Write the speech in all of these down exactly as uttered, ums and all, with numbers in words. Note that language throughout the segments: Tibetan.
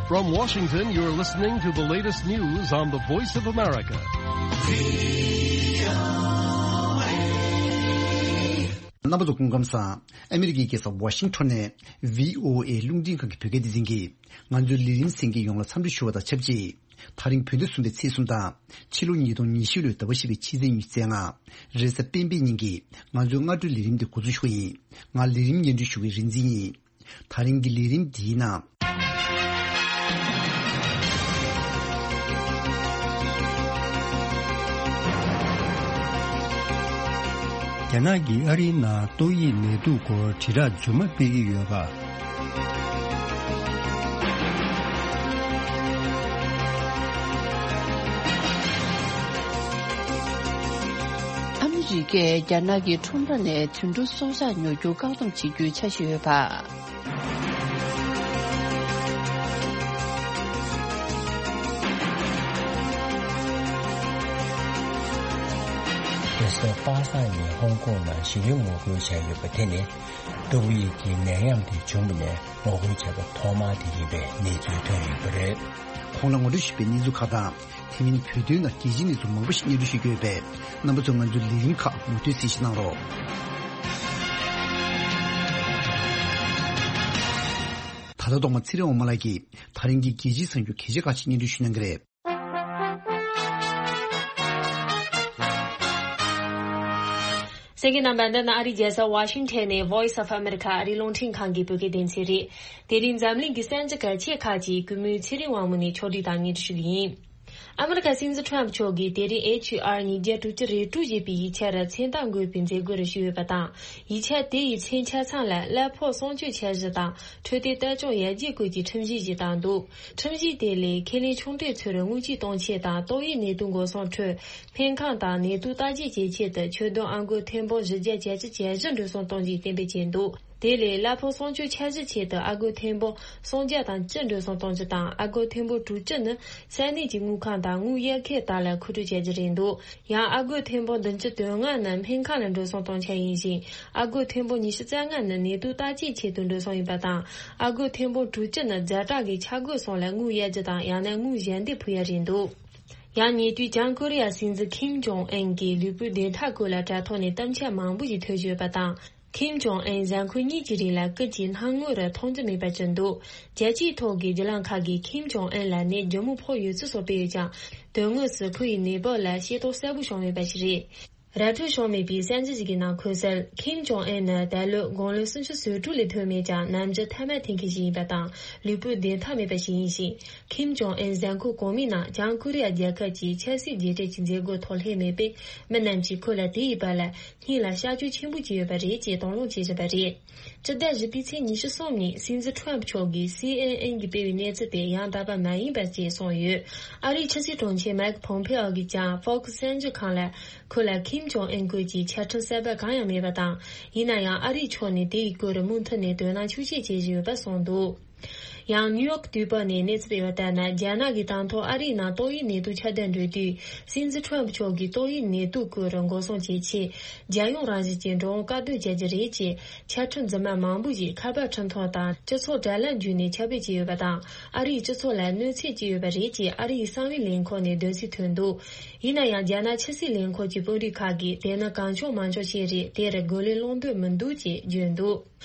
From Washington, you're listening to the latest news on the Voice of America. རྣམ་པ་ཚོ་སྐུ་ཁམས་བཟང་། ཨ་མི་རི་ཀའི་རྒྱལ་ས་ཝ་ཤིང་ཊོན་ནས་བྷི་ཨོ་ཨེ་རླུང་འཕྲིན་ཁང་གི་བོད་སྐད་སྡེ་ཚན་གྱིས་ང་ཚོའི་ལས་རིམ་གསན་མཁན་ཡོངས་ལ་འཚམས་འདྲི་ཞུ་བ་དང་ཆབས་ཅིག་དེ་རིང་བོད་ཟླ་གསུམ་པའི་ཚེས་གསུམ་དང་། ཕྱི་ལོ་ཉིས་སྟོང་ཉི་ཤུ་ལོའི་ཟླ་བ་བཞི་པའི་ཕྱི་ཚེས་ཉི་ཤུ་རྩ་ལྔ། རེས་གཟའ་སྤེན་པའི་ཉིན་གྱི་ང་ཚོའི་སྔ་དྲོའི་ལས་རིམ་འདི་འགོ་འཛུགས་ཞུ་གི་ཡིན། ང་ལས་རིམ་སྙན་སྒྲོན་ཞུ་མཁན་རིག་འཛིན་ཡིན། དེ་རིང་གི་ལས་རིམ་འདིའི་ནང་། རྒྱ་ནག་གིས་ཨ་རིའི་ནང་ཏོག་དབྱིབས་ནད་དུག་སྐོར་དྲིལ་བསྒྲགས་རྫུན་མ་སྤེལ་གྱི་ཡོད་པ། ཨ་མི་རི་ཀས་རྒྱ་ནག་གི་ཁྲོམ་ར་ནས་དུད་འགྲོ་སྲོག་ཆགས་ཉོ་རྒྱུ་བཀག་སྡོམ་བྱེད་རྒྱུའི་འཆར་གཞི་ཡོད་པ། རྒྱལ་ས་པ་སངས་ནས་ཧོང་ཀོང་ནང་ཞི་བའི་ངོ་རྒོལ་བྱས་ཡོད་པ་དེ་ནི་ཏོག་དབྱིབས་ཀྱི་ནད་ཡམས་དེ་བྱུང་བ་ནས་ངོ་རྒོལ་བྱས་པ་ཐོག་མ་དེ་ཡིན་པའི་གནས་ཚུལ་ཐོན་ཡོད་པ་རེད། གོང་ལ་ངོ་སྤྲོད་ཞུས་པའི་གནས་ཚུལ་ཁག་དང་། དེ་མིན་བོད་དོན་ནང་རྒྱལ་སྤྱིའི་གནས་ཚུལ་མང་པོ་ཞིག་སྙན་སྒྲོན་ཞུ་རྒྱུ་ཡོད་པས། རྣམ་པ་ཚོས་ང་ཚོའི་ལས་རིམ་ཁག་མུ་མཐུད་གསན་བཞེས་གནང་རོགས། ད་ལྟ་ཐོག་མ་ཚེ་རིང་དབང་མོ་ལགས་ཀྱིས་དེ་རིང་གི་རྒྱལ་སྤྱིའི་གསར་འགྱུར་གལ་ཆེ་ཁག་ཅིག་སྙན་སྒྲོན་ཞུ་གནང་གི་རེད། གསན་མཁན་རྣམ་པ། འདི་ནི་ཨ་རིའི་རྒྱལ་ས་ཝ་ཤིང་ཊོན་ནས་Voice of America ཨ་རིའི་རླུང་འཕྲིན་ཁང་གི་བོད་སྐད་སྡེ་ཚན་རེད། དེ་རིང་འཛམ་གླིང་གི་གསར་འགྱུར་གལ་ཆེ་ཁག་ཅིག་གུས་མོས་ཚེ་རིང་དབང་མོ་ནས་ཕྱོགས་སྒྲིག་དང་སྙན་སྒྲོན་ཞུ་གི་ཡིན། ཨ་མི་རི་ཀ་སྲིད་འཛིན་ཁྲོམ་ཕུ་མཆོག་གིས་དེ་རིང་ཨེཆ་ཨར་ཉིས་བརྒྱ་དྲུག་ཅུ་རེ་དྲུག་ཞེས་པའི་ཡིག་ཆར་མཚན་རྟགས་འགོད་པའི་མཛད་སྒོར་ཞུགས་ཡོད་པ་དང་། ཡིག་ཆ་དེ་ཡི་མཚན་ཆ་ཚང་ལ་གླ་ཕོགས་སྲུང་སྐྱོབ་འཆར་གཞི་དང་འཕྲོད་བསྟེན་ལྟ་སྐྱོང་ཡར་རྒྱས་སྐོར་གྱི་ཁྲིམས་གཞི་ཞིག་བཏང་འདུག་ཁྲིམས་གཞི་དེ་ལས་ཁས་ལེན་ཆུང་གྲས་ཚོར་དངུལ་ཆད་གཏོང་ཆེད་དང་ཏོག་དབྱིབས་ནད་དུག་འགོག་སྲུང་ཁྲོད་སྨན་ཁང་དང་ནད་དུག་བརྟག་དཔྱད་བྱེད་ཆེད་དུ་ཆོད་དོན་ཨ་སྒོར་ཐེར་འབུམ་བཞི་བརྒྱ་གྱ་གཅིག་གྱ་བཞི་འགྲོ་སོང་གཏོང་རྒྱུའི་གཏན་འབེབས་བྱས་འདུག་དེ་ལས་གླ་ཕོགས་སྲུང་སྐྱོབ་འཆར་གཞི་ཆེད་དུ་ཨ་སྒོར་ཐེར་འབུམ་སུམ་བརྒྱ་དང་བཅུ་འགྲོ་སོང་གཏོང་རྒྱུ་དང་། ཨ་སྒོར་ཐེར་འབུམ་དྲུག་ཅུ་ནི་ས་གནས་ཀྱི་དངུལ་ཁང་དང་དངུལ་གཡར་ཁང་དག་ལ་མཁོ་སྤྲོད་བྱ་རྒྱུ་རེད་འདུག་ཡང་ཨ་སྒོར་ཐེར་འབུམ་བདུན་ཅུ་དོན་ལྔ་ནི་སྨན་ཁང་ལ་འགྲོ་སོང་གཏོང་འཆར་ཡིན་ཞིང་། ཨ་སྒོར་ཐེར་འབུམ་ཉི་ཤུ་རྩ་ལྔ་ནི་ནད་དུག་བརྟག་དཔྱད་ཆེད་དུ་འགྲོ་སོང་ཡིན་པ་དང་། ཨ་སྒོར་ཐེར་འབུམ་དྲུག་ཅུ་ནི་ཛ་དྲག་གི་ཆ་བགོས་སོང་ལ་དངུལ་གཡར་རྒྱུ་དང་། ཡང་ན་དངུལ་ཞལ་འདེབས་ཕུལ་ཡ་རེད་འདུག་ཡང་ཉེ་དུས་བྱང་ཀོ་རི་ཡ་སྲིད་འཛིན་ཁིམ་ཇོང་ཨན་གྱི་ལུས་པོའི་བདེ་ཐང་སྐོར་ལ་དྲ་ཐོག་ནས་གཏམ་འཆལ་མང་པོ་ཞིག་ཐོན་བཞིན་ཡོད་པ་དང་། ཁིམ་ཇོང་ཨན་གཟའ་འཁོར་གཉིས་ཀྱི་རིང་ལ་སྐུ་མཁྱེན་སྣང་ངོ་རུ་མཐོང་རྒྱུ་མེད་པར་གྱུར་འདུག་རྒྱལ་སྤྱིའི་ཐོག་གི་བརྒྱུད་ལམ་ཁག་གིས་ཁིམ་ཇོང་ཨན་ལ་ནད་མགྱོགས་མོ་ཕོག་ཡོད་ཚུལ་སོགས་སྤེལ་ཡོད་ཀྱང་། དོན་དངོས་སུ་ཁོ་ཡི་ནད་པ་ལ་ཤེས་རྟོགས་གསལ་པོ་བྱུང་མེད་པ་ཞིག་རེད། ར་འཕྲོད་བྱུང་མེད་པའི་གསར་འགྱུར་ཞིག་གི་ནང་འཁོད་གསལ། ཁིམ་ཇོང་ཨན་ནི་ད་ལོ་དགུང་ལོ་སུམ་ཅུ་སོ་དྲུག་ལས་ཐོན་མེད་ཀྱང་། ནམ་རྒྱུན་ཐ་མག་འཐེན་མཁན་ཞིག་ཡིན་པ་དང་། ལུས་པོའི་བདེ་ཐང་མེད་པ་ཞིག་ཡིན་ཞིང་། ཁིམ་ཇོང་ཨན་གཟའ་འཁོར་གོང་མའི་ནང་བྱང་ཀོ་རི་ཡ་རྒྱལ་ཁབ་ཀྱི་ཆབ་སྲིད་རྗེས་དྲན་གྱི་མཛད་སྒོའི་ཐོག་སླེབས་མེད་པས། མི་རྣམས་ཀྱིས་ཁོ་ལ་དེ་ཡི་བར་ལ་སྙིང་ལ་གཤག་བཅོས་ཆེན་པོ་བྱས་ཡོད་པ་རེད་ཅེས་དང་བླངས་བྱེད་བཞིན་པ་རེད། སྤྱི་ཟླ་བཞི་པའི་ཚེས་ཉི་ཤུ་གསུམ་ཉིན་སྲིད་འཛིན་ཁྲོམ་ཕུ་མཆོག་གིས་སི་ཨེན་ཨེན་གྱིས་སྤེལ་བའི་གནས་ཚུལ་དེ་ཡང་དག་པ་མ་ཡིན་པ་ཞེས་གསུངས་ཡོད། ཨ་རིའི་ཕྱི་སྲིད་དྲུང་ཆེ་མའེ་ཁི་ཕོམ་ཕེ་ཨོ་གིས་ཀྱང་ཧྥོག་སི་གསར་འགྱུར་ཁང་ལ། ཁོ་ལ་ཁིམ་ཇོང་ཨན་སྐོར་གྱི་ཆ་འཕྲིན་གསར་པ་གང་ཡང་མེད་པ་དང་། ཡིན་ན་ཡང་ཨ་རིའི་ཕྱོགས་ནས་དེ་ཡི་སྐོར་མུ་མཐུད་ནས་དོ་སྣང་ཤུགས་ཆེ་བྱེད་བཞིན་ཡོད་པ་གསུངས་འདུག་ཡང་ནིའུ་ཡོག་དུས་བབ་ནས་གནས་ཚུལ་སྤེལ་བ་ལྟར་ན། རྒྱ་ནག་གིས་དང་ཐོག་ཨ་རིའི་ནང་ཏོག་དབྱིབས་ནད་དུག་ཁྱབ་གདལ་འགྲོ་དུས། སྲིད་འཛིན་ཁྲོམ་ཕུ་མཆོག་གིས་ཏོག་དབྱིབས་ནད་དུག་སྐོར་འགོག་སྲུང་བྱེད་ཆེད། རྒྱལ་ཡོངས་རང་བཞིན་གྱི་འགྲོ་འོང་བཀག་སྡོམ་བྱ་རྒྱུ་རེད་ཅེས་ཆ་འཕྲིན་རྫུན་མ་མང་པོ་ཞིག་ཁ་པར་འཕྲིན་ཐུང་དང་སྤྱི་ཚོགས་དྲ་ལམ་བརྒྱུད་ནས་ཁྱབ་སྤེལ་བྱས་ཡོད་པ་དང་། ཨ་རིའི་སྤྱི་ཚོགས་ལ་གནོད་འཚེ་བྱས་ཡོད་པ་རེད་ཅེས་ཨ་རིའི་གསང་བའི་ལས་ཁུངས་ནས་འདོད་སྲེད་ཐོན་འདུག་ཡིན་ན་ཡང་། རྒྱ་ནག་ཕྱི་སྲིད་ལས་ཁུངས་ཀྱི་དཔོན་རིགས་ཁག་གིས་དེ་ནི་གང་བྱུང་མང་བྱུང་ཞིག་རེད། དེར་རྒོལ་ལན་སློང་འདོད་མི་འདུག་ཅེས་བརྗོད་འདུག་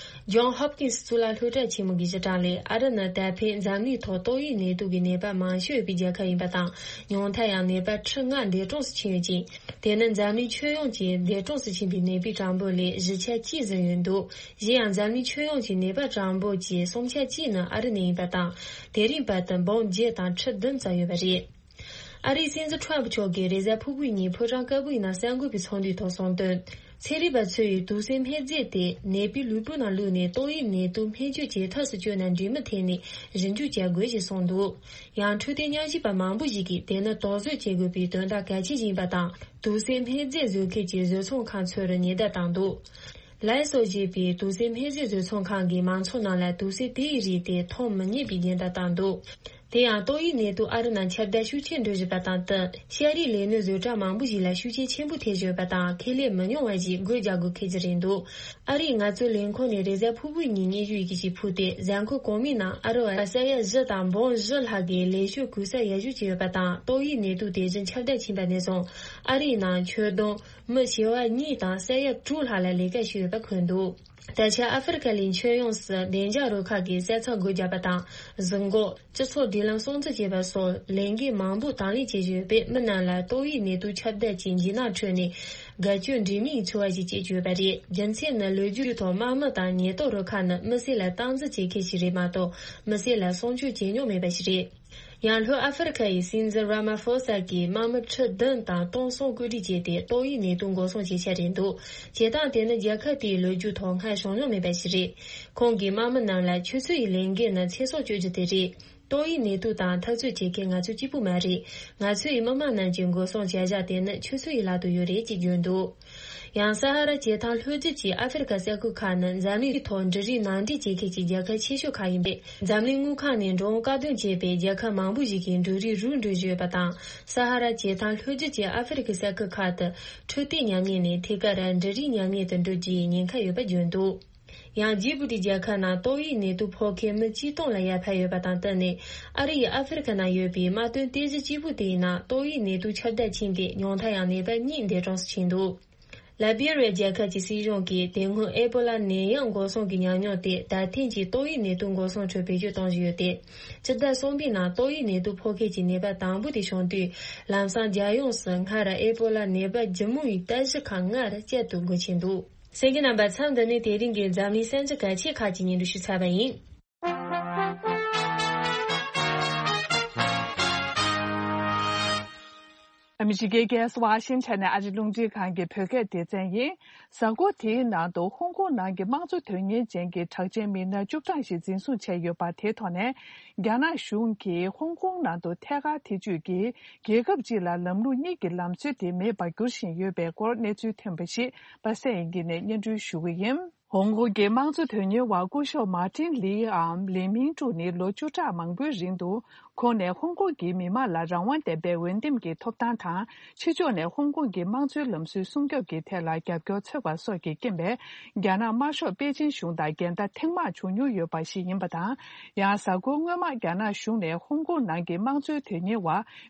ཇོན་ཧོབ་ཀིན་སི་གཙུག་ལག་སློབ་གྲྭ་ཆེན་མོ་གི་སྤྱི་དྲུང་ལས། ཨ་རི་ནི་ད་ཕན་འཛམ་གླིང་ཐོག་ཏོག་དབྱིབས་ནད་དུག་གི་ནད་པ་མང་ཤོས་ཡོད་པའི་རྒྱལ་ཁབ་ཡིན་པ་དང་། ཉུང་མཐར་ཡང་ནད་པ་ཁྲི་ལྔ་འདས་གྲོངས་སུ་ཕྱིན་ཡོད་ཅིང་། དེ་ནི་འཛམ་གླིང་ཁྱོན་ཡོངས་ཀྱི་འདས་གྲོངས་སུ་ཕྱིན་པའི་ནད་པའི་གྲངས་འབོར་ལས་བཞི་ཆ་གཅིག་ཟིན་ཡོད་འདུག་གཞན་ཡང་། འཛམ་གླིང་ཁྱོན་ཡོངས་ཀྱི་ནད་པ་གྲངས་འབོར་གྱི་གསུམ་ཆ་གཅིག་ནི་ཨ་རི་ནས་ཡིན་པ་དང་། དེ་རིང་བར་དུ་འབུམ་བརྒྱད་དང་ཁྲི་བདུན་ཙམ་ཡོད་པ་རེད། ཨ་རིའི་སྲིད་འཛིན་ཁྲོམ་ཕུ་མཆོག་གིས་རེས་གཟའ་ཕུར་བུའི་ཉིན་ཕོ་བྲང་དཀར་པོའི་ནང་གསར་འགོད་པའི་ཚོགས་འདུའི་ཐོག་གསུངས་དོན། ཚན་རིག་པ་ཚོས་དུག་སེལ་སྨན་རྫས་དེ་ནད་པའི་ལུས་པོའི་ནང་བླུགས་ནས་ཏོག་དབྱིབས་ནད་དུག་སྨན་བཅོས་བྱེད་ཐབས་སུ་བསྐྱོད་ན་འགྲིག་མིན་ཐད་ནས་ཞིབ་འཇུག་བྱ་དགོས་ཞེས་གསུངས་འདུག་ཡང་། འཕྲོད་བསྟེན་ཉམས་ཞིབ་པ་མང་པོ་ཞིག་གིས་དེ་ནི་དོགས་ཟོན་བྱེད་དགོས་པའི་དོན་དག་གལ་ཆེན་ཞིག་ཡིན་པ་དང་། དུག་སེལ་སྨན་རྫས་བཟོ་མཁན་གྱི་བཟོ་ཚོང་ཁང་ཚོར་ཉེན་བརྡ་བཏང་འདུག་ལའི་སོ་ཞེས་པའི་དུག་སེལ་སྨན་རྫས་བཟོ་ཚོང་ཁང་གིས་མང་ཚོགས་རྣམས་ལ་དུག་སེལ་དེ་ཡི་རིགས་དེ་འཐུང་མི་ཉན་པའི་ཉེན་བརྡ་བཏང་འདུག་དེ་ཡང་ཏོག་དབྱིབས་ནད་དུག་ཨ་རི་ནང་ཁྱབ་གདལ་ཤུགས་ཆེ་འགྲོ་བཞིན་པ་དང་བསྟུན། ཤ་རིགས་ལས་སྣོན་བཟོ་གྲྭ་མང་པོ་ཞིག་ལ་ཤུགས་རྐྱེན་ཆེན་པོ་ཐེབས་བཞིན་པ་དང་ཁེ་ལས་མི་ཉུང་བ་ཞིག་སྒོ་རྒྱག་དགོས་ཁེལ་གྱི་རེད་འདུག་ཨ་རིའི་ངལ་རྩོལ་ལས་ཁུངས་ནས་རེས་གཟའ་ཕུར་བུའི་ཉིན་སྙན་ཞུ་ཡི་གེ་ཞིག་ཕུལ་ཏེ། གཟའ་འཁོར་གོང་མའི་ནང་ཨ་རི་བ་ས་ཡ་བཞི་དང་འབུམ་བཞི་ལྷག་གིས་ལས་ཞུགས་གུག་གསབ་ཡར་ཞུ་བྱས་ཡོད་པ་དང་། ཏོག་དབྱིབས་ནད་དུག་དེ་བཞིན་ཁྱབ་གདལ་ཕྱིན་པ་ནས་བཟུང་ཨ་རིའི་ནང་ཁྱོན་བསྡོམས་མི་བྱེ་བ་གཉིས་དང་ས་ཡ་དྲུག་ལྷག་ལ་ལས་ཀ་བྱས་ཡོད་པ་འཁོད་འདུག་ད་ཆ་ཨ་ཧྥེ་རི་ཁ་གླིང་ཁྱོན་ཡོངས་སུ་བདེ་འཇགས་རུ་ཁག་གིས་གསལ་ཚགས་སྒོ་བརྒྱབ་པ་དང་། གཟུགས་འགོག་སྤྱི་ཚོགས་སྒྲིག་ལམ་སྲུང་བརྩི་བྱེད་པ་སོགས་ལས་འགན་མང་པོ་དང་ལེན་བྱེད་བཞིན་ཡོད་པས། མི་རྣམས་ལ་ཏོག་དབྱིབས་ནད་དུག་ཁྱབ་གདལ་གྱི་འཇིགས་སྣང་ཁྲོད་ནས་དགའ་སྐྱིད་འདྲེས་མའི་འཚོ་བ་ཞིག་སྐྱེལ་གྱི་ཡོད་པ་རེད། རྒྱུ་མཚན་ནི་ལོ་རྒྱུས་ཐོག་དམག་མི་དང་ཉེན་རྟོག་རུ་ཁག་ནི་མི་སེར་ལ་སྟངས་འཛིན་བྱེད་མཁན་ཞིག་རེད་མ་གཏོགས། མི་སེར་ལ་སྲུང་སྐྱོབ་བྱེད་མྱོང་མེད་པ་ཞིག་རེད། ཡང་ལྷོ་ཨ་ཧྥེ་རི་ཁ་ཡི་སྲིད་འཛིན་ར་མ་ཧྥོ་ས་གིས་དམག་མི་ཁྲི་བདུན་དང་སྟོང་གསུམ་བཀོད་སྒྲིག་བྱས་ཏེ། ཏོག་དབྱིབས་ནད་དུག་འགོག་སྲུང་བྱེད་འཆར་རེད་འདུག་བྱེད་སྟངས་དེ་ནི་རྒྱལ་ཁབ་དེའི་ལོ་རྒྱུས་ཐོག་སྔར་བྱུང་མྱོང་མེད་པ་ཞིག་རེད། ཁོང་གིས་དམག་མི་རྣམས་ལ་ཁྱོད་ཚོ་ཡི་ལས་འགན་ནི་ཚེ་སྲོག་གཅོད་རྒྱུ་དེ་རེད། ཏོག་དབྱིབས་ནད་དུག་དང་འཐབ་རྩོད་བྱེད་མཁན་ང་ཚོ་གཅིག་པུ་མ་རེད། ང་ཚོ་ཡི་མི་དམངས་རྣམས་ཀྱི་འགོག་སྲུང་བྱ་གཞག་དེ་ནི་ཁྱོད་ཚོ་ཡི་ལག་ཏུ་ཡོད་རེད་ཅེས་བརྗོད་འདུག་ཡང་ས་ཧ་ར་བྱེ་ཐང་ལྷོ་རྒྱུད་ཀྱི་ཨ་ཧྥེ་རི་ཁ་ས་ཁུལ་ཁག་ནི་འཛམ་གླིང་ཐོག་འབྲུ་རིགས་ནང་འདྲེན་བྱེད་མཁན་གྱི་རྒྱལ་ཁབ་ཆེ་ཤོས་ཁག་ཡིན་པས། འཛམ་གླིང་དངུལ་ཁང་ནས་འགྲོ་འོང་བཀག་སྡོམ་བྱས་པས། རྒྱལ་ཁབ་མང་པོ་ཞིག་གི་འབྲུ་རིགས་རུལ་འགྲོ་བཞིན་ཡོད་པ་དང་། ས་ཧ་ར་བྱེ་ཐང་ལྷོ་རྒྱུད་ཀྱི་ཨ་ཧྥེ་རི་ཁའི་ས་ཁུལ་ཁག་ཏུ་འཕྲོད་བསྟེན་ཉམས་ཉེས་ནས་ཐད་ཀར་འབྲུ་རིགས་ཉམས་ཉེས་དུ་འགྲོ་རྒྱུའི་ཉེན་ཁ་ཡོད་པ་བརྗོད་འདུག་ཡང་ཇི་བྷུ་ཏི་རྒྱལ་ཁབ་ནང་ཏོག་དབྱིབས་ནད་དུག་ཕོག་མཁན་མི་ཆིག་སྟོང་ལ་ཡར་འཕར་ཡོད་པ་དང་བསྟུན་ནས། ཨ་རི་ཡིས་ཨ་ཧྥེ་རི་ཁ་ནང་ཡོད་པའི་དམག་དོན་རྟེན་གཞི་གཅིག་པུ་དེའི་ནང་ཏོག་དབྱིབས་ནད་དུག་ཁྱབ་གདལ་ཕྱིན་ཏེ། ཉུང་མཐའ་ཡང་ནད་པ་གཉིས་འདས་གྲོངས་སུ་ཕྱིན་འདུག་ལ་བྷི་རི་ཡ་རྒྱལ་ཁབ་ཀྱི་སྲིད་གཞུང་གིས་དེ་སྔོན་ཨེ་པོ་ལ་ནད་ཡམས་འགོག་སྲུང་གི་ཉམས་མྱོང་དེ་ད་ཐེངས་ཀྱི་ཏོག་དབྱིབས་ནད་དུག་འགོག་སྲུང་ཁྲོད་བེད་སྤྱོད་གཏོང་བཞིན་ཡོད་དེ། སྤྱི་ཟླ་གསུམ་པའི་ནང་ཏོག་དབྱིབས་ནད་དུག་ཕོག་མཁན་གྱི་ནད་པ་དང་པོ་དེ་བྱུང་དུས། ལམ་སང་རྒྱལ་ཡོངས་སུ་སྔར་ཨེ་པོ་ལ་ནད་པ་ལྗིད་མོ་ཡི་ལྟ་གཞི་ཁག་ལྔ་རུ་བསྐྱར་དུ་འགོས་ཕྱིན་འདུག་གསན་མཁན་རྣམ་པ། མཚམས་འདི་ནས་དེ་རིང་གི་འཛམ་གླིང་གསར་འགྱུར་གལ་ཆེ་ཁག་ཅིག་སྙན་སྒྲོན་ཞུས་ཚར་བ་ཡིན། ཨ་མི་རི་ཀའི་རྒྱལ་ས་ཝ་ཤིང་ཊོན་ནས་ཨ་རི་རླུང་འཕྲིན་ཁང་གི་བོད་སྐད་སྡེ་ཚན་ཡིན། གཟའ་འཁོར་དེའི་ནང་དུ་ཧོང་ཀོང་ནང་གི་དམངས་གཙོ་དོན་གཉེར་ཅན་གྱི་གྲགས་ཅན་མི་སྣ་བཅུ་གྲངས་ཤིག་འཛིན་བཟུང་བྱས་ཡོད་པ་དེའི་ཐོག་ནས། རྒྱ་ནག་གཞུང་གིས་ཧོང་ཀོང་ནང་དུ་ཐད་ཀར་ཐེ་བྱུས་ཀྱིས། རྒྱལ་ཁབ་གཅིག་ལ་ལམ་ལུགས་གཉིས་ཀྱི་ལམ་སྲོལ་དེ་མེད་པར་འགྱུར་བཞིན་ཡོད་པའི་སྐོར་གནས་ཚུལ་ཐོན་པ་ཞིག་པ་སངས་དབྱངས་སྐྱིད་ནས་སྙན་སྒྲོན་ཞུ་གི་ཡིན། ཧོང་ཀོང་གི་དམངས་གཙོ་དོན་གཉེར་བ་སྐུ་ཞབས་མཱ་ཏིན་ལིའམ་ལི་མིང་ཀྲུའུ་ནི་ལོ་བཅུ་ཕྲག་མང་པོའི་རིང་དུ། ཁོང་ནས་ཧོང་ཀོང་གི་མི་དམངས་ལ་རང་དབང་ལྡན་པའི་འོས་འདེམས་ཀྱི་ཐོབ་ཐང་དང་། ཕྱི་ཕྱོགས་ནས་ཧོང་ཀོང་གི་དམངས་གཙོའི་ལམ་སྲོལ་སྲུང་སྐྱོབ་ཀྱི་ཐད་ལ་རྒྱབ་སྐྱོར་འཚོལ་བ་སོགས་ཀྱི་རྐྱེན་པས། རྒྱ་ནག་དམར་ཤོག་པེ་ཅིན་གཞུང་དང་འགལ་ཟླ་ཐེངས་མང་བྱུང་མྱོང་ཡོད་པ་ཞིག་ཡིན་པ་དང་། ཡང་གཟའ་འཁོར་སྔོན་མ་རྒྱ་ནག་གཞུང་ནས་ཧོང་ཀོང་ནང་གི་དམངས་གཙོའི་དོན་གཉེར་བ་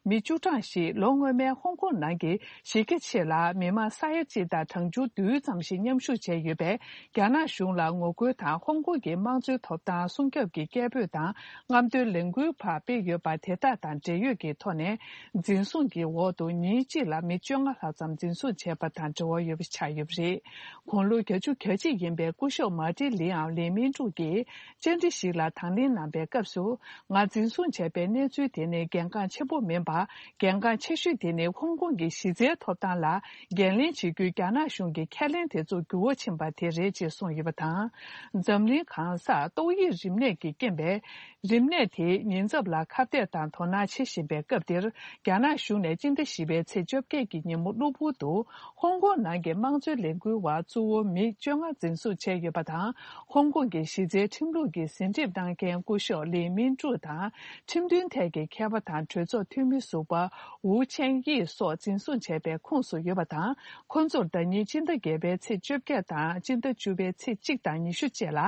མི་བཅུ་གྲངས་ཤིག་ལོ་སྔོན་མའི་ཧོང་ཀོང་ནང་གི་གཞི་རྒྱ་ཆེ་ལ་མི་མང་ས་ཡ་གཅིག་དང་གྲངས་ཆུང་བདུན་ཙམ་ཞིག་མཉམ་ཞུགས་བྱས་ཡོད་པས། རྒྱ་ནག་གཞུང་ལ་ངོ་རྒོལ་དང་། ཧོང་ཀོང་གི་དམངས་གཙོའི་ཐོབ་ཐང་སྲུང་སྐྱོབ་ཀྱི་སྐད་འབོད་དང་། རྔམ་སྟོན་ལས་འགུལ་ཕར་སྤེལ་ཡོད་པ་དེ་དག་དང་འབྲེལ་ཡོད་ཀྱི་ཐོག་ནས། འཛིན་བཟུང་གི་འོག་ཏུ་ཉིན་གཅིག་ལ་མི་བཅོ་ལྔ་ལྷག་ཙམ་འཛིན་བཟུང་བྱས་པ་དང་འབྲེལ་བ་ཡོད་པ་ཆགས་ཡོད་པ་རེད། དགུང་ལོ་བརྒྱད་ཅུ་གྱ་གཅིག་ཡིན་པའི་སྐུ་ཞབས་མཱ་ཏིན་ལིའམ་ལི་མིན་ཀྲུའུ་གིས་བཅར་འདྲི་ཞིག་ལ་དང་ལེན་གནང་པའི་སྐབས་སུ། ང་འཛིན་བཟུང་བྱས་པའི་གནས་ཚུལ་དེ་ནི་གལ་འགངས་ཆེན་པོ་མིན་པ། གལ་འགངས་ཆེ་ཤོས་དེ་ནི་ཧོང་ཀོང་གི་གཞི་རྩའི་ཐོབ་ཐང་ལ་འགན་ལེན་བྱེད་རྒྱུའི་རྒྱ་ནག་གཞུང་གི་ཁས་ལེན་དེ་ཚོ་འགྱུར་བ་ཕྱིན་པ་དེ་རེད་ཅེས་གསུངས་ཡོད་པ་དང་། འཛམ་གླིང་གང་སར་ཏོག་དབྱིབས་རིམས་ནད་ཀྱི་རྐྱེན་པས། རིམས་ནད་དེའི་ཉེན་ཚབས་ལ་ཁ་གཏད་དང་དོ་སྣང་བྱེད་བཞིན་པའི་སྐབས་འདིར། རྒྱ་ནག་གཞུང་ནས་སྤྱི་ཟླ་བཞི་པའི་ཚེས་བཅོ་བརྒྱད་ཀྱི་ཉིན་མོ་གློ་བུར་དུ། ཧོང་ཀོང་ནང་གི་དམངས་གཙོའི་ལས་འགུལ་བ་གཙོ་བོ་མི་བཅོ་ལྔ་འཛིན་བཟུང་བྱས་ཡོད་པ་དང་། ཧོང་ཀོང་གི་གཞི་རྩའི་ཁྲིམས་ལུགས་ཀྱི་ཟིན་བྲིས་གནང་མཁན་སྐུ་ཞབས་ལི་མིན་ཀྲུའུ་དང་། ཁྲིམས་མཐུན་ཐད་ཀྱི་མཁས་པ་དང་གྲོས་ཚོགས་འཐུས་མི་ཟུར་པ་ཝུ་ཆན་དབྱི་སོགས་འཛིན་བཟུང་བྱས་པའི་ཁོངས་སུ་ཡོད་པ་དང་། ཁོ་ཚོར་ཟླ་ཉིན་སྤྱི་ཟླ་བརྒྱད་པའི་ཚེས་བཅོ་བརྒྱད་དང་སྤྱི་ཟླ་བཅུ་པའི་ཚེས་གཅིག་དང་ཉི་ཤུ་བཅས་ལ།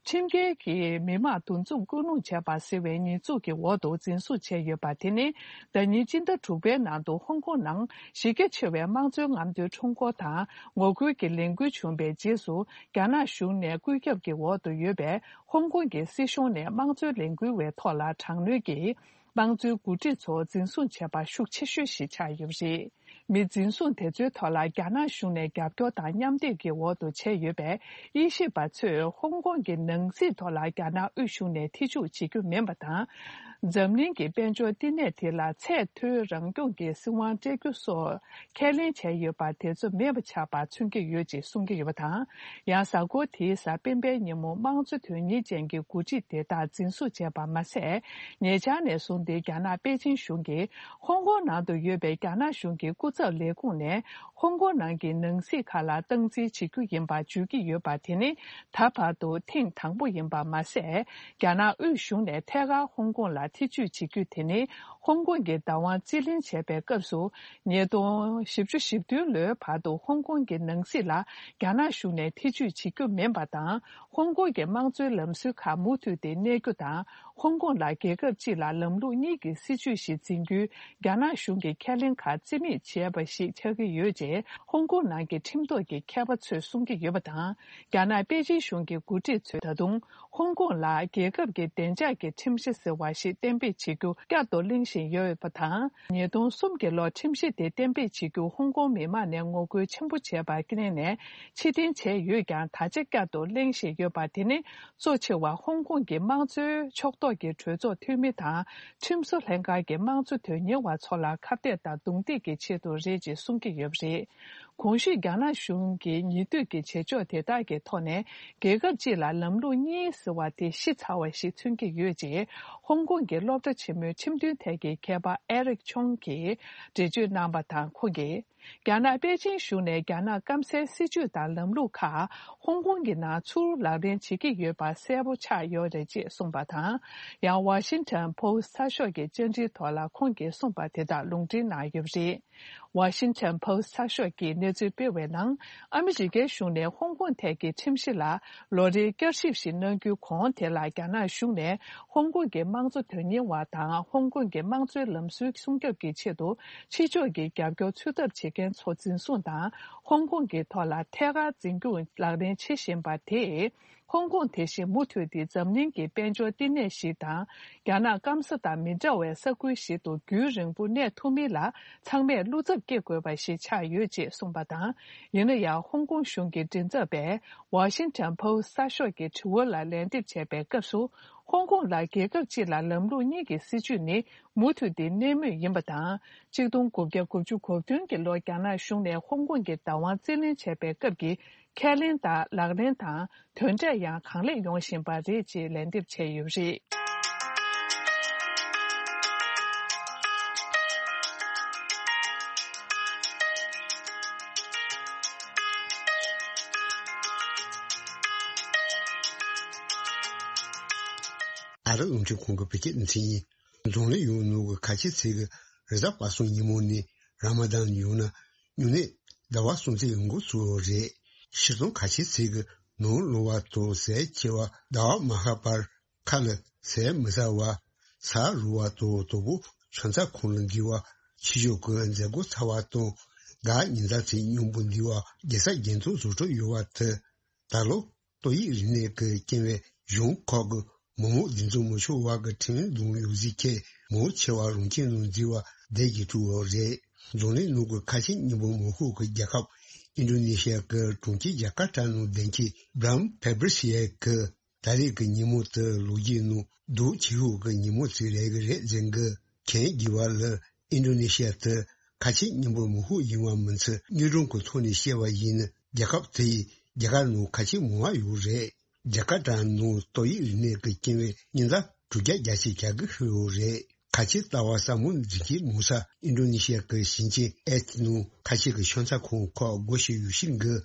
ཁྲིམས་འགལ་གྱིས་མི་མང་འདུ་འཛོམས་སྐུལ་སློང་བྱས་པ་ཟེར་བའི་ཉེས་འཛུགས་ཀྱི་འོག་ཏུ་འཛིན་བཟུང་བྱས་ཡོད་པ་དེ་ནི། ཟླ་ཉིན་སྤྱི་ཟླ་དྲུག་པའི་ནང་དུ་ཧོང་ཀོང་ནང་གཞི་རྒྱ་ཆེ་བའི་དམངས་གཙོའི་རྔམ་སྟོན་ཁྲོམ་སྐོར་དང་ངོ་རྒོལ་གྱི་ལས་འགུལ་བྱུང་བའི་རྗེས་སུ། རྒྱ་ནག་གཞུང་ནས་བཀོད་ཁྱབ་ཀྱི་འོག་ཏུ་ཡོད་པའི་ཧོང་ཀོང་གི་སྲིད་གཞུང་ནས་དམངས་གཙོའི་ལས་འགུལ་བའི་ཐོག་ལ་དྲག་གནོན་གྱིས། དམངས་གཙོའི་འགོ་ཁྲིད་ཚོ་འཛིན་བཟུང་བྱས་པ་ཤུགས་ཆེ་ཤོས་ཤིག་ཆགས་ཡོད་པ་རེད། མི་འཛིན་བཟུང་དེ་ཚོའི་ཐོག་ལ་རྒྱ་ནག་གཞུང་ནས་རྒྱབ་སྐྱོར་དང་མཉམ་འདེགས་ཀྱི་འོག་ཏུ་བྱས་ཡོད་པས། དབྱེ་ཞིབ་པ་ཚོས་ཧོང་ཀོང་གི་ནང་སྲིད་ཐོག་ལ་རྒྱ་ནག་དབུས་གཞུང་ནས་ཐེ་བྱུས་བྱེད་རྒྱུ་མིན་པ་དང་། འཛམ་གླིང་གི་དཔལ་འབྱོར་བསྟི་གནས་དེ་ལ་ཚད་མཐོའི་རང་སྐྱོང་གི་སྲིད་དབང་སྤྲད་རྒྱུ་སོགས་ཁས་ལེན་བྱས་ཡོད་པ་དེ་ཚོ་མེད་པ་ཆགས་པ་མཚོན་གྱི་ཡོད་ཅེས་གསུང་གི་ཡོད་པ་དང་། ཡང་གཟའ་འཁོར་དེའི་གཟའ་སྤེན་པའི་ཉིན་མོ་དམངས་གཙོ་དོན་གཉེར་ཅན་གྱི་འགོ་ཁྲིད་དེ་དག་འཛིན་བཟུང་བྱས་པ་མ་ཟད། ཉེ་ཆར་ནས་བཟུང་སྟེ་རྒྱ་ནག་པེ་ཅིན་གཞུང་གིས་ཧོང་ཀོང་ནང་དུ་ཡོད་པའི་རྒྱ་ནག་གཞུང་གི་སྐུ་ཚབ་ལས་ཁུངས་ནས་ཧོང་ཀོང་ནང་གི་ནང་སྲིད་ཁག་ལ་སྟངས་འཛིན་བྱེད་རྒྱུ་ཡིན་པ་བརྗོད་ཀྱི་ཡོད་པ་དེ་ནི་ད་བར་དུ་ཐེངས་དང་པོ་ཡིན་པ་མ་ཟད། རྒྱ་ནག་དབུས་གཞུང་ནས་ཐད་ཀར་ཧོང་ཀོང་ལ་ ཐེ་ཇུས་བྱེད་རྒྱུ་དེ་ནི་ཧོང་ཀོང་གི་བདག་དབང་རྩིས་ལེན་བྱས་པའི་སྐབས་སུ། ཉིས་སྟོང་བཞི་བཅུ་ཞེ་བདུན་ལོའི་བར་དུ་ཧོང་ཀོང་གི་ནང་སྲིད་ལ་རྒྱ་ནག་གཞུང་ནས་ཐེ་ཇུས་བྱེད་རྒྱུ་མིན་པ་དང་། ཧོང་ཀོང་གི་དམངས་གཙོའི་ལམ་སྲོལ་ཁག་མུ་མཐུད་དེ་གནས་རྒྱུ་དང་། ཧོང་ཀོང་ལ་རྒྱལ་ཁབ་གཅིག་ལ་ལམ་ལུགས་གཉིས་ཀྱི་སྲིད་བྱུས་ཤིག་འཛིན་རྒྱུའི་རྒྱ་ནག་གཞུང་གི་ཁས་ལེན་ཁག་རྩིས་མེད་བྱས་པ་ཞིག་ཆགས་ཀྱི་ཡོད་ཅེས་ཧོང་ཀོང་ནང་གི་ཁྲིམས་ཐོག་གི་མཁས་པ་ཚོས་གསུང་གི་ཡོད་པ་དང་། རྒྱ་ནག་པེ་ཅིན་གཞུང་གི་འགོ་ཁྲིད་ཚོས་ད་དུང་ཧོང་ཀོང་ལ་རྒྱལ་ཁབ་ཀྱི་བདེ་འཇགས་ཀྱི་ཁྲིམས་གཞི་ཟེར་བ་ཞིག་གཏན་འབེབས་བྱེད་རྒྱུ་བསྐྱར་དུ་གླེང་བཞིན་ཡོད་པ་དང་། ཉིས་སྟོང་གསུམ་གྱི་ལོར་ཁྲིམས་གཞི་དེ་གཏན་འབེབས་བྱེད་རྒྱུ་ཧོང་ཀོང་མི་མང་ནས་ངོ་རྒོལ་ཆེན་པོ་བྱས་པར་བརྟེན་ནས་ཕྱིར་འཐེན་བྱས་ཡོད་ཀྱང་། ད་ཆ་བསྐྱར་དུ་གླེང་བཞིན་ཡོད་པ་དེ་ནི། གཙོ་ཆེ་བ་ཧོང་ཀོང་གི་དམངས་གཙོའི་ཕྱོགས་གཏོགས་ཀྱི་གྲོས་ཚོགས་འཐུས་མི་དང་། ཁྲིམས་བཟོ་ལྷན་ཁང་གི་དམངས་གཙོ་དོན་གཉེར་བ་ཚོ་ལ་ཁ་གཏད་དང་རྡུང་རྡེག་གི་ཆེད་དུ་རེད་ཅེས་གསུང་གི་ཡོད་པ་རེད། གོང་ཞུས་རྒྱ་ནག་གཞུང་གི་ཉེས་འདོད་ཀྱི་བྱེད་ཕྱོགས་དེ་དག་གི་ཐོག་ནས། རྒྱལ་ཁབ་གཅིག་ལ་ལམ་ལུགས་གཉིས་ཟེར་བ་དེ་ཤི་ཚར་བ་ཞིག་མཚོན་གྱི་ཡོད་ཅེས། ཧོང་ཀོང་གི་སློབ་གྲྭ་ཆེན་མོའི་ཁྲིམས་དོན་ཐད་ཀྱི་མཁས་པ་ཨེ་རིག་ཆོང་གིས་འགྲེལ་བརྗོད་གནང་བ་དང་། ཁོང་གིས། རྒྱ་ནག་པེ་ཅིན་གཞུང་ནས་རྒྱ་ནག་སྐམ་སའི་སྲིད་བྱུས་དང་ལམ་ལུགས་ཁག་ཧོང་ཀོང་གི་ནང་ཚུར་ལག་ལེན་བྱེད་ཀྱི་ཡོད་པ་གསལ་པོ་ཆགས་ཡོད་རེད་ཅེས་གསུངས་པ་དང་། ཡང་Washington Post་གསར་ཤོག་གི་བཅར་འདྲིའི་ཐོག་ལ་ཁོང་གིས་གསུངས་པ་དེ་དག་ལུང་འདྲེན་གནང་ཡོད་པ་རེད། Washington Post་གསར་ཤོག་གིས་གནས་ཚུལ་སྤེལ་བའི་ནང་། ཨ་མི་རི་ཀའི་གཞུང་ནས་ཧོང་ཀོང་ཐད་ཀྱི་ཁྲིམས་གཞི་ལ་ལོ་རེའི་བསྐྱར་ཞིབ་ཞིག་གནང་རྒྱུའི་གོང་དེ་ལ། རྒྱ་ནག་གཞུང་ནས་ཧོང་ཀོང་གི་དམངས་གཙོ་དོན་གཉེར་བ་དང་། ཧོང་ཀོང་གི་དམངས་གཙོའི་ལམ་སྲོལ་སྲུང་སྐྱོབ་ཀྱི་ཆེད་དུ་ཕྱི་ཕྱོགས་ཀྱི་རྒྱབ་སྐྱོར་འཚོལ་ཐབས་བྱེད་མཁན་ཚོ་འཛིན་བཟུང་དང་། ཧོང་ཀོང་གི་ཐོག་ལ་ཐད་ཀར་འཛིན་སྐྱོང་ལག་ལེན་བྱེད་བཞིན་པ་དེས། ཧོང་ཀོང་དེ་བཞིན་མུ་མཐུད་དེ་འཛམ་གླིང་གི་དཔལ་འབྱོར་བསྟི་གནས་ཤིག་དང་། རྒྱ་ནག་སྐམ་ས་དང་མི་འདྲ་བའི་ས་ཁུལ་ཞིག་ཏུ་རྒྱུན་རིང་པོ་གནས་ཐུབ་མིན་ལ་ཚང་མས་བློ་འཚབ་སྐྱེ་དགོས་པ་ཞིག་ཆགས་ཡོད་ཅེས་གསུངས་པ་དང་། ཡིན་ན་ཡང་ཧོང་ཀོང་གཞུང་གི་མགྲིན་ཚབ་པས་Washington Post་གསར་ཤོག་གི་དྲི་བ་ལ་ལན་འདེབས་བྱས་པའི་སྐབས་སུ། ཧོང་ཀོང་ལ་རྒྱལ་ཁབ་གཅིག་ལ་ལམ་ལུགས་གཉིས་ཀྱི་སྲིད་བྱུས་ནི་མུ་མཐུད་དེ་གནས་མུས་ཡིན་པ་དང་། གཅིག་སྟོང་དགུ་བརྒྱ་དགུ་བཅུ་གོ་བདུན་གྱི་ལོར་རྒྱ་ནག་གཞུང་ནས་ཧོང་ཀོང་གི་བདག་དབང་རྩིས་ལེན་བྱས་པའི་སྐབས་ཀྱི་ཁས་ལེན་དང་ལག་ལེན་དང་དོན་འབྲས་ཡང་གང་ལེགས་ཡོང་བཞིན་པ་རེད་ཅེས་ལན་འདེབས་བྱས་ཡོད་པ་རེད། ཨ་རི་རླུང་འཕྲིན་ཁང་གི་བོད་སྐད་སྡེ་ཚན་ཡིན། འཛམ་གླིང་ཡོངས་ནང་གི་ཁ་ཆེ་ཚད་ཀྱི་རེས་གཟའ་པ་སངས་ཉིན་མོ་ནི་ར་མ་དཱན་ཡང་ན་སྨྱུང་གནས་ཟླ་བ་གསུམ་ཚེས་འགོ་ཚུགས་པ་རེད། སྤྱིར་བཏང་ཁ་ཆེ་ཚད་ཀྱི་ནོར་ལོངས་པ་དང་ཟས་ཆེ་བ་ཟླ་བ་མ་ཤར་བར་ཁ་ལ་ཟས་མི་ཟ་བ། ས་རུབ་པ་དང་དོ་པོ་ཆང་ས་ཁོང་ལ་འགྱེལ་བ། ཕྱི་ཕྱོགས་ཀྱི་མཛད་སྒོ་ཚར་བ་དང་དགའ་ཉིན་ཟླ་ཚེས་སྙིང་པོ་འདི་བ་རྒྱལ་ས་རྒྱལ་མཚམས་བཟོ་གྲྭ་ཡོད་པ་དེ། ད་ལོ་ཏོག་དབྱིབས་རིམས་ནད་ཀྱི་རྐྱེན་པས་གཞུང་ཁག་གི་མི་མང་འདུ་འཛོམས་མི་ཆོག་པ་གི་ཁྲིམས་དང་ཡོ་བྱད་ཁྱེར་མང་ཆེ་བ་རང་ཁྱིམ་ནང་འཛུལ་བ་བསྡད་ཀྱི་ཐུག་པ་རེད། འཛམ་གླིང་ནང་གི་ཁ་ཆེ་སྙིང་པོ་མི་ཤོག་གི་རྒྱལ་ཁབ་ཨིན་ཌོ་ནེ་ཤི་ཡ་གི་གྲོང་ཁྱེར་ཇ་ཀར་ཏ་ནང་བདེན་སྐྱིད་བྷ་རམ་ཕེ་བྷི་རི་ཤི་ཡ་གི་ད་རེས་ཀྱི་ཉིན་མོ་དེ་ལོ་རྒྱུས་ནང་སྡུག་ཆེ་ཤོས་ཀྱི་ཉིན་མོ་ཞིག་རེད་ཀྱི་རེད་ཟེར་གི། མཁྱེན་དགོས་པ་ལ་ཨིན་ཌོ་ནེ་ཤི་ཡ་དེ་ཁ་ཆེ་སྙིང་པོ་མི་ཤོག་ཡིན་པ་མིན་ཚོད་དངོས་སྒྲུང་གི་ཐོག་ནས་བཤད་པ་ཡིན་ན། རྒྱལ་ཁབ་དེ་ཡི་རྒྱ་གར་ནང་ཁ་ཆེ་མང་བ་ཡོད་རེད། ཇ་ཀར་ཏ་ནང་ཏོག་དབྱིབས་རིམས་ནད་ཀྱི་རྐྱེན་པས་ཉིན་ལྟར་དྲུག་བརྒྱ་བརྒྱད་ཅུ་གྱ་དགུ་ཤི་ཡོད་རེད། ཁ་ཆེ་ལྟ་བ་ཟབ་མོ་འཛིན་གྱི་མུ་ས་ཨིན་ཌོ་ནེ་ཤི་ཡ་གི་ཞིང་ཆེན་ཨེ་ཐི་ནང་ཁ་ཆེ་གི་ཤོང་ཚ་ཁང་ཁག་སྒོ་ཕྱེ་ཡོད་ཤིང་གི།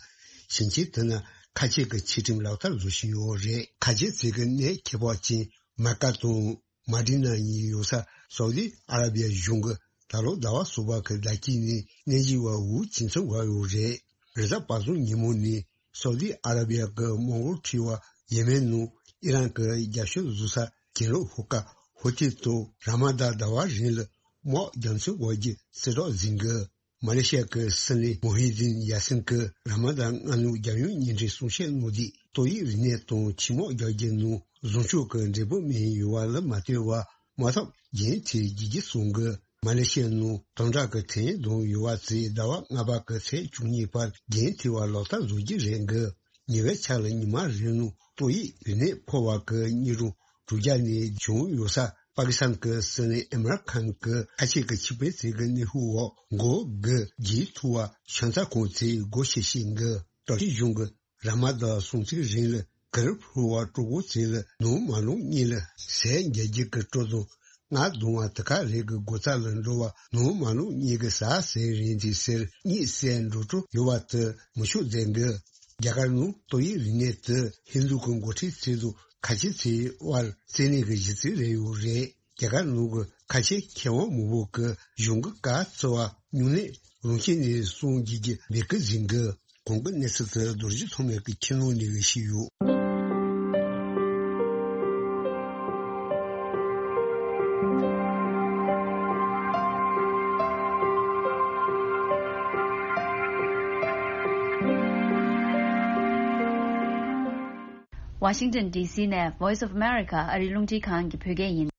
ཞིང་ཆེན་དེ་ན་ཁ་ཆེ་གི་ཆེ་ཁྲིམས་ལག་བསྟར་བཟོ་བཞིན་ཡོད་རེད། ཁ་ཆེ་ཚིག་གི་གནས་ཁྱད་པར་ཅན་མ་ཀ་དང་མ་ཌི་ན་གཉིས་ཡོད་ས་སའུ་དི་ཨ་ར་བི་ཡ་གཞུང་གི་ད་ལོ་ཟླ་བ་གསུམ་པ་གི་ཟླ་དཀྱིལ་ནས་གནས་གཞི་བ་འུ་ཅིང་ཚང་བ་ཡོད་རེད། རེས་གཟའ་པ་སངས་ཉིན་མོ་ནས་སའུ་དི་ཨ་ར་བི་ཡ་གི་མོན་གྷོལ་ཁྲི་བ་ཡེ་མེན་ནང་ཨི་རན་གི་རྒྱབ་སྐྱོར་བཟོ་ས་གྱེན་ལོག་ཧུ་ཀ་ཧོ་ཊེལ་དུ་ར་མ་དཱན་ཟླ་བ་རིང་ལ་དམག་རྒྱབ་མཚོན་འགོག་རྒྱུ་གསལ་བསྒྲགས་ཟིན་གི། མ་ལེ་ཤི་ཡ་གི་སྲིད་བློན་མོ་ཧི་དིན་ཡ་སིན་གི་ར་མ་དཱན་སྔ་ནུབ་རྒྱབ་ཡོང་ཉིན་རེའི་གསུང་བཤད་ནང་དེ་ཏོག་དབྱིབས་རིམས་ནད་དང་ཆེད་དམག་རྒྱག་རྒྱུ་ནང་བཟང་ཕྱོགས་ཀྱི་འབྲས་བུ་སྨིན་ཡོད་པ་ལ་མ་ལྟོས་པར་དམག་འཐབ་རྒྱུན་མཐུད་བྱེད་རྒྱུ་གསུངས་གི། མ་ལེ་ཤི་ཡ་ནང་དམ་དྲག་གི་ཐེ་ཡིན་དང་ཡོ་བ་ཚེས་ཟླ་བ་ལྔ་པ་གི་ཚེས་བཅུ་གཉིས་བར་རྒྱུན་མཐུད་པ་ལག་བསྟར་བཟོ་རྒྱུ་རེད་གི། ཉེ་བའི་ཆར་ལ་ཉི་མ་རེ་ནང་ཏོག་དབྱིབས་རིམས་ནད་ཕོག་པ་གི་སྙིགས་རོ་དྲུག་བརྒྱ་ནས་བྱུང་ཡོད་ས་པ་ཀི་སི་ཐན་གྱི་སྲིད་བློན་ཨིམ་རཱན་ཁཱན་གྱི་ཁ་ཆེ་གི་ཆིག་སྤེལ་ཚིག་གི་གནོན་ཤུགས་འོག་འགོ་གི་རྒྱལ་ཐུ་བ་ཤང་ཚ་ཁོང་ཚོས་སྒོ་ཕྱེ་བཞིན་གི། དྲག་ཤོས་གཞུང་གི་ར་མ་དཱན་སྲུང་བརྩི་རིང་ལ་གར་ཕུར་བ་གྲོགས་པོ་ཚོས་ལ་ནོར་མ་ལོངས་གཉིས་ལ་ཟས་རྒྱག་རྒྱུ་གི་སྤྲོ་དང་། ང་གདོང་བ་དེ་ག་རེ་གི་སྒོ་རྩ་ལ་འགྲོ་བ་ནོར་མ་ལོངས་གཉིས་ཀྱི་ཟ་ཟེར་རིན་གྱི་ཟེར་གཉིད་སད་འགྲོ་སྤྲོ་ཡོད་པ་དེ་མི་ཆོག་ཟེར་གི། རྒྱ་གར་ནང་ཏོག་དབྱིབས་རིམས་ནད་དེ་ཧིན་རྡུ་གི་འགོ་ཁྲིད་ཚོ་དང་ཁ་ཆེ་ཚོའི་དབར་བཙན་གནོན་གྱི་གཞི་རྩའི་རེ་ཡོད་རེད། རྒྱ་གར་ནང་གི་ཁ་ཆེ་མཁས་དབང་མང་པོ་གིས་གཞུང་གི་བཀའ་བརྩི་བ་སྨྱུང་གནས་རང་བཞིན་ནས་སོང་རྒྱུ་གི་ལས་ཀ་ཟིན་གི། གོང་གི་གནས་ཚུལ་དེ་རྡོ་རྗེ་ཐོགས་མེད་ཀྱིས་ཁྱེད་རྣམས་ནས་ཞུས་ཡོད། Washington D C ནས Voice of America ཨ་རིའི་རླུང་འཕྲིན་ཁང་གི་བོད་སྐད་ཡིན།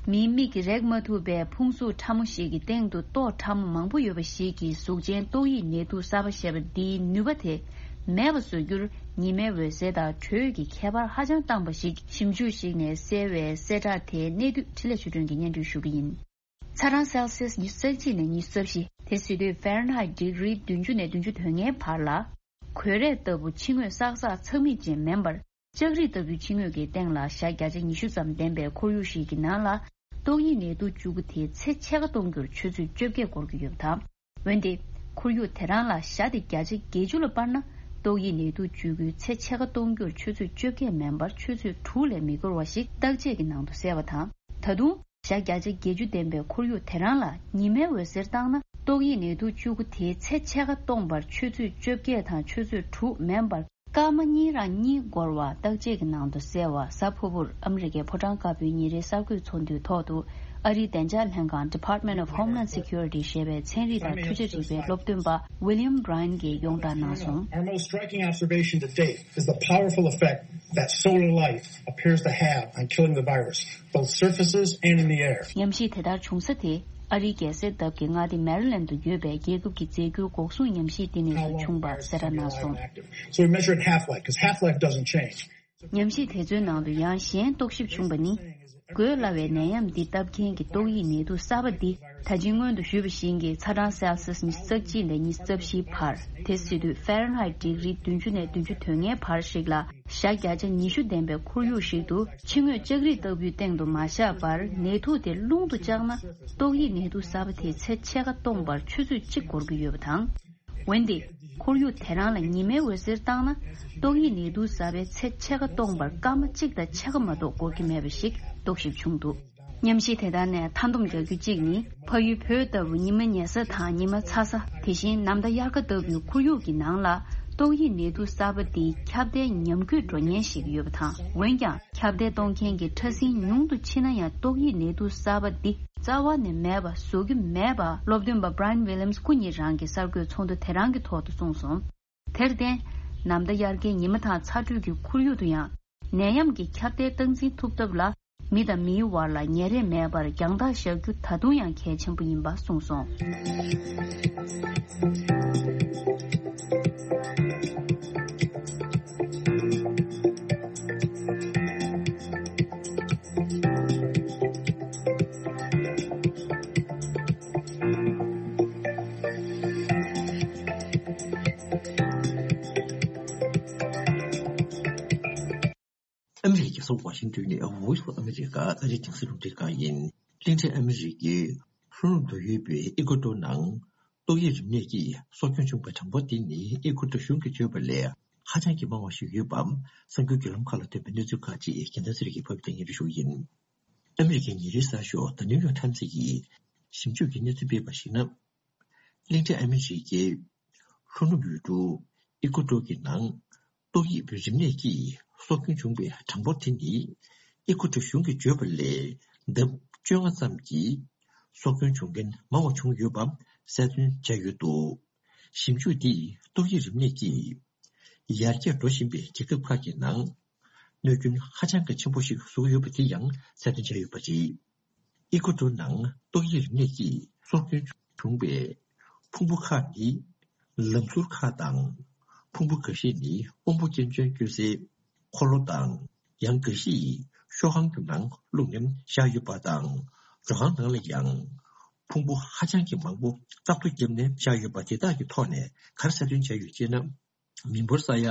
མིའི་མིག་གིས་རེག་མ་ཐུབ་པའི་ཕུང་གཟུགས་ཕྲ་མོ་ཞིག་གི་སྟེང་དུ་ཏོག་ཕྲ་མོ་མང་པོ་ཡོད་པ་ཞིག་གིས་གཟུགས་ཅན་ཏོག་དབྱིབས་ནད་དུག་གསར་པ་ཞེས་པ་འདིའི་ནུས་པ་དེ་མེད་པ་བཟོ་རྒྱུར་ཉི་མའི་འོད་ཟེར་དང་དྲོད་ཀྱི་ཁྱད་པར་ཧ་ཅང་བཏང་པ་ཞིག་ཞིབ་འཇུག་ཞིག་ནས་གསལ་བའི་གསལ་བསྒྲགས་དེའི་གནད་བསྡུས་འཕྲིན་ལས་ཆོས་སྒྲོན་གྱིས་སྙན་སྒྲོན་ཞུ་གི་ཡིན། ཚ་གྲང་སེལ་སིས་ཉི་ཤུ་རྩ་གཅིག་ནས་ཉི་ཤུ་རྩ་བཞི། དེ་ཟེར་དུས་ཧྥ་རན་ཧའིད་ཌིག་རི་བདུན་ཅུ་ནས་བདུན་ཅུ་དོན་ལྔའི་བར་ལ། གོས་རས་ལྟ་བུ་ཕྱི་ངོས་བསགས་བསགས་ཚགས་མིག་ཅན་མིན་པར། ལྕགས་རིགས་ལྟ་བུའི་ཕྱི་ངོས་ཀྱི་སྟེང་ལ་ཞག་བརྒྱ་ཆ་ཉི་ཤུ་ཙམ་ལྡན་པའི་ཁོར་ཡུག་ཞིག་གི་ནང་ལ། ཏོག་དབྱིབས་ནད་དུག་བཅུ་དགུ་དེའི་ཚད་ཕྱེད་ཀ་གཏོང་རྒྱུར་ཆུ་ཚོད་བཅོ་བརྒྱད་འགོར་གྱི་ཡོད་པ་དང་། འོན་ཏེ། ཁོར་ཡུག་དེ་རང་ལ་ཞག་དེ་བརྒྱ་ཆ་བརྒྱད་ཅུ་ལ་སྤར་ན། ཏོག་དབྱིབས་ནད་དུག་བཅུ་དགུའི་ཚད་ཕྱེད་ཀ་གཏོང་རྒྱུར་ཆུ་ཚོད་བཅོ་བརྒྱད་མིན་པར་ཆུ་ཚོད་དྲུག་ལས་མི་འགོར་བ་ཞིག་བརྟག་དཔྱད་ཀྱི་ནང་དུ་གསལ་བ་དང་། ད་དུང་། ཞག་བརྒྱ་ཆ་བརྒྱད་ཅུ་ལྡན་པའི་ཁོར་ཡུག་དེ་རང་ལ་ཉི་མའི་འོད་ཟེར་བཏང་ན། ཏོག་དབྱིབས་ནད་དུག་བཅུ་དགུ་དེའི་ཚད་ཕྱེད་ཀ་གཏོང་བར་ཆུ་ཚོད་བཅོ་བརྒྱད་དང་ཆུ་ཚོད་དྲུག་མིན་པར། སྐར་མ་གཉིས་རང་གཉིས་འགོར་བ་བརྟག་དཔྱད་ཀྱི་ནང་དུ་གསལ་བ། གཟའ་ཕུར་བུར་ཨ་མི་རི་ཀའི་ཕོ་བྲང་དཀར་པོའི་ཉིན་རེའི་གསར་འགོད་ཚོགས་འདུའི་ཐོག་ཏུ། ཨ་རིའི་བདེ་འཇགས་ལྷན་ཁང་Department of Homeland Security ཞེས་པའི་ཚན་རིག་དང་འཕྲུལ་ཆ་རིག་པའི་སློབ་སྟོན་པ་William Bryan གྱིས་ཡོངས་བསྒྲགས་གནང་སོང་། Our most striking observation to date is the powerful effect that solar light appears to have on killing the virus, both surfaces and in the air. ཉམས་ཞིབ་དེ་ལྟར་བྱུང་ས་དེ། ཨ་རིའི་རྒྱལ་སའི་འདབས་ཀྱི་མངའ་སྡེ་མེ་རི་ལན་དུ་ཡོད་པའི་རྒྱལ་ཁབ་ཀྱི་རྫས་འགྱུར་འགོག་སྲུང་ཉམས་ཞིབ་ལྟེ་གནས་སུ་བྱུང་བ་གསལ་བསྒྲགས་གནང་སོང་། So we measured half-life, 'cause half-life doesn't change. ཉམས་ཞིབ་དེ་ཚོའི་ནང་དུ་ཡང་གཞན་རྟོག་ཞིབ་བྱུང་བ་ནི། འགོས་སླ་བའི་ནད་ཡམས་འདི་བཏབ་མཁན་གྱི་ཏོག་དབྱིབས་ནད་དུག་གསར་པ་འདི། ད་ཅི་སྔོན་དུ་ཞུས་པ་བཞིན་གྱི་ཚ་གྲང་སེལ་སིས་ཉི་ཤུ་རྩ་གཅིག་ནས་ཉི་ཤུ་རྩ་བཞིའི་བར། དེ་ཟེར་དུས་ཧྥ་རན་ཧའིད་ཌིག་རི་བདུན་ཅུ་ནས་བདུན་ཅུ་དོན་ལྔའི་བར་ཞིག་ལ། ཞག་བརྒྱ་ཆ་ཉི་ཤུ་ལྡན་པའི་ཁོར་ཡུག་ཞིག་ཏུ་ཕྱི་ངོས་ལྕགས་རིགས་ལྟ་བུའི་སྟེང་དུ་མ་བཞག་པར་ནད་དུག་དེ་རླུང་དུ་བཅག་ན། ཏོག་དབྱིབས་ནད་དུག་གསར་པ་དེའི་ཚད་ཕྱེད་ཀ་གཏོང་བར་ཆུ་ཚོད་གཅིག་འགོར་གྱི་ཡོད་པ་དང་། འོན་ཏེ། ཁོར་ཡུག་དེ་རང་ལ་ཉི་མའི་འོད་ཟེར་བཏང་ན། ཏོག་དབྱིབས་ནད་དུག་གསར་པའི་ཚད་ཕྱེད་ཀ་གཏོང་བར་སྐར་མ་གཅིག་དང་ཕྱེད་ཀ་མ་གཏོགས་འགོར་གྱི་མེད་པ་ཞིག་རྟོག་ཞིབ་བྱུང་འདུག་ཉམས་ཞིབ་དེ་དག་ནས་མཐའ་སྡོམ་རྒྱག་རྒྱུ་གཅིག་ནི། ཕ་ཡུལ་བོད་ལྟ་བུ་ཉི་མ་ཉལ་ས་དང་ཉི་མ་ཚ་ས། དེ་བཞིན་ནམ་ཟླ་དབྱར་ཁ་ལྟ་བུའི་ཁོར་ཡུག་གི་ནང་ལ། ཏོག་དབྱིབས་ནད་དུག་གསར་པ་འདིའི་ཁྱབ་གདལ་ཉམས་རྒུད་འགྲོ་ཉེན་ཞིག་ཡོད་པ་དང་། འོན་ཀྱང་། ཁྱབ་གདལ་གཏོང་མཁན་གྱི་ཕྲ་སྲིན་ཉུང་དུ་ཕྱིན་ན་ཡང་ཏོག་དབྱིབས་ནད་དུག་གསར་པ་འདི་རྩ་བ་ནས་མེད་པ་བཟོ་རྒྱུ་མེད་པ་སློབ་སྟོན་པ་Brian Williams སྐུ་ཉིད་རང་གིས་གསར་འགོད་ཚོགས་འདུ་དེ་རང་གི་ཐོག་ཏུ་གསུངས་སོང་། དེར་བརྟེན། ནམ་ཟླ་དབྱར་ཁའི་ཉི་མ་དང་ཚ་དྲོད་ཀྱི་ཁོར་ཡུག་ཏུ་ཡང་ནད་ཡམས་ཀྱི་ཁྱབ་གདལ་སྟངས་འཛིན་ཐུབ་ཐབས་ལ་མི་དང་མིའི་བར་ལ་ཉེ་རེས་མེད་པར་རྒྱང་ཐག་བཞག་རྒྱུ་ད་དུང་ཡང་གལ་ཆེན་པོ་ཡིན་པ་གསུངས་སོང་། ཨ་མི་རི་ཀའི་རྒྱལ་ས་ཝ་ཤིང་ཏོན་ནས་Voice of America ཨ་རིའི་རྒྱང་སྲིང་རླུང་འཕྲིན་ཁང་ཡིན། གླིང་ཕྲན་ཨ་མི་རི་ཀའི་ལྷོ་ནུབ་ཏུ་ཡོད་པའི་ཨི་ཀོ་ཏོ་ནང་ཏོག་དབྱིབས་རིམས་ནད་ཀྱིས་སྲོག་སྐྱོན་བྱུང་བའི་གྲངས་འབོར་དེ་ནི་ཨི་ཀོ་ཏོ་གཞུང་གིས་བརྗོད་པ་ལས་ཧ་ཅང་གི་མང་བ་ཞིག་ཡོད་པ་གསར་འགྱུར་བརྒྱུད་ལམ་ཁག་ལ་ཐོན་པའི་གནས་ཚུལ་ཁག་ཅིག་རྒྱལ་མཚན་ཚེ་རིང་གིས་ཕབ་སྟེ་སྙན་སྒྲོན་ཞུ་གི་ཡིན། ཨ་མི་རི་ཀའི་ཉིན་རེའི་གསར་ཤོག The New York Times གྱིས་ཞིབ་འཇུག་གི་གནས་ཚུལ་སྤེལ་བར་གཞིགས་ན། གླིང་ཕྲན་ཨ་མི་རི་ཀའི་ལྷོ་ནུབ་ཡུལ་གྲུ་ཨི་ཀོ་ཏོ་གི་ནང་ཏོག་དབྱིབས་རིམས་ནད་ཀྱིས་སྲོག་སྐྱོན་བྱུང་བའི་གྲངས་འབོར་དེ་ནི་ཨི་ཀོ་ཏོ་གཞུང་གིས་བརྗོད་པ་ལས་ལྡབ་བཅོ་ལྔ་ཙམ་གྱིས་སྲོག་སྐྱོན་བྱུང་མཁན་མང་བ་བྱུང་ཡོད་པ་གསལ་སྟོན་བྱས་ཡོད་འདུག་ཞིབ་འཇུག་འདིས་ཏོག་དབྱིབས་རིམས་ནད་ཀྱིས་ཡར་རྒྱས་འགྲོ་བཞིན་པའི་རྒྱལ་ཁབ་ཁག་གི་ནང་གནོད་སྐྱོན་ཧ་ཅང་གི་ཆེན་པོ་ཞིག་བཟོ་གི་ཡོད་པ་དེ་ཡང་གསལ་སྟོན་བྱས་ཡོད་པ་རེད། ཨི་ཀོ་ཏོ་ནང་ཏོག་དབྱིབས་རིམས་ནད་ཀྱིས་སྲོག་སྐྱོན་བྱུང་བའི་ཕུང་པོ་ཁག་ནི་ལམ་ཟུར་ཁག་དང་། ཕུང་པོ་འགའ་ཤས་ནི་དབོན་པོ་སྐྱོན་ཅན་སྐྱོན་སའི་འཁོར་ལོ་དང་། ཡང་འགའ་ཤས་ཤོག་ཁང་གི་ནང་བླུགས་ནས་བཞག་ཡོད་པ་དང་། རོ་ཁང་ནང་ལ་ཡང་ཕུང་པོ་ཧ་ཅང་གི་མང་པོ་བཙག་འཐུ་བརྒྱབ་ནས་བཞག་ཡོད་པ་དེ་དག་གི་ཐོག་ནས་ག་རེ་གསལ་སྟོན་བྱས་ཡོད་ཅེ་ན། མི་འབོར་ས་ཡ་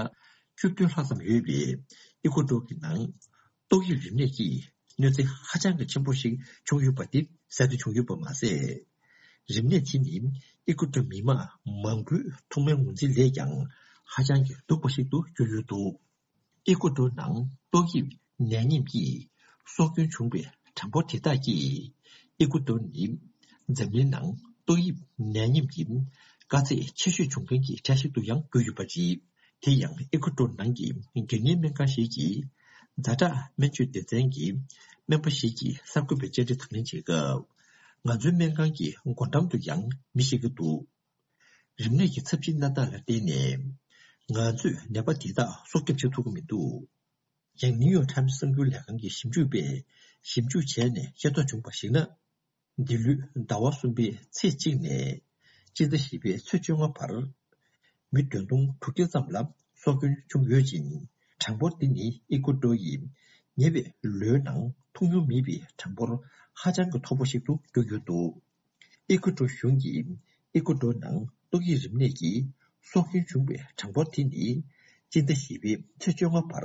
བཅུ་བདུན་ལྷག་ཙམ་ཡོད་པའི་ཨི་ཀོ་ཏོ་གི་ནང་ཏོག་དབྱིབས་རིམས་ནད་ཀྱིས་གནོད་འཚེ་ཧ་ཅང་གི་ཆེན་པོ་ཞིག་བྱུང་ཡོད་པ་དེ་གསལ་སྟོན་བྱུང་ཡོད་པ་མ་ཟད། རིམས་ནད་དེ་ནི་ཨི་ཀོ་ཏོ་མི་དམངས་མང་པོའི་ཐོག་མའི་ངོས་འཛིན་ལས་ཀྱང་ཧ་ཅང་གི་སྡུག་པ་ཞིག་ཏུ་གྱུར་ཡོད་འདུག་ཨི་ཀོ་ཏོ་ནང་ཏོག་དབྱིབས་ནད་ཡམས་ཀྱིས་སྲོག་སྐྱོན་བྱུང་བའི་ གྲངས་འབོར་དེ་དག་གིས་ཨི་ཀུ་ཏོར་ནི་འཛམ་གླིང་ནང་ཏོག་དབྱིབས་ནད་ཡམས་ཀྱི་དཀའ་ཚེགས་ཆེ་ཤོས་བྱུང་མཁན་གྱི་གྲས་ཤིག་ཏུ་ཡང་གྱུར་ཡོད་པ་རེད། དེ་ཡང་ཨི་ཀུ་ཏོར་ནང་གི་དགོས་ངེས་སྨན་ཁང་ཞིག་གི་ཛ་དྲག་སྨན་བཅོས་སྡེ་ཚན་གྱི་སྨན་པ་ཞིག་གིས་གསར་འགོད་པའི་བཅར་འདྲི་དང་ལེན་བྱེད་སྐབས། ང་ཚོའི་སྨན་ཁང་གི་སྒོ་འགྲམ་དུ་ཡང་མི་བཞུགས་ཀྱི་འདུག་རིམས་ནད་ཀྱི་ཚབས་ཆེའི་གནས་སྟངས་ལ་བརྟེན་ནས། ང་ཚོས་ནད་པ་དེ་དག་སྲོག་སྐྱོབ་བྱེད་ཐུབ་ཀྱི་མི་འདུག་ཡང་ནིའུ་ཡོག་ཊའིམ་སི་གསར་འགྱུར་ལས་ཁང་གི་ཞིབ་འཇུག་པས་ཞིབ་འཇུག་བྱས་ནས་ཤེས་རྟོགས་བྱུང་བར་གཞིགས་ན། འདི་ལོའི་ཟླ་བ་གསུམ་པའི་ཚེས་གཅིག་ནས་སྤྱི་ཟླ་བཞི་པའི་ཚེས་བཅོ་ལྔ་བར། མི་བདུན་སྟོང་དྲུག་བརྒྱ་ཙམ་ལ་སྲོག་སྐྱོན་བྱུང་ཡོད་ཅིང་། གྲངས་འབོར་འདི་ནི་ཨི་ཀུ་ཏོར་ཡིས་ཉེ་བའི་ལོའི་ནང་མཐོང་མྱོང་མེད་པའི་གྲངས་འབོར་ཧ་ཅང་གི་མཐོ་པོ་ཞིག་ཏུ་གྱུར་ཡོད་འདུག་ཨི་ཀུ་ཏོར་གཞུང་གིས་ཨི་ཀུ་ཏོར་ནང་ཏོག་དབྱིབས་རིམས་ནད་ཀྱིས་སྲོག་སྐྱོན་བྱུང་བའི་གྲངས་འབོར་དེ་ནི་སྤྱི་ཟླ་བཞི་པའི་ཚེས་བཅོ་ལྔ་བར་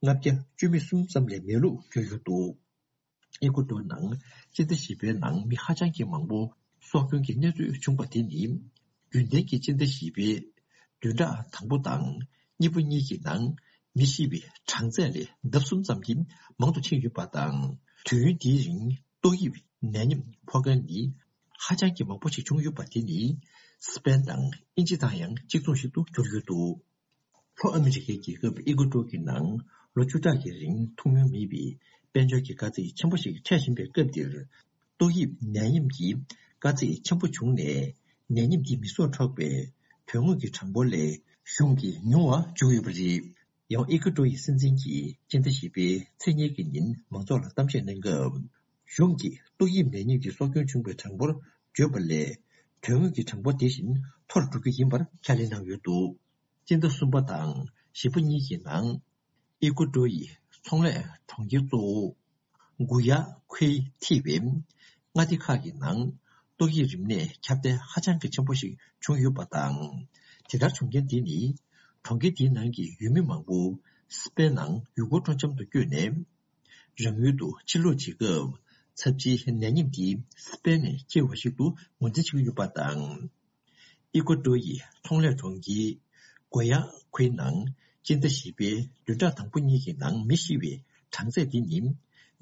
ལྔ་བརྒྱ་བཅུ་མེད་གསུམ་ཙམ་ལས་མེད་ལུགས་བརྗོད་ཡོད་འདུག་ཨི་ཀུ་ཏོར་ནང་སྤྱི་ཟླ་བཞི་པའི་ནང་མི་ཧ་ཅང་གི་མང་པོ་སྲོག་སྐྱོན་གྱི་གནས་ཚུལ་བྱུང་བ་དེ་ནི། རྒྱུན་ལྡན་གྱི་སྤྱི་ཟླ་བཞི་པའི་བདུན་ཕྲག་དང་པོ་དང་གཉིས་པ་གཉིས་ཀྱི་ནང་མི་ཤི་བའི་གྲངས་ཚད་ལས་ལྡབ་གསུམ་ཙམ་གྱིས་མང་དུ་ཕྱིན་ཡོད་པ་དང་། དུས་ཡུན་དེའི་རིང་ཏོག་དབྱིབས་ནད་ཡམས་ཕོག་མཁན་ནི་ཧ་ཅང་གི་མང་པོ་ཞིག་བྱུང་ཡོད་པ་དེ་ནི་སི་པེན་དང་དབྱིན་ཇི་དང་ཡང་གཅིག་མཚུངས་ཤིག་ཏུ་གྱུར་ཡོད་འདུག་ལྷོ་ཨ་མི་རི་ཀའི་རྒྱལ་ཁབ་ཨི་ཀུ་ཏོར་གྱི་ནང་ལོ་བཅུ་ཕྲག་གི་རིང་མཐོང་མྱོང་མེད་པའི་དཔལ་འབྱོར་གྱི་དཀའ་ཚེགས་ཆེན་པོ་ཞིག་འཕྲད་བཞིན་པའི་སྐབས་འདིར། ཏོག་དབྱིབས་ནད་ཡམས་ཀྱི་དཀའ་ཚེགས་ཆེན་པོ་བྱུང་ནས། ནད་ཡམས་འདིས་མི་སྲོག་འཕྲོག་པའི་དོན་དངོས་ཀྱི་གྲངས་འབོར་ལས་གཞུང་གིས་ཉུང་བ་བཅུག་ཡོད་པ་རེད། ཡང་ཨི་ཀུ་ཏོར་ཡི་སྲིད་འཛིན་གྱིས་སྤྱི་ཟླ་བཞི་པའི་ཚེས་གཉིས་ཀྱི་ཉིན་མང་ཚོགས་ལ་གཏམ་བཤད་གནང་སྐབས། གཞུང་གིས་ཏོག་དབྱིབས་ནད་ཡམས་ཀྱི་སྲོག་སྐྱོན་བྱུང་བའི་གྲངས་འབོར་བརྗོད་པ་ལས། དོན་དངོས་ཀྱི་གྲངས་འབོར་དེ་བཞིན་མཐོ་རུ་འགྲོ་རྒྱུ་ཡིན་པར་ཁས་ལེན་གནང་ཡོད་འདུག་སྤྱི་ཟླ་གསུམ་པ་དང་བཞི་པ་གཉིས་ཀྱི་ནང་། ཨི་ཀུ་ཏོར་ཡི་ཚོང་ལས་གྲོང་ཁྱེར་གཙོ་བོ་གུ་ཡ་ཁུའི་ཐི་བའི་མངའ་སྡེ་ཁག་གི་ནང་ཏོག་དབྱིབས་རིམས་ནད་ཁྱབ་གདལ་ཧ་ཅང་གི་ཆེན་པོ་ཞིག་བྱུང་ཡོད་པ་དང་། དེ་ལྟར་བྱུང་རྐྱེན་དེ་ནི་གྲོང་ཁྱེར་དེའི་ནང་གི་ཡུལ་མི་མང་པོ་སི་པེན་ནང་ཡུལ་སྐོར་སྤྲོ་འཆམ་དུ་བསྐྱོད་ནས། རང་ཡུལ་དུ་ཕྱིར་ལོག་བྱེད་སྐབས་ཚབས་ཆེའི་ནད་ཡམས་འདི་སི་པེན་ནས་འཁྱེར་བ་ཞིག་ཏུ་ངོས་འཛིན་བྱེད་ཀྱི་ཡོད་པ་དང་། ཨི་ཀུ་ཏོར་ཡི་ཚོང་ལས་གྲོང་ཁྱེར་གོ་ཡ་ཁུའི་ནང་སྤྱི་ཟླ་བཞི་པའི་བདུན་ཕྲག་དང་པོ་གཉིས་ཀྱི་ནང་མི་ཤི་བའི་གྲངས་ཚད་འདི་ནི་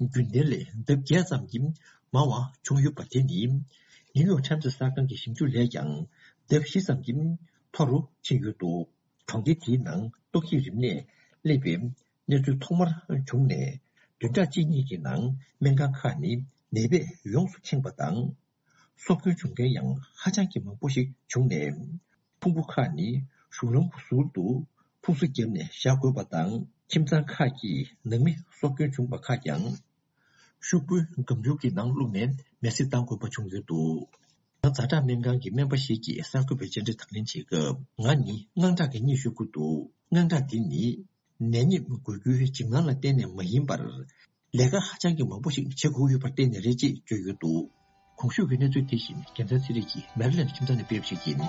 རྒྱུན་ལྡན་ལས་ལྡབ་བརྒྱད་ཙམ་གྱིས་མང་བ་བྱུང་ཡོད་པ་དེ་ནི་ནིའུ་ཡོག་ཊའིམ་སི་གསར་ཁང་གི་ཞིབ་འཇུག་ལས་ཀྱང་ལྡབ་བཞི་ཙམ་གྱིས་མཐོ་རུ་ཕྱིན་ཡོད་འདུག་གྲོང་ཁྱེར་དེའི་ནང་ཏོག་དབྱིབས་རིམས་ནད་སླེབས་པའི་གནས་ཚུལ་ཐོག་མར་བྱུང་ནས། བདུན་ཕྲག་གཅིག་གཉིས་ཀྱི་ནང་སྨན་ཁང་ཁག་ནི་ནད་པས་ཡོངས་སུ་ཁེངས་པ་དང་། སྲོག་སྐྱོན་བྱུང་མཁན་ཡང་ཧ་ཅང་གི་མང་པོ་ཞིག་བྱུང་ནས། ཕུང་པོ་ཁག་ནི་གཞུང་ལམ་གྱི་ཟུར་དུ་ཕུང་གསོ་བརྒྱབ་ནས་བཞག་དགོས་པ་དང་། ཁྱིམ་ཚང་ཁག་གིས་ནང་མི་སྲོག་སྐྱོན་བྱུང་བ་ཁག་ཀྱང་ཤོག་བུའི་སྒམ་ཆུང་གི་ནང་བླུགས་ནས་མེ་བསྲེགས་བཏང་དགོས་པ་བྱུང་ཡོད་འདུག་ཡང་ཛ་དྲག་སྨན་ཁང་གི་སྨན་པ་ཞིག་གིས་གསར་འགོད་པའི་བཅར་འདྲི་དང་ལེན་བྱེད་སྐབས། ང་ནི་དངངས་སྐྲག་གི་གཉིད་ཤོར་གྱི་འདུག་དངངས་སྐྲག་འདི་ནི་ནད་ཡམས་འགོས་རྒྱུའི་འཇིགས་སྣང་ལ་བརྟེན་ནས་མ་ཡིན་པར། ལས་ཀ་ཧ་ཅང་གི་མང་པོ་ཞིག་བྱེད་དགོས་ཡོད་པར་བརྟེན་ནས་རེད་ཅེས་བརྗོད་ཡོད་འདུག་གོང་ཞུས་ཀྱི་གནས་ཚུལ་དེ་བཞིན་རྒྱལ་མཚན་ཚེ་རིང་གིས་མེ་རི་ལེནཌ་ཁྱིམ་ཚང་ནས་སྤེལ་བ་ཞིག་ཡིན།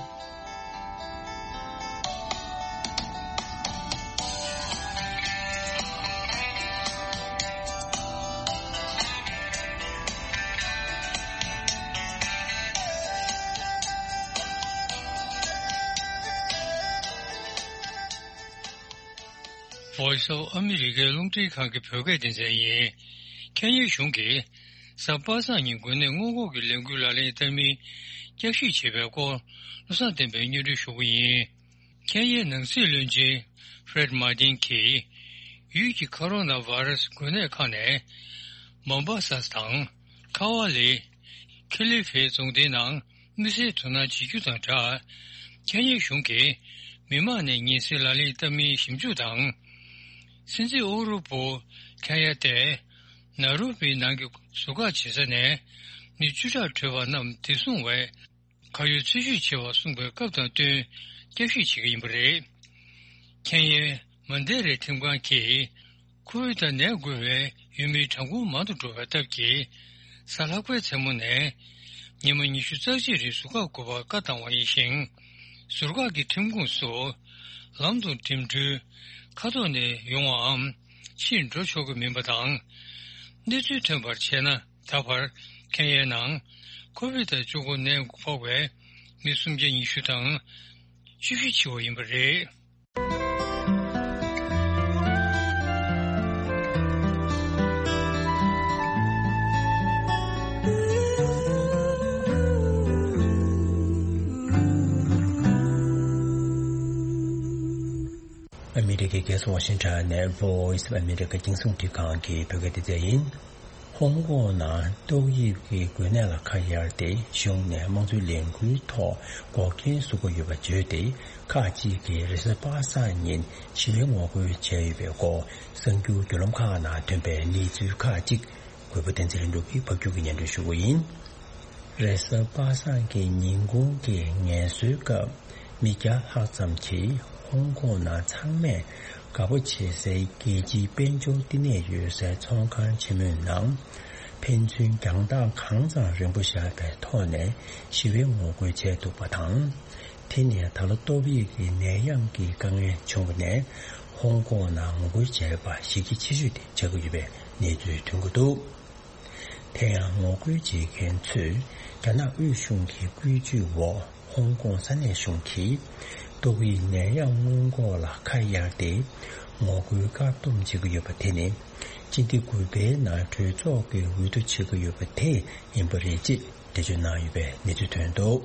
Voice of America རླུང་འཕྲིན་ཁང་གི་བོད་སྐད་སྡེ་ཚན་ཡིན། ཁེན་ཡའི་གཞུང་གིས་གཟའ་པ་སངས་ཉིན་འགོས་ནད་སྔོན་འགོག་གི་ལས་འགུལ་ལག་ལེན་བསྟར་མིན་བསྐྱར་ཞིབ་བྱེད་པའི་སྐོར་བློ་བཟང་བསྟན་པས་སྙན་སྒྲོན་ཞུ་གི་ཡིན། ཁེན་ཡའི་ནང་སྲིད་བློན་ཆེན་ཧྥེ་རེད་མཱ་ཏིན་གྱིས་ཡུལ་གྱི་ཁོ་རོ་ན་བྷ་ར་སི་འགོས་ནད་ཁག་ནས་མོམ་བྷ་ས་དང་ཁ་ཝ་ལི། ཁེ་ལི་ཧྥེ་རྫོང་སྡེའི་ནང་དམིགས་བསལ་དོ་སྣང་བྱེད་རྒྱུ་དང་སྦྲགས། ཁེན་ཡའི་གཞུང་གིས་མི་མང་ནས་ཉེན་སེལ་ལག་ལེན་བསྟར་མིན་ཞིབ་འཇུག་དང་། སྲིད་འཛིན་ཨུ་ཧུ་རུ་པུ་ཁེན་ཡ་ཏེ་ནཱ་རོ་པི་ནང་གི་ཟུར་བཀག་བྱེད་ས་ནས་མི་བཅུ་ཕྲག་བྲོས་པ་རྣམས་བདེ་སྲུང་བས་གར་ཡོད་འཚོལ་ཞིབ་བྱེད་པར་གསུངས་པའི་སྐབས་དང་བསྟུན་བསྐྱར་ཞིབ་བྱེད་ཀྱི་ཡིན་པ་རེད། ཁེན་ཡའི་མན་དེ་རེ་ཁྲིམས་ཁང་གིས། ཁོ་བིད་དང་ནད་འགོས་པའི་ཡུལ་མིའི་གྲངས་འབོར་མང་དུ་འགྲོ་བའི་སྟབས་ཀྱིས། གཟའ་ལྷག་པའི་མཚན་མོ་ནས་ཉི་མ་ཉི་ཤུ་རྩ་གཅིག་རིང་ཟུར་བཀག་དགོས་པར་བཀའ་བཏང་བ་ཡིན་ཞིང་། ཟུར་བཀག་གི་ཁྲིམས་ཁུངས་སུ་ལམ་དུ་འགྲིམ་འགྲུལ། ཁ་ཐོག་ནས་ཡོང་བའམ་ཕྱིར་འགྲོ་ཆོག་གི་མིན་པ་དང་། གནས་ཚུལ་ཐོན་པར་བྱས་ན་ད་བར་ཁེན་ཡའི་ནང་ཁོ་བིད་དང་བཅུ་དགུ་ནད་ཕོག་པའི་མི་སུམ་བརྒྱ་ཉི་ཤུ་དང་བཅུ་བཞི་འཆི་བ་ཡིན་པ་རེད། གི་རྒྱལ་ས་ཝ་ཤིང་ཊོན་ནས་Voice of America་རྒྱང་སྲིང་རླུང་འཕྲིན་ཁང་གི་བོད་སྐད་སྡེ་ཚན་ཡིན། ཧོང་ཀོང་ནང་ཏོག་དབྱིབས་ཀྱི་འགོས་ནད་ལ་ཁ་གཡར་ཏེ་གཞུང་ནས་དམངས་གཙོའི་ལས་འགུལ་ཐོག་འགོག་རྐྱེན་བཟོ་གི་ཡོད་པ་བརྗོད་དེ། ཁག་ཅིག་གིས་རེས་གཟའ་པ་སངས་ཉིན་ཞི་བའི་ངོ་རྒོལ་བྱས་ཡོད་པའི་སྐོར་གསར་འགྱུར་བརྒྱུད་ལམ་ཁག་ནང་ཐོན་པའི་གནས་ཚུལ་ཁག་ཅིག་གུས་པ་བསྟན་འཛིན་ལྷུན་གྲུབ་ཀྱིས་ཕབ་སྒྱུར་གྱིས་སྙན་སྒྲོན་ཞུ་གི་ཡིན། རེས་གཟའ་པ་སངས་ཀྱི་ཉིན་གུང་གི་ངལ་གསོའི་སྐབས། མི་བརྒྱ་ལྷག་ཙམ་གྱིས་ཧོང་ཀོང་ནང་ཚང་མས་དགའ་པོ་བྱེད་སའི་རྒྱལ་སྤྱིའི་དཔལ་འབྱོར་བསྟི་གནས་ཡོད་སའི་ཚོང་ཁང་ཆེན་མོའི་ནང་། ཕན་ཚུན་རྒྱང་ཐག་གང་ཙམ་རིང་པོ་བཞག་པའི་ཐོག་ནས་ཞི་བའི་ངོ་རྒོལ་བྱས་འདུག་པ་དང་། དེ་ནི་ད་ལོ་ཏོག་དབྱིབས་ཀྱི་ནད་ཡམས་ཀྱི་དཀའ་ངལ་བྱུང་བ་ནས་ཧོང་ཀོང་ནང་ངོ་རྒོལ་བྱས་པ་གཞི་རྒྱ་ཆེ་ཤོས་དེ་ཆགས་ཀྱི་ཡོད་པའི་གནས་ཚུལ་ཐོན་གྱི་འདུག་དེ་ཡང་ངོ་རྒོལ་བྱེད་མཁན་ཚོས་རྒྱ་ནག་དབུས་གཞུང་གི་བཀོད་ཇུས་འོག་ཧོང་ཀོང་ས་གནས་གཞུང་གིས་ཏོག་དབྱིབས་ནད་ཡམས་སྔོན་འགོག་ལ་ཁ་གཡར་ཏེ་ངོ་རྒོལ་བཀག་སྡོམ་བྱེད་ཀྱི་ཡོད་པ་དེ་ནི་སྤྱི་ཟླ་དགུ་པའི་ནང་གྲོས་ཚོགས་ཀྱིས་འོས་བསྡུ་བྱེད་ཀྱི་ཡོད་པ་དེ་ཡིན་པ་རེད་ཅེས་འགྲེལ་བརྗོད་གནང་ཡོད་པའི་གནས་ཚུལ་ཐོན་འདུག་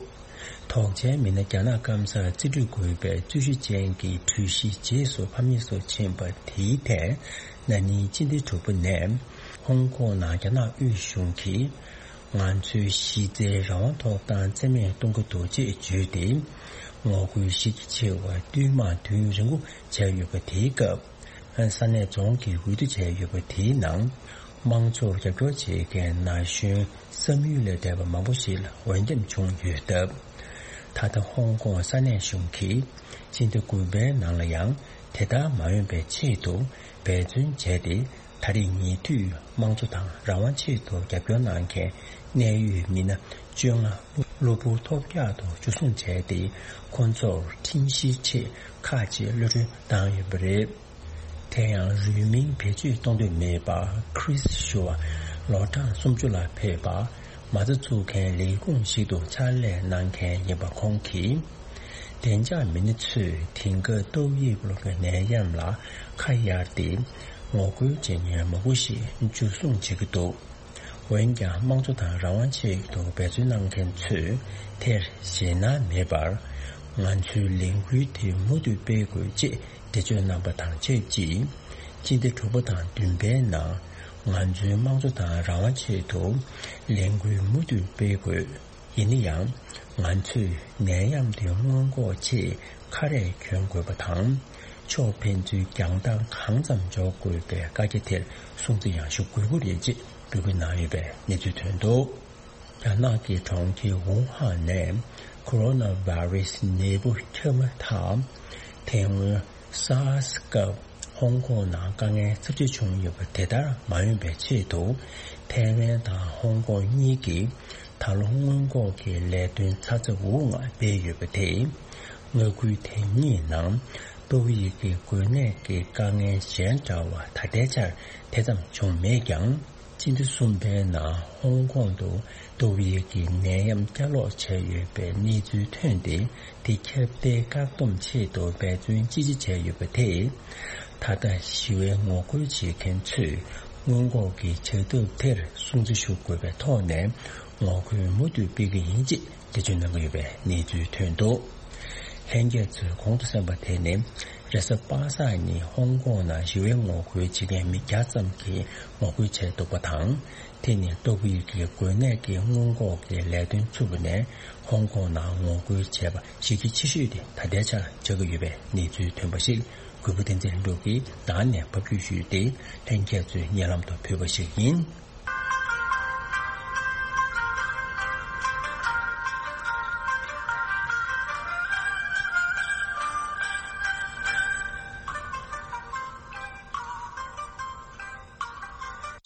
དོགས་ཅན་མི་སྣ་རྒྱ་ནག་སྐམ་སར་རྩིས་སྤྲོད་དགོས་པའི་རྩོད་གཞི་ཅན་གྱི་གྲོས་གཞི་རྗེས་སུ་ཕམ་ཉེས་སུ་ཕྱིན་པ་དེའི་ཐད། ན་ནིང་སྤྱི་ཟླ་དྲུག་པ་ནས་ཧོང་ཀོང་ནང་རྒྱ་ནག་དབུས་གཞུང་གིས་ང་ཚོའི་གཞི་རྩའི་རང་དབང་ཐོབ་ཐང་རྩིས་མེད་གཏོང་གི་འདུག་ཅེས་བརྗོད་དེ། ངོ་རྒོལ་གཞི་རྒྱ་ཆེ་བ་བསྟུད་མར་དུས་ཡུན་རིང་པོ་བྱས་ཡོད་པ་དེའི་སྐབས། ས་གནས་རྫོང་གིས་འོས་བསྡུ་བྱས་ཡོད་པ་དེའི་ནང་། དམངས་གཙོར་རྒྱབ་སྐྱོར་བྱེད་མཁན་ན་གཞོན་བསམ་ཡུལ་ལས་འདས་པ་མང་པོ་ཞིག་ལ་འོས་འདེམས་བྱུང་ཡོད་སྟབས། ད་ལྟ་ཧོང་ཀོང་ས་གནས་གཞུང་གིས་སྤྱི་ཟླ་དགུ་པའི་ནང་ལ་ཡང་དེ་ལྟར་མ་འོས་པའི་ཆེད་དུ་འབད་བརྩོན་བྱས་ཏེ། ད་རེས་ཉེ་དུས་དམངས་གཙོ་དང་རང་དབང་ཆེད་དུ་རྒྱབ་སྐྱོར་གནང་མཁན་གནད་ཡོད་མི་སྣ་བཅོ་ལྔ་གློ་བུར་ཐོལ་རྒྱག་ཏུ་འཇུ་བཟུང་བྱས་ཏེ། ཁོང་ཚོར་ཁྲིམས་གཞིའི་ཆེད་ཁག་ཆེའི་གློད་གྲོལ་བཏང་ཡོད་པ་རེད། དེ་ཡང་རུས་མིང་བེད་སྤྱོད་གཏོང་འདོད་མེད་པ་Chris ཞུ་བ་ལོ་གྲངས་སུམ་ཅུ་ལ་ཕེབས་པ། མ་རྩ་འཛུགས་མཁན་ལས་ཁུངས་ཤིག་ཏུ་ཕྱག་ལས་གནང་མཁན་ཡིན་པ་ཁོང་གིས། བདེ་འཇགས་མི་སྣ་ཚོས་དེང་སྐབས་ཏོག་དབྱིབས་ལོ་ནད་ཡམས་ལ་ཁ་གཡར་ཏེ། ངོ་རྒོལ་བྱེད་མཁན་མང་པོ་ཞིག་འཇུ་བཟུང་བྱེད་ཀྱི་འདུག་འོན་ཀྱང་དམངས་གཙོ་དང་རང་དབང་ཆེད་དུ་འབད་བརྩོན་གནང་མཁན་ཚོས་དེར་ཞེད་སྣང་མེད་པར། ང་ཚོའི་ལས་འགུལ་དེ་མུ་མཐུད་སྤེལ་དགོས་ཅེས་འགྲེལ་བརྗོད་གནང་པ་དང་ཆབས་ཅིག་སྤྱི་ཟླ་དྲུག་པ་དང་བདུན་པའི་ནང་ང་ཚོའི་དམངས་གཙོ་དང་རང་དབང་ཆེད་དུ་ལས་འགུལ་མུ་མཐུད་སྤེལ་དགོས། ཡིན་ན་ཡང་། ང་ཚོས་ནད་ཡམས་དེ་སྔོན་འགོག་ཆེད་ཁ་རས་གྱོན་དགོས་པ་དང་། ཕྱོགས་ཕན་ཚུན་རྒྱང་ཐག་གང་ཙམ་འཇོག་དགོས་པའི་བཀའ་རྒྱ་དེར་སྲུང་བརྩི་ཡང་ཞུ་དགོས་ཀྱི་རེད་ཅེས་འབོད་སྐུལ་གནང་ཡོད་པའི་གནས་ཚུལ་ཐོན་འདུག་རྒྱ་ནག་གི་གྲོང་ཁྱེར་ཝུ་ཧན་ནས་ཁོ་རོ་ན་བྷ་རེ་སི་ནད་འབུ་ཁྱབ་མ་ཐག་དེ་སྔོན། SARS་སྐབས་ཧོང་ཀོང་ནང་དཀའ་ངལ་ཚབས་ཆེ་བྱུང་ཡོད་པ་དེ་ལྟར་མ་ཡོང་བའི་ཆེད་དུ། ཐའེ་ཝན་དང་ཧོང་ཀོང་གཉིས་ཀྱིས་ད་ལོ་སྔོན་འགོག་གི་ལས་དོན་ཚ་ཚ་འུར་འུར་ངང་སྤེལ་ཡོད་པ་དེས། མངའ་ཁུལ་དེ་གཉིས་ནང་ཏོག་དབྱིབས་ཀྱི་འགོས་ནད་ཀྱི་དཀའ་ངལ་གཞན་འདྲ་བ་ད་ལྟའི་ཆར་དེ་ཙམ་བྱུང་མེད་ཀྱང་། སྤྱི་ཟླ་གསུམ་པའི་ནང་ཧོང་ཀོང་དུ་ཏོག་དབྱིབས་ཀྱི་ནད་ཡམས་བསྐྱར་ལོག་བྱས་ཡོད་པའི་གནས་ཚུལ་ཐོན་ཏེ། དེ་ཁྱབ་གདལ་བཀག་སྡོམ་ཆེད་དུ་འབད་བརྩོན་ཅི་ཆེ་བྱས་ཡོད་པ་དེས། ད་ལྟ་ཞི་བའི་ངོ་རྒོལ་བྱེད་མཁན་ཚོས་སྔོན་འགོག་གི་བྱ་ཐབས་དེར་སྲུང་བརྩི་ཞུ་དགོས་པའི་ཐོག་ནས་ངོ་རྒོལ་མུ་མཐུད་སྤེལ་གྱི་ཡིན་ཅེས་འགྲེལ་བརྗོད་གནང་གི་ཡོད་པའི་གནས་ཚུལ་ཐོན་འདུག་ལྷན་རྒྱས་ཚོས་གོང་དུ་གསན་པ་དེ་ནི་རེས་གཟའ་པ་སངས་ཉིན་ཧོང་ཀོང་ནང་ཞི་བའི་ངོ་རྒོལ་བྱེད་མཁན་མི་བརྒྱ་ཙམ་གྱིས་ངོ་རྒོལ་བྱས་འདུག་པ་དང་། དེ་ནི་ཏོག་དབྱིབས་ཀྱི་འགོས་ནད་ཀྱི་སྔོན་འགོག་གི་ལས་དོན་ཚུགས་པ་ནས་ཧོང་ཀོང་ནང་ངོ་རྒོལ་བྱས་པ་གཞི་རྒྱ་ཆེ་ཤོས་དེ་ད་ལྟའི་ཆར་ཆགས་ཀྱི་ཡོད་པའི་གནས་ཚུལ་ཐོན་པ་ཞིག་གུས་པ་བསྟན་འཛིན་ལྷུན་གྲུབ་ཀྱིས་ནང་ནས་ཕབ་སྒྱུར་ཞུས་ཏེ། ལྷན་རྒྱས་ཚོའི་སྙན་ལམ་དུ་ཕུལ་བ་ཞིག་ཡིན།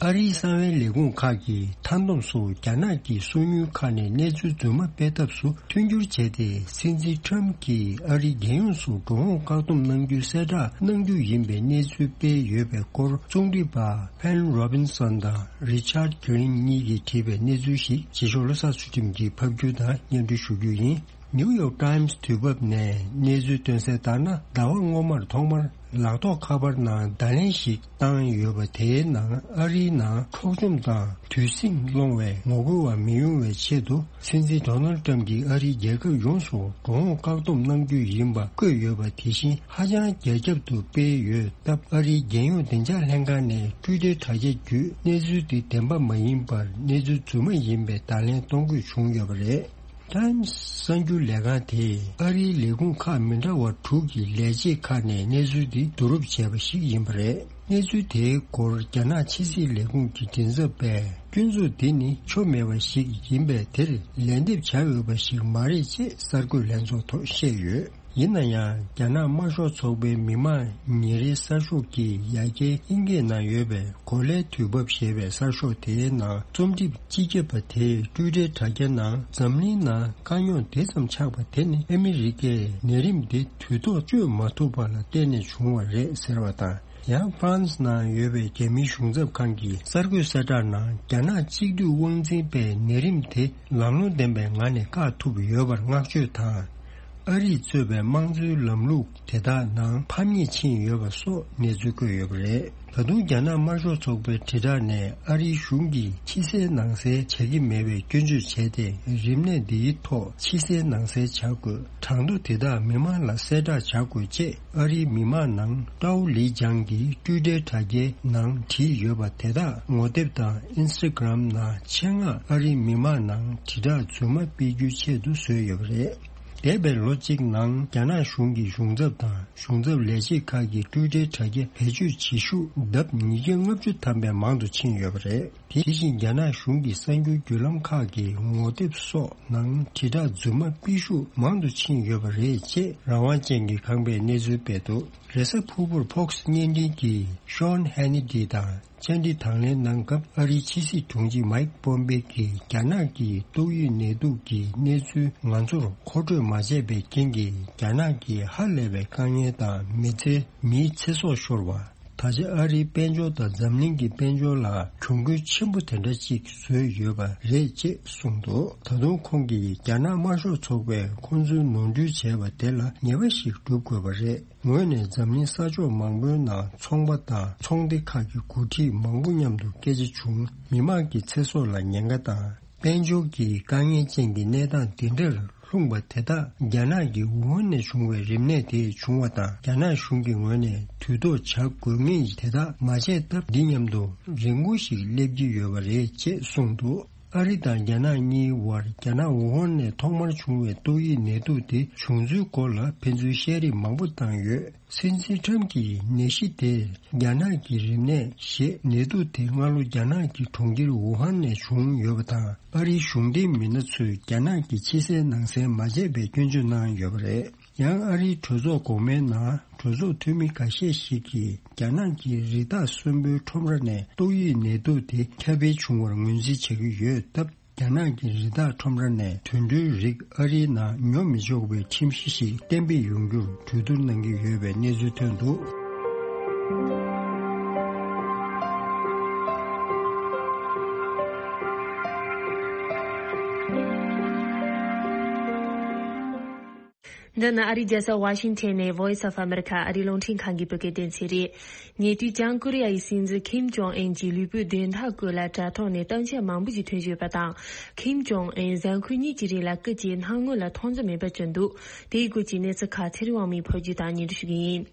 ཨ་རིའི་གསང་བའི་ལས་ཁུངས་ཁག་གིས་མཐའ་སྡོམ་སོགས་རྒྱ་ནག་གི་སོ་ཉུལ་ཁག་ནས་གནས་ཚུལ་རྫུན་མ་སྤེལ་ཐབས་སུ་མཐུན་འགྱུར་བྱས་ཏེ། སྲིད་འཛིན་ཁྲམ་གྱིས་ཨ་རིའི་རྒྱལ་ཡོངས་སུ་འགྲོ་འོང་བཀག་སྡོམ་གནང་རྒྱུའི་གསལ་བསྒྲགས་གནང་རྒྱུ་ཡིན་པའི་གནས་ཚུལ་སྤེལ་ཡོད་པའི་སྐོར། རྩོམ་སྒྲིག་པ་Pam Robinson་དང་Richard Green་གཉིས་ཀྱིས་བྲིས་པའི་གནས་ཚུལ་ཞིག་རྗེས་ཕྱོགས་བློ་བཟང་ཚུལ་ཁྲིམས་ཀྱིས་ཕབ་སྒྱུར་དང་སྙན་སྒྲོན་ཞུ་རྒྱུ་ཡིན། ནིའུ་ཡོག་ཊའིམ་སི་དུས་བབ་ནས་གནས་ཚུལ་བཏོན་གསལ་ལྟར་ན། ཟླ་བ་སྔོན་མར་ཐོག་མར་ ལག་ཐོགས་ཁ་པར་ནང་བརྡ་ལན་ཞིག་བཏང་ཡོད་པ། དེའི་ནང་ཨ་རིའི་ནང་འཕྲོག་བཅོམ་དང་དུས་ཟིང་སློང་བའི་ངོ་རྒོལ་བ་མི་ཡོང་བའི་ཆེད་དུ། སྲིད་འཛིན་ཌོ་ནལ་ཊམ་གྱིས་ཨ་རིའི་རྒྱལ་ཁབ་ཡོངས་སུ་འགྲོ་འོང་བཀག་སྡོམ་གནང་རྒྱུ་ཡིན་པ་བཀོད་ཡོད་པ། དེ་བཞིན་ཧ་ཅང་རྒྱ་ཁྱབ་ཏུ་སྤེལ་ཡོད་སྟབས། ཨ་རིའི་རྒྱལ་ཡོངས་བདེ་འཇགས་ལྷན་ཁང་ནས་ཊུའི་ཊར་དྲ་རྒྱ་བརྒྱུད་གནས་ཚུལ་འདི་བདེན་པ་མ་ཡིན་པར་གནས་ཚུལ་རྫུན་མ་ཡིན་པའི་བརྡ་ལན་གཏོང་དགོས་བྱུང་ཡོད་པ་རེད། ཊའིམ་སི་གསར་འགྱུར་ལས་ཁང་དེས་ཨ་རིའི་ལས་ཁུངས་ཁག་མི་འདྲ་བ་དྲུག་གི་ལས་བྱེད་ཁག་ནས་གནས་ཚུལ་འདི་བསྡུ་རུབ་བྱས་པ་ཞིག་ཡིན་པ་རེད། གནས་ཚུལ་དེའི་སྐོར་རྒྱ་ནག་ཕྱི་སྲིད་ལས་ཁུངས་ཀྱི་མགྲིན་ཚབ་པས། སྐྱོན་འཛུགས་འདི་ནི་ཆོ་མེད་པ་ཞིག་ཡིན་པས། དེར་ལན་འདེབས་བྱ་འོས་པ་ཞིག་མ་རེད་ཅེས་གསར་འགོད་ལྷན་ཚོགས་ཐོག་བཤད་ཡོད། ཡིན་ན་ཡང་། རྒྱ་ནག་དམར་ཤོག་ཚོགས་པའི་མི་དམངས་ཉིན་རེའི་གསར་ཤོག་གི་ཡ་གྱལ་དབྱིན་སྐད་ནང་ཡོད་པའི་གོ་ལའི་དུས་བབ་ཞེས་པའི་གསར་ཤོག་དེའི་ནང་རྩོམ་སྒྲིག་སྤྱི་ཁྱབ་པ་དེས་ཊུའི་ཊར་དྲ་རྒྱ་ནང་འཛམ་གླིང་ནང་དཀའ་རྙོག་དེ་ཙམ་ཆགས་པ་དེ་ནི་ཨ་མི་རི་ཀས་ནད་རིམས་དེ་དུས་ཐོག་བཅོས་མ་ཐུབ་པ་ལ་བརྟེན་ནས་བྱུང་བ་རེད་ཟེར་བ་དང་། ཡང་ཧྥ་རན་སི་ནང་ཡོད་པའི་རྒྱ་མིའི་གཞུང་ཚབ་ཁང་གི་གསར་འགོད་གསལ་བསྒྲགས་ནང་། རྒྱ་ནག་གཅིག་སྡུད་དབང་འཛིན་པས་ནད་རིམས་དེ་ལམ་ལྷོང་ལྡན་པའི་ངང་ནས་བཀག་ཐུབ་ཡོད་པར་བསྔགས་བརྗོད་དང་། ཨ་རིས་གཙོས་པའི་དམངས་གཙོའི་ལམ་ལུགས་དེ་དག་ནང་ཕམ་ཉེས་ཕྱིན་ཡོད་པ་སོགས་གནས་ཚུལ་བཀོད་ཡོད་པ་རེད། ད་དུང་རྒྱ་ནག་དམར་ཤོག་ཚོགས་པའི་དྲིལ་བསྒྲགས་ནས་ཨ་རིའི་གཞུང་གིས་ཕྱི་གསལ་ནང་གསལ་བྱ་གི་མེད་པའི་སྐྱོན་བརྗོད་བྱས་ཏེ། རིམས་ནད་འདིའི་ཐོག་ཕྱི་གསལ་ནང་གསལ་བྱ་དགོས། གྲངས་ཐོ་དེ་དག་མི་མང་ལ་གསལ་བསྒྲགས་བྱ་དགོས་ཅེས་ཨ་རིའི་མི་མང་ནང་ཀྲའོ་ལི་ཅང་གིས་ཊུའི་ཊར་དྲ་རྒྱའི་ནང་བྲིས་ཡོད་པ་དེ་དག་ངོ་དེབ་དང་ཨིན་སི་ཊ་གྷི་རམ་ནང་ཆེད་མངགས་ཨ་རིའི་མི་མང་ནང་དྲིལ་བསྒྲགས་རྫུན་མ་སྤེལ་རྒྱུའི་ཆེད་དུ་བཟོས་ཡོད་པ་རེད། འདས་པའི་ལོ་གཅིག་ནང་རྒྱ་ནག་གཞུང་གི་གཞུང་ཚབ་དང་གཞུང་ཚབ་ལས་བྱེད་ཁག་གིས་ཊུའི་ཊར་དྲ་རྒྱ་བེད་སྤྱོད་བྱེད་ཤུགས་ལྡབ་ཉིས་བརྒྱ་ལྔ་བཅུ་ཐམ་པའི་མང་དུ་ཕྱིན་ཡོད་པ་རེད། དེ་བཞིན་རྒྱ་ནག་གཞུང་གི་གསར་འགྱུར་བརྒྱུད་ལམ་ཁག་གི་ངོ་དེབ་སོགས་ནང་དྲིལ་བསྒྲགས་རྫུན་མ་སྤེལ་ཤུགས་མང་དུ་ཕྱིན་ཡོད་པ་རེད་ཅེས་རང་དབང་ཅན་གྱི་ཁང་པས་གནས་ཚུལ་སྤེལ་འདུག་རེས་གཟའ་ཕུར་བུར་ཕོག་སི་བརྙན་འཕྲིན་གྱིས་ཤོན་ཧེ་ནི་ཏི་དང་བཅར་འདྲི་དང་ལེན་གནང་སྐབས། ཨ་རིའི་ཕྱི་སྲིད་དྲུང་ཆེ་མཱིག་པོམ་པེ་གིས་རྒྱ་ནག་གི་ཏོག་དབྱིབས་ནད་དུག་གི་གནས་ཚུལ་ང་ཚོར་མཁོ་སྤྲོད་མ་བྱས་པའི་རྐྱེན་གྱིས། རྒྱ་ནག་གི་ཧ་ལས་པའི་དཀའ་ངལ་དང་མི་ཚེ། མིའི་ཚེ་སྲོག་ཤོར་བ། ད་ཆ་ཨ་རིའི་དཔལ་འབྱོར་དང་འཛམ་གླིང་གི་དཔལ་འབྱོར་ལ་གྱོང་གུན་ཆེན་པོ་དེ་འདྲ་ཅིག་བཟོས་ཡོད་པ་རེད་ཅེས་གསུངས་འདུག་ད་དུང་ཁོང་གིས། རྒྱ་ནག་དམར་ཤོག་ཚོགས་པས་ཁོང་ཚོའི་ནོར་འཁྲུལ་བྱས་པ་དེ་ལ་ཉེས་པ་ཞིག་སྒྲུབ་དགོས་པ་རེད། ངོས་ནས་འཛམ་གླིང་ས་ཕྱོགས་མང་པོའི་ནང་ཚོང་པ་དང་ཚོང་སྡེ་ཁག་གི་འགོ་ཁྲིད་མང་པོ་མཉམ་དུ་སྐད་ཆ་བྱུང་། མི་དམངས་ཀྱི་ཚེ་སྲོག་ལ་ཉེན་ཁ་དང་། དཔལ་འབྱོར་གྱི་དཀའ་ངལ་ཅན་གྱི་གནས་སྟངས་འདི་འདྲར་ལྷུང་བ་དེ་དག་རྒྱ་ནག་གི་ཝུ་ཧན་ནས་བྱུང་བའི་རིམས་ནད་དེ་བྱུང་བ་དང་། རྒྱ་ནག་གཞུང་གི་ངོས་ནས་དུས་ཐོག་བྱ་དགོས་ངེས་དེ་དག་མ་བྱས་སྟབས། འདི་མཉམ་དུ་རིན་གོང་ཞིག་སླེབས་ཀྱི་ཡོད་པ་རེད་ཅེས་གསུངས་འདུག་ཨ་རི་དང་རྒྱ་ནག་གཉིས་དབར་རྒྱ་ནག་ཝུ་ཧན་ནས་ཐོག་མར་བྱུང་བའི་ཏོག་དབྱིབས་ནད་དུག་དེ་བྱུང་ཚུལ་སྐོར་ལ་ཕན་ཚུན་བཤད་རེས་མང་པོ་བཏང་ཡོད། སྲིད་འཛིན་ཊམ་གྱིས་ནད་གཞི་དེ་རྒྱ་ནག་གི་རིམས་ནད་ཞེས། ནད་དུག་དེ་སྔ་ལོ་རྒྱ་ནག་གི་གྲོང་ཁྱེར་ཝུ་ཧན་ནས་བྱུང་ཡོད་པ་དང་། ཨ་རིའི་གཞུང་འབྲེལ་མི་སྣ་ཚོས་རྒྱ་ནག་གི་ཕྱི་གསལ་ནང་གསལ་མ་བྱས་པའི་སྐྱོན་བརྗོད་གནང་ཡོད་པ་རེད། ཡང་ཨ་རིའི་གྲོས་ཚོགས་འོག་མའི་ནང་གྲོས་ཚོགས་འཐུས་མི་འགའ་ཤས་ཤིག་གིས་རྒྱ་ནག་གི་རི་དྭགས་གསོན་པོའི་ཁྲོམ་ར་ནས་ཏོག་དབྱིབས་ནད་དུག་དེ་ཁྱབ་སྤེལ་བྱུང་བར་ངོས་འཛིན་བྱ་གི་ཡོད་སྟབས། རྒྱ་ནག་གི་རི་དྭགས་ཁྲོམ་ར་ནས་དུད་འགྲོའི་རིགས་ཨ་རིའི་ནང་ཉོ་མི་ཆོག་པའི་ཁྲིམས་གཞི་ཞིག་གཏན་འབེབས་ཡོང་རྒྱུར་གྲོས་བསྡུར་གནང་གི་ཡོད་པའི་གནས་ཚུལ་ཐོན་འདུག་འདི་ནི་ཨ་རིའི་རྒྱལ་ས་ཝ་ཤིང་ཊོན་ནས་Voice of America ཨ་རིའི་རླུང་འཕྲིན་ཁང་གི་བོད་སྐད་སྡེ་ཚན་རེད། ཉེ་དུས་བྱང་ཀོ་རི་ཡ་ཡི་སྲིད་འཛིན་ཁིམ་ཇོང་ཨན་གྱི་ལུས་པོའི་བདེན་མཐའ་སྐོར་ལ་དྲ་ཐོག་ནས་གཏམ་བཤད་མང་པོ་ཞིག་ཐོན་བཞིན་ཡོད་པ་དང་། ཁིམ་ཇོང་ཨན་གཟའ་འཁོར་གཉིས་ཀྱི་རིང་ལ་སྐུ་ཚེའི་སྣང་ངོ་ལ་མཐོང་ས་མེད་པ་བྱུང་འདུག་དེའི་སྐོར་གྱི་གནས་ཚུལ་ཁག་ཚེ་རིང་དབང་མོས་ཕབ་སྒྱུར་དང་སྙན་སྒྲོན་ཞུ་གི་ཡིན།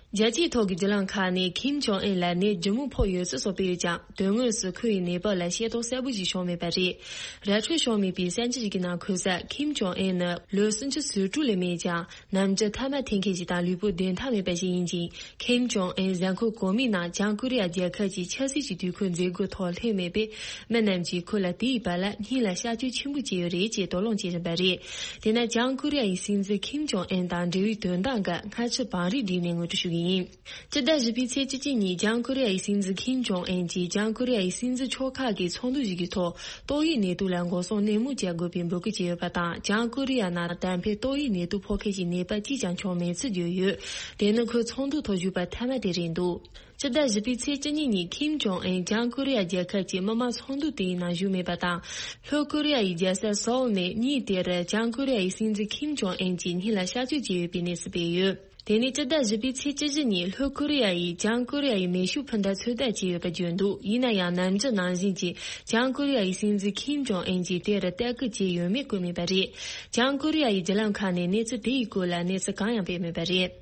རྒྱལ་སྤྱིའི་ཐོག་གི་བརྒྱུད་ལམ་ཁག་ནས་ཁིམ་ཇོང་ཨན་ལ་ནད་ལྗིད་མོ་ཕོག་ཡོད་ཚུལ་སོགས་སྤེལ་ཡོད་ཀྱང་། དོན་དངོས་སུ་ཁོ་ཡི་ནད་པ་ལ་ཤེས་རྟོགས་གསལ་པོ་ཞིག་བྱུང་མེད་པ་རེད། ར་འཕྲོད་བྱུང་མེད་པའི་གསར་འགྱུར་ཞིག་གི་ནང་འཁོད་གསལ། ཁིམ་ཇོང་ཨན་ནི་ལོ་སུམ་ཅུ་སོ་དྲུག་ལས་མེད་ཀྱང་། ནམ་རྒྱུན་ཐ་མག་འཐེན་མཁན་ཞིག་དང་ལུས་པོ་བདེན་མཐའ་མེད་པ་ཞིག་ཡིན་ཅིང་། ཁིམ་ཇོང་ཨན་གཟའ་འཁོར་གོང་མའི་ནང་བྱང་ཀོ་རི་ཡ་རྒྱལ་ཁབ་ཀྱི་ཆབ་སྲིད་ཀྱི་དུས་འཁོར་མཛད་སྒོའི་ཐོག་སླེབས་མེད་པས། མི་རྣམས་ཀྱིས་ཁོ་ལ་དེའི་བར་ལ་སྙིང་ལ་གཤག་བཅོས་ཆེན་པོ་བྱས་ཡོད་རེད་ཅེས་དོགས་སློང་བྱེད་བཞིན་པ་རེད། དེས་ན་བྱང་ཀོ་རི་ཡ་ཡི་སྲིད་འཛིན་ཁིམ་ཇོང་ཨན་དང་འབྲེལ་བའི་དོན་དག་འགའ་སྔ་ཕྱི་བང་རིམ་བསྒྲིགས་ནས་ངོ་སྤྲོད་ཞུ་གི་ཡིན། སྤྱི་ཟླ་བཞི་པའི་ཚེས་བཅུ་གཅིག་ཉིན་བྱང་ཀོ་རི་ཡ་ཡི་སྲིད་འཛིན་ཁིམ་ཇོང་ཨན་གྱིས་བྱང་ཀོ་རི་ཡ་ཡི་སྲིད་འཛིན་ཕྱོགས་ཁག་གི་ཚོགས་འདུ་ཞིག་གི་ཐོག་ཏོག་དབྱིབས་ནད་དུག་ལ་འགོག་སྲུང་ནན་མོ་བྱེད་དགོས་པའི་འབོད་སྐུལ་བྱས་ཡོད་པ་དང་། བྱང་ཀོ་རི་ཡ་ནང་ད་ཕན་ཏོག་དབྱིབས་ནད་དུག་ཕོག་མཁན་གྱི་ནད་པ་གཅིག་ཀྱང་བྱུང་མེད་ཚུལ་བརྗོད་ཡོད། དེ་ནི་ཁོས་ཚོགས་འདུ་ཐོག་ཞུས་པ་ཐ་མ་དེ་རེད་འདུག་སྤྱི་ཟླ་བཞི་པའི་ཚེས་བཅུ་གཉིས་ཉིན་ཁིམ་ཇོང་ཨན་བྱང་ཀོ་རི་ཡ་རྒྱལ་ཁབ་ཀྱི་མི་དམངས་ཚོགས་འདུ་དེའི་ནང་ཞུགས་མེད་པ་དང་། ལྷོ་ཀོ་རི་ཡ་ཡི་རྒྱལ་ས་སོའུལ་ནས་ཉིན་དེར་བྱང་ཀོ་རི་ཡ་ཡི་སྲིད་འཛིན་ཁིམ་ཇོང་ཨན་གྱི་སྙིང་ལ་གཤག་བཅོས་བྱས་ཡོད་པའི་གནས་ཚུལ་སྤེལ་ཡོད། དེ་ནས་སྤྱི་ཟླ་བཞི་པའི་ཚེས་བཅུ་བཞི་ཉིན་ལྷོ་ཀོ་རི་ཡ་ཡིས་བྱང་ཀོ་རི་ཡ་ཡི་མེ་ཤུགས་འཕུར་མདའ་ཚོད་ལྟ་བྱས་ཡོད་པ་བརྗོད་འདུག་ཡིན་ན་ཡང་ནམ་རྒྱུན་ནང་བཞིན་གྱི་བྱང་ཀོ་རི་ཡ་ཡི་སྲིད་འཛིན་ཁིམ་ཇོང་ཨན་གྱིས་དེར་ལྟ་སྐུལ་བྱས་ཡོད་མེད་བཀོད་མེད་པ་རེད། བྱང་ཀོ་རི་ཡ་ཡི་བརྒྱུད་ལམ་ཁག་ནས་གནས་ཚུལ་དེ་ཡི་སྐོར་ལ་གནས་ཚུལ་གང་ཡང་སྤེལ་མེད་པ་རེད།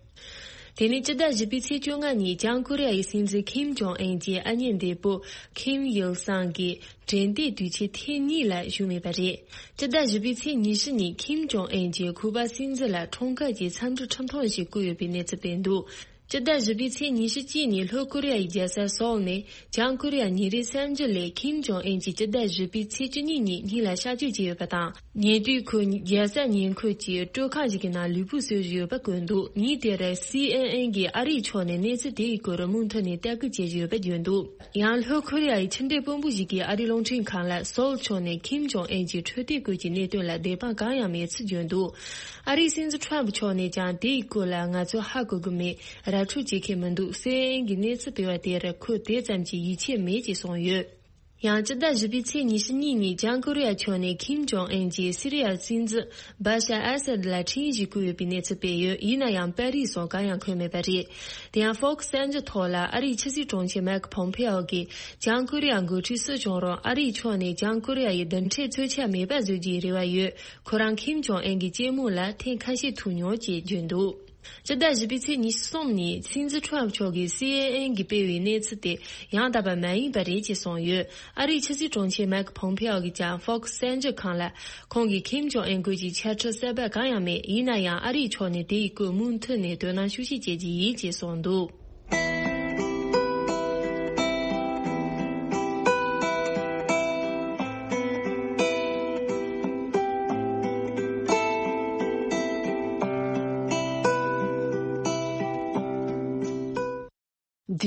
དེ་ནས་སྤྱི་ཟླ་བཞི་པའི་ཚེས་བཅོ་ལྔ་ཉིན་བྱང་ཀོ་རི་ཡ་ཡི་སྲིད་འཛིན་ཁིམ་ཇོང་ཨན་གྱི་ཨ་མྱེས་འདས་པོ་ཁིམ་ཡིལ་སང་གི་དྲན་རྟེན་དུས་ཆེན་ཐེངས་གཉིས་ལ་བཞུགས་མེད་པ་རེད། སྤྱི་ཟླ་བཞི་པའི་ཚེས་ཉི་ཤུ་ཉིན་ཁིམ་ཇོང་ཨན་གྱིས་ཁུ་པ་སྲིད་འཛིན་ལ་འཁྲུངས་སྐར་གྱི་འཚམས་འདྲི་འཁྲབ་སྟོན་ཞིག་བསྐོས་ཡོད་པའི་གནས་ཚུལ་སྤེལ་འདུག་སྤྱི་ཟླ་བཞི་པའི་ཚེས་ཉི་ཤུ་གཅིག་ཉིན་ལྷོ་ཀོ་རི་ཡ་ཡི་རྒྱལ་ས་སོལ་ནས་བྱང་ཀོ་རི་ཡ་ཉིན་རེའི་གསར་འགྱུར་ལས་ཁིམ་ཇོང་ཨན་གྱིས་སྤྱི་ཟླ་བཞི་པའི་ཚེས་བཅུ་གཉིས་ཉིན་གཉིད་ལ་གཤགས་བཅོས་བྱས་ཡོད་པ་དང་། ཉེ་དུས་ཁོས་རྒྱལ་ས་ཉེ་འཁོར་གྱི་སྤྲོ་ཁང་ཞིག་གི་ནང་ལུས་པོ་གསོས་བཞིན་ཡོད་པ་བཀོད་འདུག་ཉིན་དེར་སི་ཨེན་ཨེན་གྱིས་ཨ་རིའི་ཕྱོགས་ནས་གནས་ཚུལ་དེ་ཡི་སྐོར་མུ་མཐུད་ནས་ལྟ་སྐུལ་བྱེད་བཞིན་ཡོད་པ་བརྗོད་འདུག་ཡང་ལྷོ་ཀོ་རི་ཡ་ཡི་ཕྱི་འབྲེལ་དཔོན་པོ་ཞིག་གིས་ཨ་རིའི་རླུང་འཕྲིན་ཁང་ལ་སོལ་ཕྱོགས་ནས་ཁིམ་ཇོང་ཨན་གྱི་འཕྲོད་བསྟེན་སྐོར་གྱི་གནད་དོན་ལ་བདེན་དཔང་གང་ཡང་མེད་ཚུལ་བརྗོད་འདུག་ཨ་རིའི་སྲིད་འཛིན་ཁྲོམ་ཕྱོགས་ནས་ཀྱང་དེ་ཡི་སྐོར་ལ་ང་ཚོས་ཧ་གོ་གི་མེད། ར་འཕྲོད་བྱེད་མཁན་མི་འདུག་སི་ཨེན་ཨེན་གྱིས་གནས་ཚུལ་སྤེལ་བ་དེར་ཁོས་དེ་ཙམ་གྱི་ཡིད་ཆེས་མེད་ཅེས་གསུངས་ཡོད། ཡང་སྤྱི་ཟླ་བཞི་པའི་ཚེས་ཉི་ཤུ་གཉིས་ཉིན་བྱང་ཀོ་རི་ཡ་ཕྱོགས་ནས་ཁིམ་ཇོང་ཨན་གྱིས་སི་རི་ཡའི་སྲིད་འཛིན་བ་ཤ་ཨ་སད་ལ་འཕྲིན་ཡིག་ཞིག་བསྐུར་ཡོད་པའི་གནས་ཚུལ་སྤེལ་ཡོད། ཡིན་ན་ཡང་པར་རིས་སོགས་གང་ཡང་འཁོད་མེད་པ་རེད། དེ་ཡང་ཧྥོག་སི་གསར་འགྱུར་ཐོག་ལ་ཨ་རིའི་ཕྱི་སྲིད་དྲུང་ཆེ་མེག་ཕོམ་ཕེ་ཨོ་གིས་བྱང་ཀོ་རི་ཡ་འགོ་ཁྲིད་སུ་བྱུང་རུང་ཨ་རིའི་ཕྱོགས་ནས་བྱང་ཀོ་རི་ཡ་ཡི་རྡུལ་ཕྲན་རྩོད་ཆ་མེད་པ་བཟོ་རྒྱུའི་རེ་བ་ཡོད། ཁོ་རང་ཁིམ་ཇོང་ཨན་གྱི་སྐྱེས་མོ་ལ་ཐེངས་ཁ་ཤས་ཐུག་མྱོང་ཅེས་བརྗོད་འདུག་སྤྱི་ཟླ་བཞི་པའི་ཚེས་ཉི་ཤུ་གསུམ་ཉིན་སྲིད་འཛིན་ཁྲོམ་མཆོག་གིས་སི་ཨེན་ཨེན་གྱིས་སྤེལ་བའི་གནས་ཚུལ་དེ་ཡང་དག་པ་མ་ཡིན་པ་རེད་ཅེས་གསུངས་ཡོད། ཨ་རིའི་ཕྱི་སྲིད་དྲུང་ཆེ་མེག་ཕོམ་ཕེ་ཨོ་གིས་ཀྱང་ཧྥོག་སི་གསར་འགྱུར་ཁང་ལ་ཁོང་གིས་ཁིམ་ཇོང་ཨན་སྐོར་གྱི་འཆད་ཁྲིད་གསར་པ་གང་ཡང་མེད། ཡིན་ན་ཡང་ཨ་རིའི་ཕྱོགས་ནས་དེ་ཡི་སྐོར་མུ་མཐུད་ནས་དོ་སྣང་ཤུགས་ཆེ་བྱེད་ཀྱི་ཡིན་ཅེས་གསུངས་འདུག་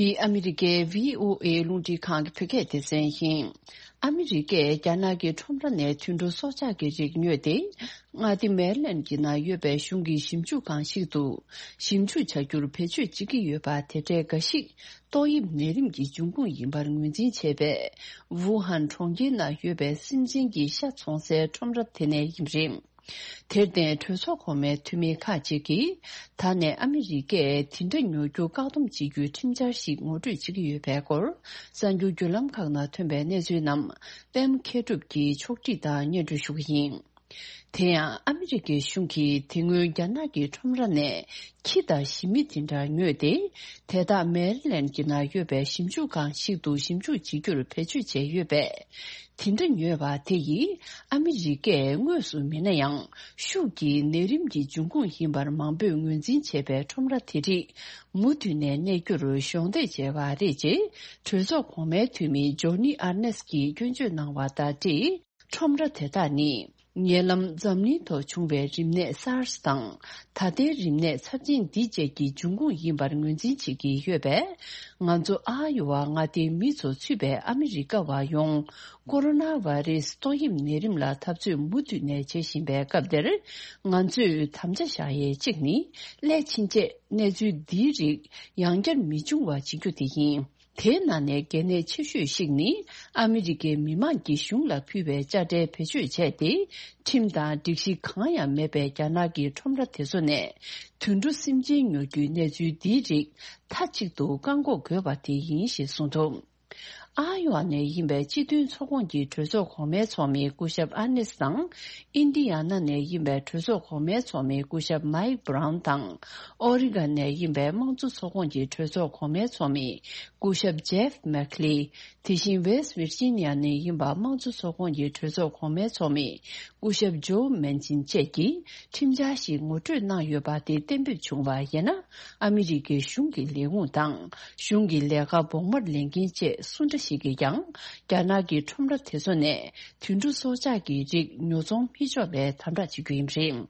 འདི་ཨ་མི་རི་ཀའི་བྷི་ཨོ་ཨེ་རླུང་འཕྲིན་ཁང་གི་བོད་སྐད་སྡེ་ཚན་ཡིན། ཨ་མི་རི་ཀས་རྒྱ་ནག་གི་ཁྲོམ་ར་ནས་དུད་འགྲོ་སྲོག་ཆགས་ཀྱི་རིགས་ཉོས་ཏེ། མངའ་སྡེ་མེ་རི་ལན་གྱི་ནང་ཡོད་པའི་གཞུང་གི་ཞིབ་འཇུག་ཁང་ཞིག་ཏུ་ཞིབ་འཇུག་བྱ་རྒྱུར་བེད་སྤྱོད་བྱེད་ཀྱི་ཡོད་པ། དེ་འདྲའི་འགའ་ཞིག་ཏོག་དབྱིབས་ནད་རིམས་ཀྱི་འབྱུང་ཁུངས་ཡིན་པར་ངོས་འཛིན་བྱས་པའི་ཝུ་ཧན་གྲོང་ཁྱེར་ནང་ཡོད་པའི་སེམས་ཅན་གྱི་ཤ་འཚོང་སའི་ཁྲོམ་ར་དེ་ནས་ཡིན་པ་རེད། དེར་བརྟེན་གྲོས་ཚོགས་གོང་མའི་འཐུས་མི་ཁག་ཅིག་གིས་ད་ནས་ཨ་མི་རི་ཀས་དེ་འདྲ་ཉོ་རྒྱུ་བཀག་སྡོམ་བྱེད་རྒྱུའི་ཁྲིམས་འཆར་ཞིག་ངོ་སྤྲོད་བྱེད་ཀྱི་ཡོད་པའི་སྐོར། གསར་འགྱུར་བརྒྱུད་ལམ་ཁག་ནང་ཐོན་པའི་གནས་ཚུལ་རྣམས་པད་མ་མཁས་གྲུབ་ཀྱིས་ཕྱོགས་སྒྲིག་དང་སྙན་སྒྲོན་ཞུ་གི་ཡིན། དེ་ཡང་ཨ་མི་རི་ཀའི་གཞུང་གིས་དེ་སྔོན་རྒྱ་ནག་གི་ཁྲོམ་ར་ནས་ཁྱི་དང་ཞི་མི་དེ་འདྲ་ཉོས་ཏེ། དེ་དག་མེ་རི་ལན་གྱི་ནང་ཡོད་པའི་ཞིབ་འཇུག་ཁང་ཞིག་ཏུ་ཞིབ་འཇུག་བྱེད་རྒྱུར་བེད་སྤྱོད་བྱས་ཡོད་པས། དེ་འདྲ་ཉོས་པ་དེ་ཡིས་ཨ་མི་རི་ཀས་དངོས་སུ་མིན་ན་ཡང་ཤུགས་ཀྱིས་ནད་རིམས་ཀྱི་འབྱུང་ཁུངས་ཡིན་པར་མང་པོས་ངོས་འཛིན་བྱས་པའི་ཁྲོམ་ར་དེ་རིགས་མུ་མཐུད་ནས་གནས་རྒྱུར་གཞོགས་འདེགས་བྱས་པ་རེད་ཅེས་གྲོས་ཚོགས་གོང་མའི་འཐུས་མི་ཇོ་ནི་ཨར་ནེས་ཀྱིས་སྐྱོན་བརྗོད་གནང་བ་དང་འབྲེལ། ཁྲོམ་ར་དེ་དག་ནི་ཉེ་ལམ་འཛམ་གླིང་ཐོག་བྱུང་བའི་རིམས་ནད་སཱར་སི་དང་། ད་ལྟའི་རིམས་ནད་ཚབས་ཆེན་འདི་བཅས་ཀྱི་འབྱུང་ཁུངས་ཡིན་པར་ངོས་འཛིན་བྱེད་ཀྱི་ཡོད་པས། ང་ཚོ་ཨ་ཡོ་ཝ་མངའ་སྡེའི་མི་ཚོ་ཚུད་པའི་ཨ་མི་རི་ཀ་བ་ཡོངས་ཀོ་རོ་ན་བྷ་རེ་སི་ཏོག་དབྱིབས་ནད་རིམས་ལ་འཐབ་རྩོད་མུ་མཐུད་ནས་བྱེད་བཞིན་པའི་སྐབས་འདིར། ང་ཚོས་དམ་བཅའ་བཞག་ཡས་གཅིག་ནི། སླད་ཕྱིན་ཆད་གནས་ཚུལ་འདིའི་རིགས་ཡང་བསྐྱར་མི་འབྱུང་བ་བྱེད་རྒྱུ་དེ་ཡིན། དེའི་ནང་ནས་གལ་གནད་ཆེ་ཤོས་ཤིག་ནི། ཨ་མི་རི་ཀའི་མི་མང་གིས་གཞུང་ལ་ཕུལ་བའི་དཔྱ་ཁྲལ་བེད་སྤྱོད་བྱས་ཏེ། ཁྲིམས་དང་སྒྲིག་གཞི་གང་ཡང་མེད་པའི་རྒྱ་ནག་གི་ཁྲོམ་ར་དེ་ཚོ་ནས་དུད་འགྲོ་སེམས་ཅན་ཉོ་རྒྱུའི་གནས་ཚུལ་འདིའི་རིགས་མཐའ་གཅིག་ཏུ་བཀག་འགོག་དགོས་པ་དེ་ཡིན་ཞེས་གསུངས་འདུག་ཨ་ཡོ་ཝ་ནས་ཡིན་པའི་སྤྱི་མཐུན་ཚོགས་ཁོངས་ཀྱི་གྲོས་ཚོགས་གོང་མའི་ཚོགས་མི་སྐུ་ཞབས་ཨར་ནེས་དང་། ཨིན་ཌི་ཡ་ན་ནས་ཡིན་པའི་གྲོས་ཚོགས་གོང་མའི་ཚོགས་མི་སྐུ་ཞབས་མའིག་བྷ་རའུན་དང་། ཨོ་རི་གྷན་ནས་ཡིན་པའི་དམངས་གཙོ་ཚོགས་ཁོངས་ཀྱི་གྲོས་ཚོགས་གོང་མའི་ཚོགས་མི་སྐུ་ཞབས་ཇེབ་མེག་ལི། དེ་བཞིན་ཝེསྟ་ཝིར་ཇི་ནི་ཡ་ནས་ཡིན་པ་དམངས་གཙོ་ཚོགས་ཁོངས་ཀྱི་གྲོས་ཚོགས་གོང་མའི་ཚོགས་མི་སྐུ་ཞབས་ཇོ་མན་ཅིན་བཅས་ཀྱིས་ཁྲིམས་འཆར་ཞིག་ངོ་སྤྲོད་གནང་ཡོད་པ་དེ་གཏན་འབེབས་བྱུང་བ་ཡིན་ན། ཨ་མི་རི་ཀའི་གཞུང་གི་ལས་ཁུངས་དང་གཞུང་གི་ལས་ཀ་བོགས་མར་ལེན་མཁན་བཅས་སུ་འདྲ་ཞིག་གིས་ཀྱང་རྒྱ་ནག་གི་ཁྲོམ་ར་དེ་ཚོ་ནས་དུད་འགྲོ་སྲོག་ཆགས་ཀྱི་རིགས་ཉོ་ཚོང་མི་ཆོག་པའི་དམ་དྲག་བྱེད་རྒྱུ་ཡིན་པ་རེད།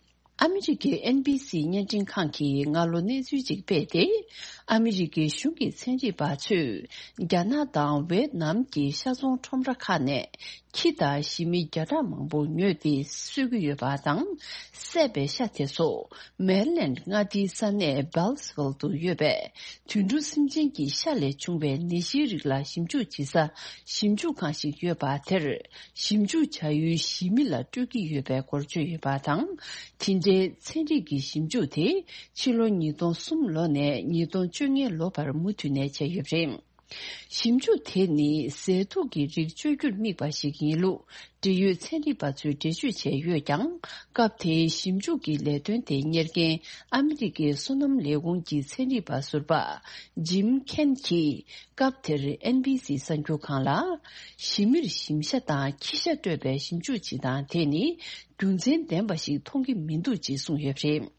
ཨ་མི་རི་ཀའི་ཨེན་བྷི་སི་བརྙན་འཕྲིན་ཁང་གིས་སྔ་ལོ་གནས་ཚུལ་ཅིག་སྤེལ་ཏེ། ཨ་མི་རི་ཀའི་གཞུང་གི་ཚན་རིག་པ་ཚོས་རྒྱ་ནག་དང་ཝེད་ནམ་གྱི་ཤ་ཚོང་ཁྲོམ་ར་ཁག་ནས་ ཁྱི་དང་ཞི་མི་བརྒྱ་ཕྲག་མང་པོ་ཉོས་ཏེ་གསོད་ཀྱི་ཡོད་པ་དང་། བསད་པའི་ཤ་དེ་ཚོ་མེ་རི་ལེནཌ་མངའ་སྡེའི་ས་གནས་སྦེལ་སི་ཝིལ་དུ་ཡོད་པའི་དུད་འགྲོ་སེམས་ཅན་གྱི་ཤ་ལས་བྱུང་བའི་ནད་གཞིའི་རིགས་ལ་ཞིབ་འཇུག་བྱེད་ས་ཞིབ་འཇུག་ཁང་ཞིག་ཡོད་པ་དེར། ཞིབ་འཇུག་བྱ་ཡུལ་ཞི་མི་ལ་སྤྲོད་ཀྱི་ཡོད་པའི་སྐོར་བརྗོད་ཡོད་པ་དང་། དེ་འདྲའི་ཚན་རིག་གི་ཞིབ་འཇུག་དེ་ཕྱི་ལོ་ཉིས་སྟོང་གསུམ་ལོ་ནས་ཉིས་སྟོང་བཅོ་ལྔ་ལོ་བར་མུ་མཐུད་ནས་བྱས་ཡོད་པ་རེད། ཞིབ་འཇུག་དེ་ནི་ཟས་དུག་གི་རིགས་བཅོས་རྒྱུར་དམིགས་པ་ཞིག་ཡིན་ལུགས་འབྲེལ་ཡོད་ཚན་རིག་པ་ཚོས་འགྲེལ་བརྗོད་བྱས་ཡོད་ཀྱང་། སྐབས་དེའི་ཞིབ་འཇུག་གི་ལས་དོན་དེ་གཉེར་མཁན་ཨ་མི་རི་ཀའི་སོ་ནམ་ལས་ཁུངས་ཀྱི་ཚན་རིག་པ་ཟུར་པ་ཇིམ་ཁེན་གྱིས་སྐབས་དེར་ཨེན་བྷི་སི་གསར་འགྱུར་ཁང་ལ། ཞི་མིར་ཞིམ་ཤ་དང་ཁྱི་ཤ་སྤྲོད་པའི་ཞིབ་འཇུག་བྱེད་སྟངས་དེ་ནི་རྒྱུ་མཚན་ལྡན་པ་ཞིག་མཐོང་གི་མི་འདུག་ཅེས་གསུངས་ཡོད་པ་རེད།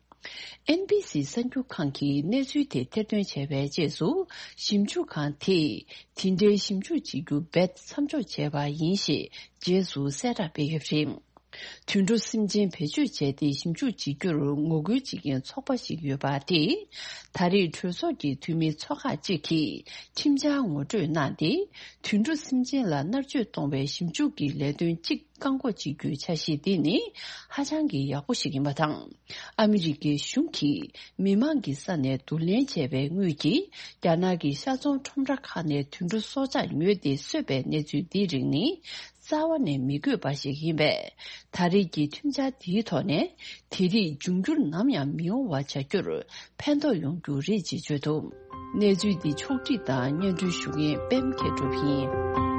ཨེན་བྷི་སི་གསར་འགྱུར་ཁང་གིས་གནས་ཚུལ་དེ་ཐེར་འདོན་བྱས་པའི་རྗེས་སུ། ཞིབ་འཇུག་ཁང་དེས་དེ་འདྲའི་ཞིབ་འཇུག་བྱེད་རྒྱུ་རྦད་མཚམས་འཇོག་བྱས་པ་ཡིན་ཞེས་རྗེས་སུ་གསལ་བསྒྲགས་སྤེལ་ཡོད་པ་རེད། དུད་འགྲོ་སེམས་ཅན་བེད་སྤྱོད་བྱས་ཏེ་ཞིབ་འཇུག་བྱེད་རྒྱུར་ངོ་རྒོལ་བྱེད་མཁན་ཚོགས་པ་ཞིག་ཡོད་པ་དེས། ད་རེས་གྲོས་ཚོགས་ཀྱི་འཐུས་མི་ཚོ་ཁག་ཅིག་གིས་ཁྲིམས་འཆར་ངོ་སྤྲོད་གནང་སྟེ། དུད་འགྲོ་སེམས་ཅན་ལ་མནར་གཅོད་གཏོང་བའི་ཞིབ་འཇུག་གི་ལས་དོན་གཅིག་བཀག་འགོག་བྱེད་རྒྱུའི་འཆར་གཞི་འདི་ནི་ཧ་ཅང་གི་ཡག་པོ་ཞིག་ཡིན་པ་དང་། ཨ་མི་རི་ཀའི་གཞུང་གིས་མི་མང་གི་ས་ནས་བསྡུ་ལེན་བྱས་པའི་དངུལ་གྱིས་རྒྱ་ནག་གི་ཤ་ཚོང་ཁྲོམ་ར་ཁག་ནས་དུད་འགྲོ་སྲོག་ཆགས་ཉོས་ཏེ་གསོད་པའི་གནས་ཚུལ་འདིའི་རིགས་ནི་རྩ་བ་ནས་མི་དགོས་པ་ཞིག་ཡིན་པས། ད་རེས་ཀྱི་ཁྲིམས་འཆར་འདིའི་ཐོག་ནས་དེ་རིགས་འབྱུང་འགྱུར་ནམ་ཡང་མི་ཡོང་བ་བྱ་རྒྱུར་ཕན་ཐོགས་ཡོང་རྒྱུ་རེད་ཅེས་བརྗོད་འདུག། གནས་ཚུལ་འདི་ཕྱོགས་སྒྲིག་དང་སྙན་སྒྲོན་ཞུ་མཁན་པད་མ་མཁས་གྲུབ་ཡིན།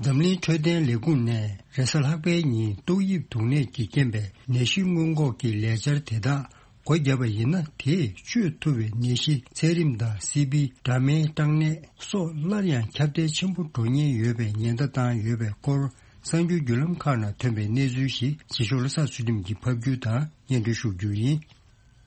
འཛམ་གླིང་འཕྲོད་བསྟེན་ལས་ཁུངས་ནས་རེས་གཟའ་ལྷག་པའི་ཉིན་ཏོག་དབྱིབས་འབྱུང་གནས་ཀྱི་རྐྱེན་པས་ནད་གཞི་སྔོན་འགོག་གི་ལས་འཆར་དེ་དག་སྒོ་བརྒྱབ་པ་ཡིན་ན། དེས་བཅོས་ཐུབ་པའི་ནད་གཞི་ཚད་རིམས་དང་སི་པི། འདྲ་མིན་སྐྲན་ནད་སོགས་སླར་ཡང་ཁྱབ་གདལ་ཆེན་པོ་འགྲོ་ཉེན་ཡོད་པའི་ཉེན་བརྡ་བཏང་ཡོད་པའི་སྐོར། གསར་འགྱུར་བརྒྱུད་ལམ་ཁག་ནང་ཐོན་པའི་གནས་ཚུལ་ཞིག་རྗེས་ཕྱོགས་ལ་གསར་ཚུལ་ཁྲིམས་ཀྱིས་ཕབ་སྒྱུར་དང་སྙན་སྒྲོན་ཞུ་རྒྱུ་ཡིན།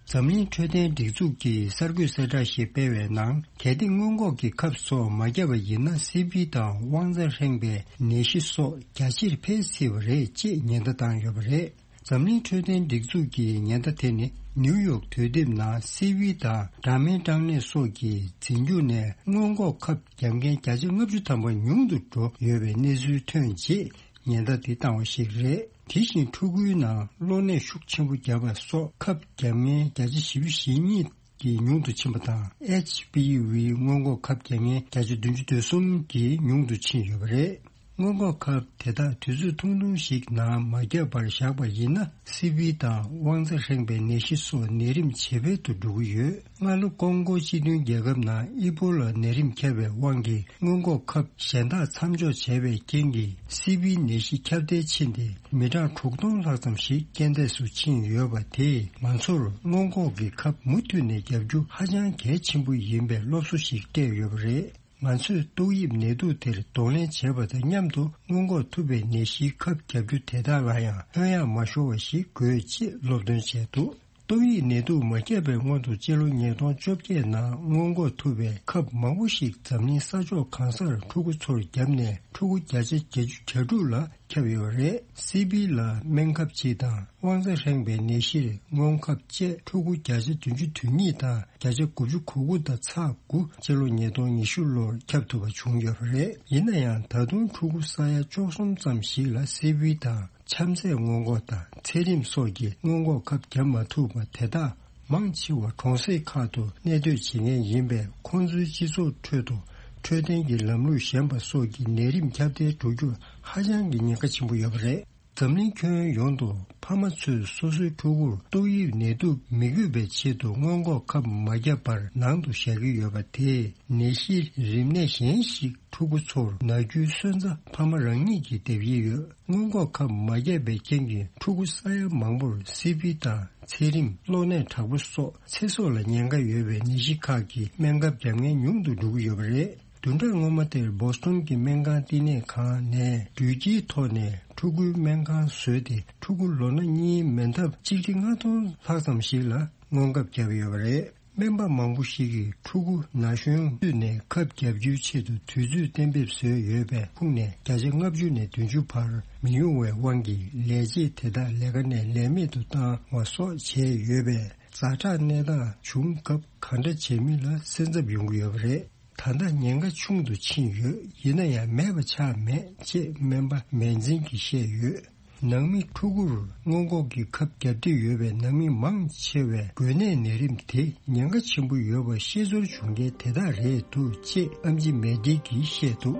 འཛམ་གླིང་འཕྲོད་བསྟེན་སྒྲིག་འཛུགས་ཀྱིས་གསར་འགོད་གསལ་བསྒྲགས་ཤིག་སྤེལ་བའི་ནང་། གལ་ཏེ་སྔོན་འགོག་གི་ཁབ་སོགས་མ་བརྒྱབ་པ་ཡིན་ན། སི་པི་དང་དབང་རྩ་ཧྲེང་པའི་ནད་གཞི་སོགས་རྒྱ་ཆེར་འཕེལ་སྲིད་པ་རེད་ཅེས་ཉེན་བརྡ་བཏང་ཡོད་པ་རེད། འཛམ་གླིང་འཕྲོད་བསྟེན་སྒྲིག་འཛུགས་ཀྱི་ཉེན་བརྡ་དེ་ནི་ནིའུ་ཡོག་དུས་དེབ་ནང་སི་པི་དང་འདྲ་མིན་སྐྲན་ནད་སོགས་ཀྱི་རྫས་འགྱུར་ནས་སྔོན་འགོག་ཁབ་བརྒྱབ་མཁན་བརྒྱ་ཆ་ལྔ་བཅུ་ཐམ་པ་ཉུང་དུ་འགྲོ་ཡོད་པའི་གནས་ཚུལ་ཐོན་རྗེས་ཉེན་བརྡ་དེ་བཏང་བ་ཞིག་རེད། དེ་བཞིན་ཕྲུ་གུའི་ནང་གློ་ནད་ཤུགས་ཆེན་པོ་བརྒྱབ་པ་སོགས་ཁབ་བརྒྱབ་མཁན་བརྒྱ་ཆ་བཞི་བཅུ་ཞེ་གཉིས་ཀྱིས་ཉུང་དུ་ཕྱིན་པ་དང་། ཨེཆ་པི་ཝི་སྔོན་འགོག་ཁབ་བརྒྱབ་མཁན་བརྒྱ་ཆ་བདུན་ཅུ་དོན་གསུམ་གྱིས་ཉུང་དུ་ཕྱིན་ཡོད་པ་རེད། སྔོན་འགོག་ཁབ་དེ་དག་དུས་ཚོད་ཐུང་ཐུང་ཞིག་ནང་མ་བརྒྱབ་པར་བཞག་པ་ཡིན་ན། སི་པི་དང་དབང་རྩ་ཧྲེང་པའི་ནད་གཞི་སོགས་ནད་རིམས་ཇེ་འཕེལ་དུ་འགྲོ་གི་ཡོད། སྔ་ལོ་ཀོང་ཀོ་སྤྱི་མཐུན་རྒྱལ་ཁབ་ནང་ཨི་པོ་ལ་ནད་རིམས་ཁྱབ་པའི་དབང་གིས་སྔོན་འགོག་ཁབ་གཞན་དག་མཚམས་འཇོག་བྱས་པའི་རྐྱེན་གྱིས། སི་པིའི་ནད་གཞི་ཁྱབ་གདལ་ཕྱིན་ཏེ། མི་གྲངས་དྲུག་སྟོང་ལྷག་ཙམ་ཞིག་རྐྱེན་འདས་སུ་ཕྱིན་ཡོད་པ་དེས། ང་ཚོར་སྔོན་འགོག་གི་ཁབ་མུ་མཐུད་ནས་བརྒྱབ་རྒྱུ་ཧ་ཅང་གལ་ཆེན་པོ་ཡིན་པའི་སློབ་གསོ་ཞིག་སྤྲད་ཡོད་པ་རེད། ང་ཚོས་ཏོག་དབྱིབས་ནད་དུག་དེར་གདོང་ལེན་བྱེད་པ་དང་མཉམ་དུ། སྔོན་འགོག་ཐུབ་པའི་ནད་གཞིའི་ཁབ་བརྒྱབ་རྒྱུ་དེ་དག་ལ་ཡང་ལྷོད་ཡངས་མ་ཤོར་བ་ཞིག་དགོས། ཅེས་སློབ་སྟོན་བྱས་འདུག། ཏོག་དབྱིབས་ནད་དུག་མ་ཁྱབ་པའི་སྔོན་དུ། སྤྱི་ལོ་ཉིས་སྟོང་བཅོ་བརྒྱད་ནང་སྔོན་འགོག་ཐུབ་པའི་ཁབ་མང་པོ་ཞིག་འཛམ་གླིང་ས་ཕྱོགས་གང་སར་ཕྲུ་གུ་ཚོར་བརྒྱབ་ནས། ཕྲུ་གུ་བརྒྱ་ཆ་བརྒྱད་ཅུ་གྱ་དྲུག་ལ་ཁྱབ་ཡོད་པ་རེད། སི་པི་ལ་སྨན་ཁབ་གཅིག་དང་། དབང་རྩ་ཧྲེང་པའི་ནད་གཞིར་སྔོན་ཁབ་བཅས་ཕྲུ་གུ་བརྒྱ་ཆ་བདུན་ཅུ་དོན་གཉིས་དང་། བརྒྱ་ཆ་དགུ་བཅུ་གོ་དགུ་དང་ཚེག་དགུ། སྤྱི་ལོ་ཉིས་སྟོང་ཉི་ཤུ་ལོར་ཁྱབ་ཐུབ་པ་བྱུང་ཡོད་པ་རེད། ཡིན་ན་ཡང་། ད་དུང་ཕྲུ་གུ་ས་ཡ་བཅུ་གསུམ་ཙམ་ཞིག་ལ་སི་པི་དང་། ཆམ་ཚད་སྔོན་འགོག་དང་ཚད་རིམས་སོགས་ཀྱི་སྔོན་འགོག་ཁབ་བརྒྱབ་མ་ཐུབ་པ་དེ་དག་མང་ཆེ་བ་གྲོང་གསེབ་ཁག་ཏུ་གནས་སྡོད་བྱེད་མཁན་ཡིན་པས། ཁོང་ཚོའི་སྤྱི་ཚོགས་ཁྲོད་དུ་འཕྲོད་བསྟེན་གྱི་ལམ་ལུགས་ཞན་པ་སོགས་ཀྱིས་ནད་རིམས་ཁྱབ་གདལ་འགྲོ་རྒྱུར་ཧ་ཅང་གི་ཉེན་ཁ་ཆེན་པོ་ཡོད་པ་རེད། འཛམ་གླིང་ཁྱོན་ཡོངས་དུ་ཕ་མ་ཚོས་སོ་སོའི་ཕྲུ་གུར་ཏོག་དབྱིབས་ནད་དུག་མི་འགོས་པའི་ཆེད་དུ་སྔོན་འགོག་ཁབ་མ་བརྒྱབ་པར་ནང་དུ་བཞག་གི་ཡོད་པ་དེས། ནད་གཞི་རིམས་ནད་གཞན་ཞིག་ཕྲུ་གུ་ཚོར་ན་རྒྱུའི་སོན་རྩ་ཕ་མ་རང་ཉིད་ཀྱིས་འདེབས་ཀྱི་ཡོད། སྔོན་འགོག་ཁབ་མ་བརྒྱབ་པའི་རྐྱེན་གྱིས་ཕྲུ་གུ་ས་ཡ་མང་པོར་སི་པི་དང་ཚད་རིམས། གློ་ནད་དྲག་པོ་སོགས་ཚེ་སྲོག་ལ་ཉེན་ཁ་ཡོད་པའི་ནད་གཞི་ཁག་གི་སྨན་ཁབ་བརྒྱབ་མཁན་ཉུང་དུ་འགྲོ་གི་ཡོད་པ་རེད། བདུན་ཕྲག་སྔོན་མ་དེར་བོ་སི་ཊོན་གྱི་སྨན་ཁང་བསྟི་གནས་ཁང་ནས་འགྲུལ་སྐྱེལ་ཐོག་ནས་ཕྲུ་གུའི་སྨན་ཁང་བཟོས་ཏེ། ཕྲུ་གུ་ལོ་ན་གཉིས་མན་ཐབས་ཆིག་ཁྲི་ལྔ་སྟོང་ལྷག་ཙམ་ཞིག་ལ་སྔོན་ཁབ་བརྒྱབ་ཡོད་པ་རེད། སྨན་པ་མང་པོ་ཞིག་གིས་ཕྲུ་གུ་ན་གཞོན་དུས་ནས་ཁབ་བརྒྱབ་རྒྱུའི་ཆེད་དུ་དུས་ཚོད་གཏན་འབེབས་བཟོས་ཡོད་པའི་ཁུངས་ནས་བརྒྱ་ཆ་ལྔ་བཅུ་ནས་བདུན་ཅུ་བར་མི་ཡོང་བའི་དབང་གིས་ལས་བྱེད་དེ་དག་ལས་ཀ་ནས་ལས་མེད་དུ་བཏང་བ་སོགས་བྱས་ཡོད་པས། ཛ་དྲག་གནས་སྟངས་བྱུང་སྐབས་གང་འདྲ་བྱེད་མིན་ལ་སེམས་འཚབ་ཡོང་གི་ཡོད་པ་རེད། ད་ལྟ་ཉེན་ཁ་ཆུང་དུ་ཕྱིན་ཡོད། ཡིན་ན་ཡང་མེད་པ་ཆགས་མེད་ཅེས་སྨན་པ་མན་ཛིན་གྱིས་བཤད་ཡོད། ནང་མི་ཕྲུ་གུར་སྔོན་འགོག་གི་ཁབ་བརྒྱབ་འདོད་ཡོད་པའི་ནང་མི་མང་ཆེ་བས་འགོས་ནད་ནད་རིམས་དེ་ཉེན་ཁ་ཆེན་པོ་ཡོད་པ་ཤེས་ཚོར་བྱུང་མཁན་དེ་དག་རེད་འདུག་ཅེས་ཨམ་ཆི་མེ་ཏི་གིས་བཤད་འདུག།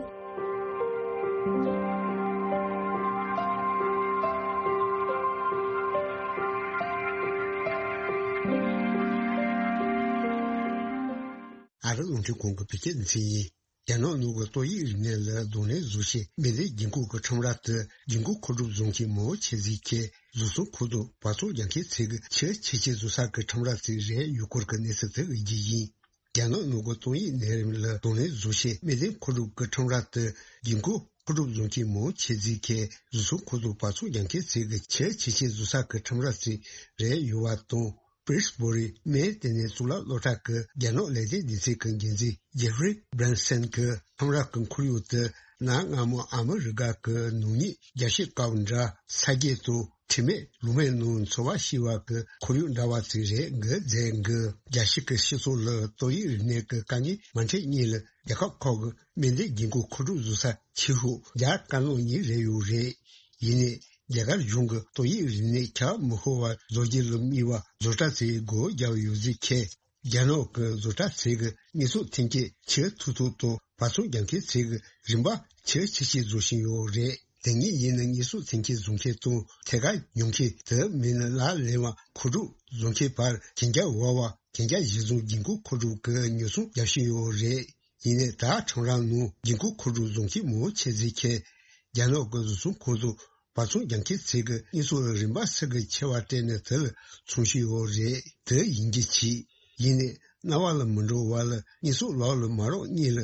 ཨ་རི་རླུང་འཕྲིན་ཁང་གི་བོད་སྐད་སྡེ་ཚན་ཡིན། རྒྱ་ནག་ནང་གི་ཏོག་དབྱིབས་རིམས་ནད་ལ་གདོང་ལེན་བཟོ་ཆེད་སྨན་དོན་སྒྲིག་འགོད་ཀྱི་ཁྲོམ་ར་དུ་སྒྲིག་འགོད་མཁོ་སྒྲུབ་བཟོ་མཁན་མང་པོ་ཆེ་ཟིག་གིས་བཟོ་ཚོང་ཁང་དུ་བག་ཚོང་རྒྱག་མཁན་ཚོས་ཀྱི་ཕྱིར་ཁྱད་ཆོས་བཟོ་ས་གི་ཁྲོམ་ར་ཚོ་རེད་ཡོད་སྐོར་གྱི་གནས་ཚུལ་དེ་གི་རྒྱུ་ཡིན། རྒྱ་ནག་ནང་གི་ཏོག་དབྱིབས་ནད་རིམས་ལ་གདོང་ལེན་བཟོ་ཆེད་སྨན་དོན་མཁོ་སྒྲུབ་ཀྱི་ཁྲོམ་ར་དུ་སྒྲིག་འགོད་མཁོ་སྒྲུབ་བཟོ་མཁན་མང་ཆེ་ཟིག་གིས་བཟོ་ཚོང་ཁང་དུ་བག་ཚོང་རྒྱག་མཁན་ཚོས་ཀྱི་ཕྱིར་ཁྱད་ཆོས་བཟོ་ས་གི་ཁྲོམ་ར་ཚོ་རེད་ཡོད་པ་དང་། པིར་སི་བྷོ་རི་སྨན་ལྟེ་གནས་གཙུག་ལག་སློབ་གྲྭ་གི་རྒྱ་ནག་ལས་དོན་སྡེ་ཚན་གྱི་འགན་འཛིན་ཇེ་ཧྥི་རི་བྷ་རན་སན་གྱིས་ཁྲོམ་ར་གི་ཁོར་ཡུག་དེ་གནའ་སྔ་མོ་ཨ་མི་རི་ཀ་གི་ནག་ཉེས་རྒྱལ་སྤྱིའི་སྐབས་འདྲ་ས་སྐྱེས་དང་དྲི་མེད་ལོ་མའི་ནང་འཚོ་བ་སྐྱེལ་བ་གི་ཁོར་ཡུག་འདྲ་བ་ཅིག་རེད་འགི་མཛད་འགི། རྒྱལ་སྤྱི་གི་སྤྱི་ཚོགས་ལ་ཏོག་དབྱིབས་རིམས་ནད་ཀྱི་དཀའ་ངལ་མ་འཕྲད་སྔོན་ལ་རྒྱལ་ཁབ་ཁག་གི་སྨན་དོན་སྒྲིག་འགོད་མཁོ་སྒྲུབ་བཟོ་ས་ཆེ་ཤོས་རྒྱ་དཀར་ནག་གཉིས་རེད་ཡོད་རེད། ཡིན་ནའི། རྒྱ་གར་གཞུང་གིས་ཏོག་དབྱིབས་རིམས་ནད་ཁྱབ་མི་ཤོར་བ་བཟོ་རྒྱུ་ལ་དམིགས་པ་བཟོ་གྲྭ་ཚོས་སྒོ་བརྒྱབ་ཡོད་ཟེར་མཁན། རྒྱ་ནག་གི་བཟོ་གྲྭ་ཚོས་ཀྱི་དངོས་ཟོག་ཐོན་སྐྱེད་ཕྱིར་འཐུ་ཐུབ་དང་བག་ཚོང་རྒྱག་མཁན་ཚོས་ཀྱི་རིན་པ་ཕྱིར་ཁྱད་ཆོས་བཟོ་བཞིན་ཡོད་རེད། དེ་ཉིད་ཡིན་ན་དངོས་ཟོག་ཐོན་སྐྱེད་བཟོ་མཁན་དང་ཐད་ཀར་ཉོ་མཁན་དེ་མིན་ན་ལག་ལེན་པ་མཁོ་སྒྲུབ་བཟོ་མཁན་བར་གན་རྒྱ་འོག་པ་གན་རྒྱ་གཞི་བཟུང་སྒྲིག་འགོད་མཁོ་སྒྲུབ་ཀྱི་ཉོ་ཚོང་རྒྱག་བཞིན་ཡོད་རེད། ཡིན་ནའི་ད་ཁྲོམ་ར་ནང་སྒྲིག་འགོད་མཁོ་སྒྲུབ་བཟོ་མཁན་མང་ཆེ་ཟིག་གིས་རྒྱ་ནག་གི་བཟོ་ཚོང་ཁང་དུ་བག་ཚོང་རྒྱག་མཁན་ཚོས་ཀྱི་དངོས་ཟོག་ལ་རིན་པ་སུ་གི་ཆེ་བ་སྤྲད་ནས་དེ་ལ་འཚོང་བཞིན་ཡོད་རེད། དེ་ཡིན་རྒྱུ་ཅིག་ཡིན་ནའི་རྣ་བ་ལ་མི་འགྲོ་བ་ལ་དངོས་ཟོག་ལག་ལ་མ་རག་སྔོན་ལ་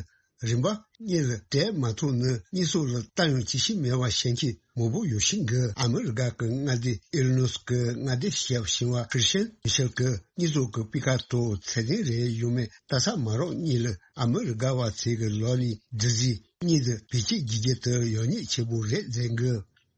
རིན་པ་སྔོན་ལ་སྤྲད་མ་ཐུབ་ན་དངོས་ཟོག་ལ་ལྟ་ཡང་བྱེད་ཤེས་མེད་པ་བཤད་མཁན་མང་པོ་ཡོད་བཞིན་གི། ཨ་མི་རི་ཀ་གི་མངའ་སྡེ་ཨི་ལི་ནོས་ཀྱི་མངའ་སྡེ་ཞབས་ཞིང་བ་ཁྲི་ཤན་མི་ཤེལ་གྱིས་དངོས་ཟོག་གི་སྤུས་ཀ་དང་ཚད་ལྡན་རེད་ཡོད་མེད་ལྟ་ས་མ་རག་སྔོན་ལ་ཨ་མི་རི་ཀ་བ་ཚོས་ཀྱི་ལག་ནས་འབྲི་རྩིས་གཉིས་དང་བེད་སྤྱོད་བགྱི་རྒྱུ་དེ་ཡག་ཉེས་ཆེ་པོ་རེད་ཟེར་གི།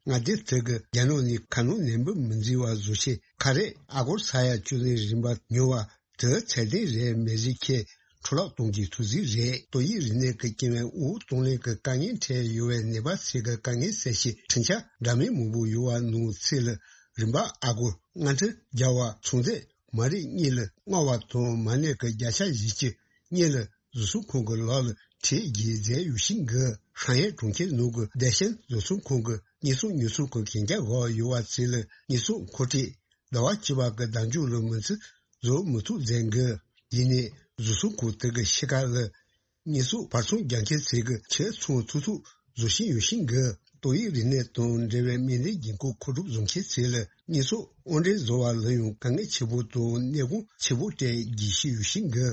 མངའ་སྡེ་དེ་གི་རྒྱ་ནག་ནས་ཁ་ནང་ནན་པོ་མི་འཛིན་པ་བཟོ་ཆེད་ཁ་རས་ཨ་སྒོར་ས་ཡ་བཅུ་ནས་རིན་པ་ཉོ་བ་དེ་ཚད་ལྡན་རེད་མེད་ཟེར་མཁན་འཕྲོ་བརླག་གཏོང་རྒྱུའི་ཐུགས་རྩིས་རེད། ཏོག་དབྱིབས་རིམས་ནད་ཀྱི་རྐྱེན་པས་དབུགས་གཏོང་ལེན་གྱི་དཀའ་ངལ་འཕྲད་ཡོད་པའི་ནད་པ་ཚོས་ཀྱི་དཀའ་ངལ་སེལ་ཆེད་འཕྲིན་བཅར་འདྲ་མིན་མང་པོ་ཡོད་པ་ནང་ཚུད་ལ་རིན་པ་ཨ་སྒོར་ལྔ་ཁྲི་བརྒྱབ་པ་ཚོང་རྫས་མ་རིག་གཉིས་ལ་མངར་བ་དང་མ་ཎི་གི་བརྒྱ་ཆ་བཞི་བཅུ་གཉིས་ལ་བཟོ་ཚོང་ཁང་གི་ལག་ལ་ཁྲལ་བརྒྱབ་མཛད་ཡོད་བཞིན་གི། ཧྲང་ཧའེ་གྲོང་ཁྱེར་ནང་གི་བདེ་ཆེན་བཟོ་ཚོང་ཁང་གི་དངོས་ཟོག་ཉོ་ཚོང་གི་གན་རྒྱ་འོག་ཡོད་པ་ཚོ་ལ་དངོས་ཟོག་མཁོ་སྤྲོད་ཟླ་བ་གཅིག་པ་གི་ཟླ་མཇུག་ལ་མི་ཚེ་བཟོ་མི་ཐུབ་མཛད་གི། ཡིན་ནའི་བཟོ་ཚོང་ཁང་དེ་གི་ཕྱི་ཁ་ལ་དངོས་ཟོག་བར་ཚོང་རྒྱག་མཁན་ཚོས་གི་ཕྱིར་ཚོང་ཐུབ་ཐུབ་བཟོ་བཞིན་ཡོད་བཞིན་གི། ཏོག་དབྱིབས་རིམས་ནད་དང་འབྲེལ་བའི་སྨན་དོན་སྒྲིག་འགོད་མཁོ་སྒྲུབ་བཟོ་མཁན་ཚོས་ལ་དངོས་ཟོག་དབོར་འདྲེན་བཟོ་བ་ལ་ཡང་དཀའ་ངལ་ཆེ་པོ་དང་གནས་གོང་ཆེ་པོ་སྤྲད་རྒྱུ་ཞིག་ཡོད་བཞིན་གི།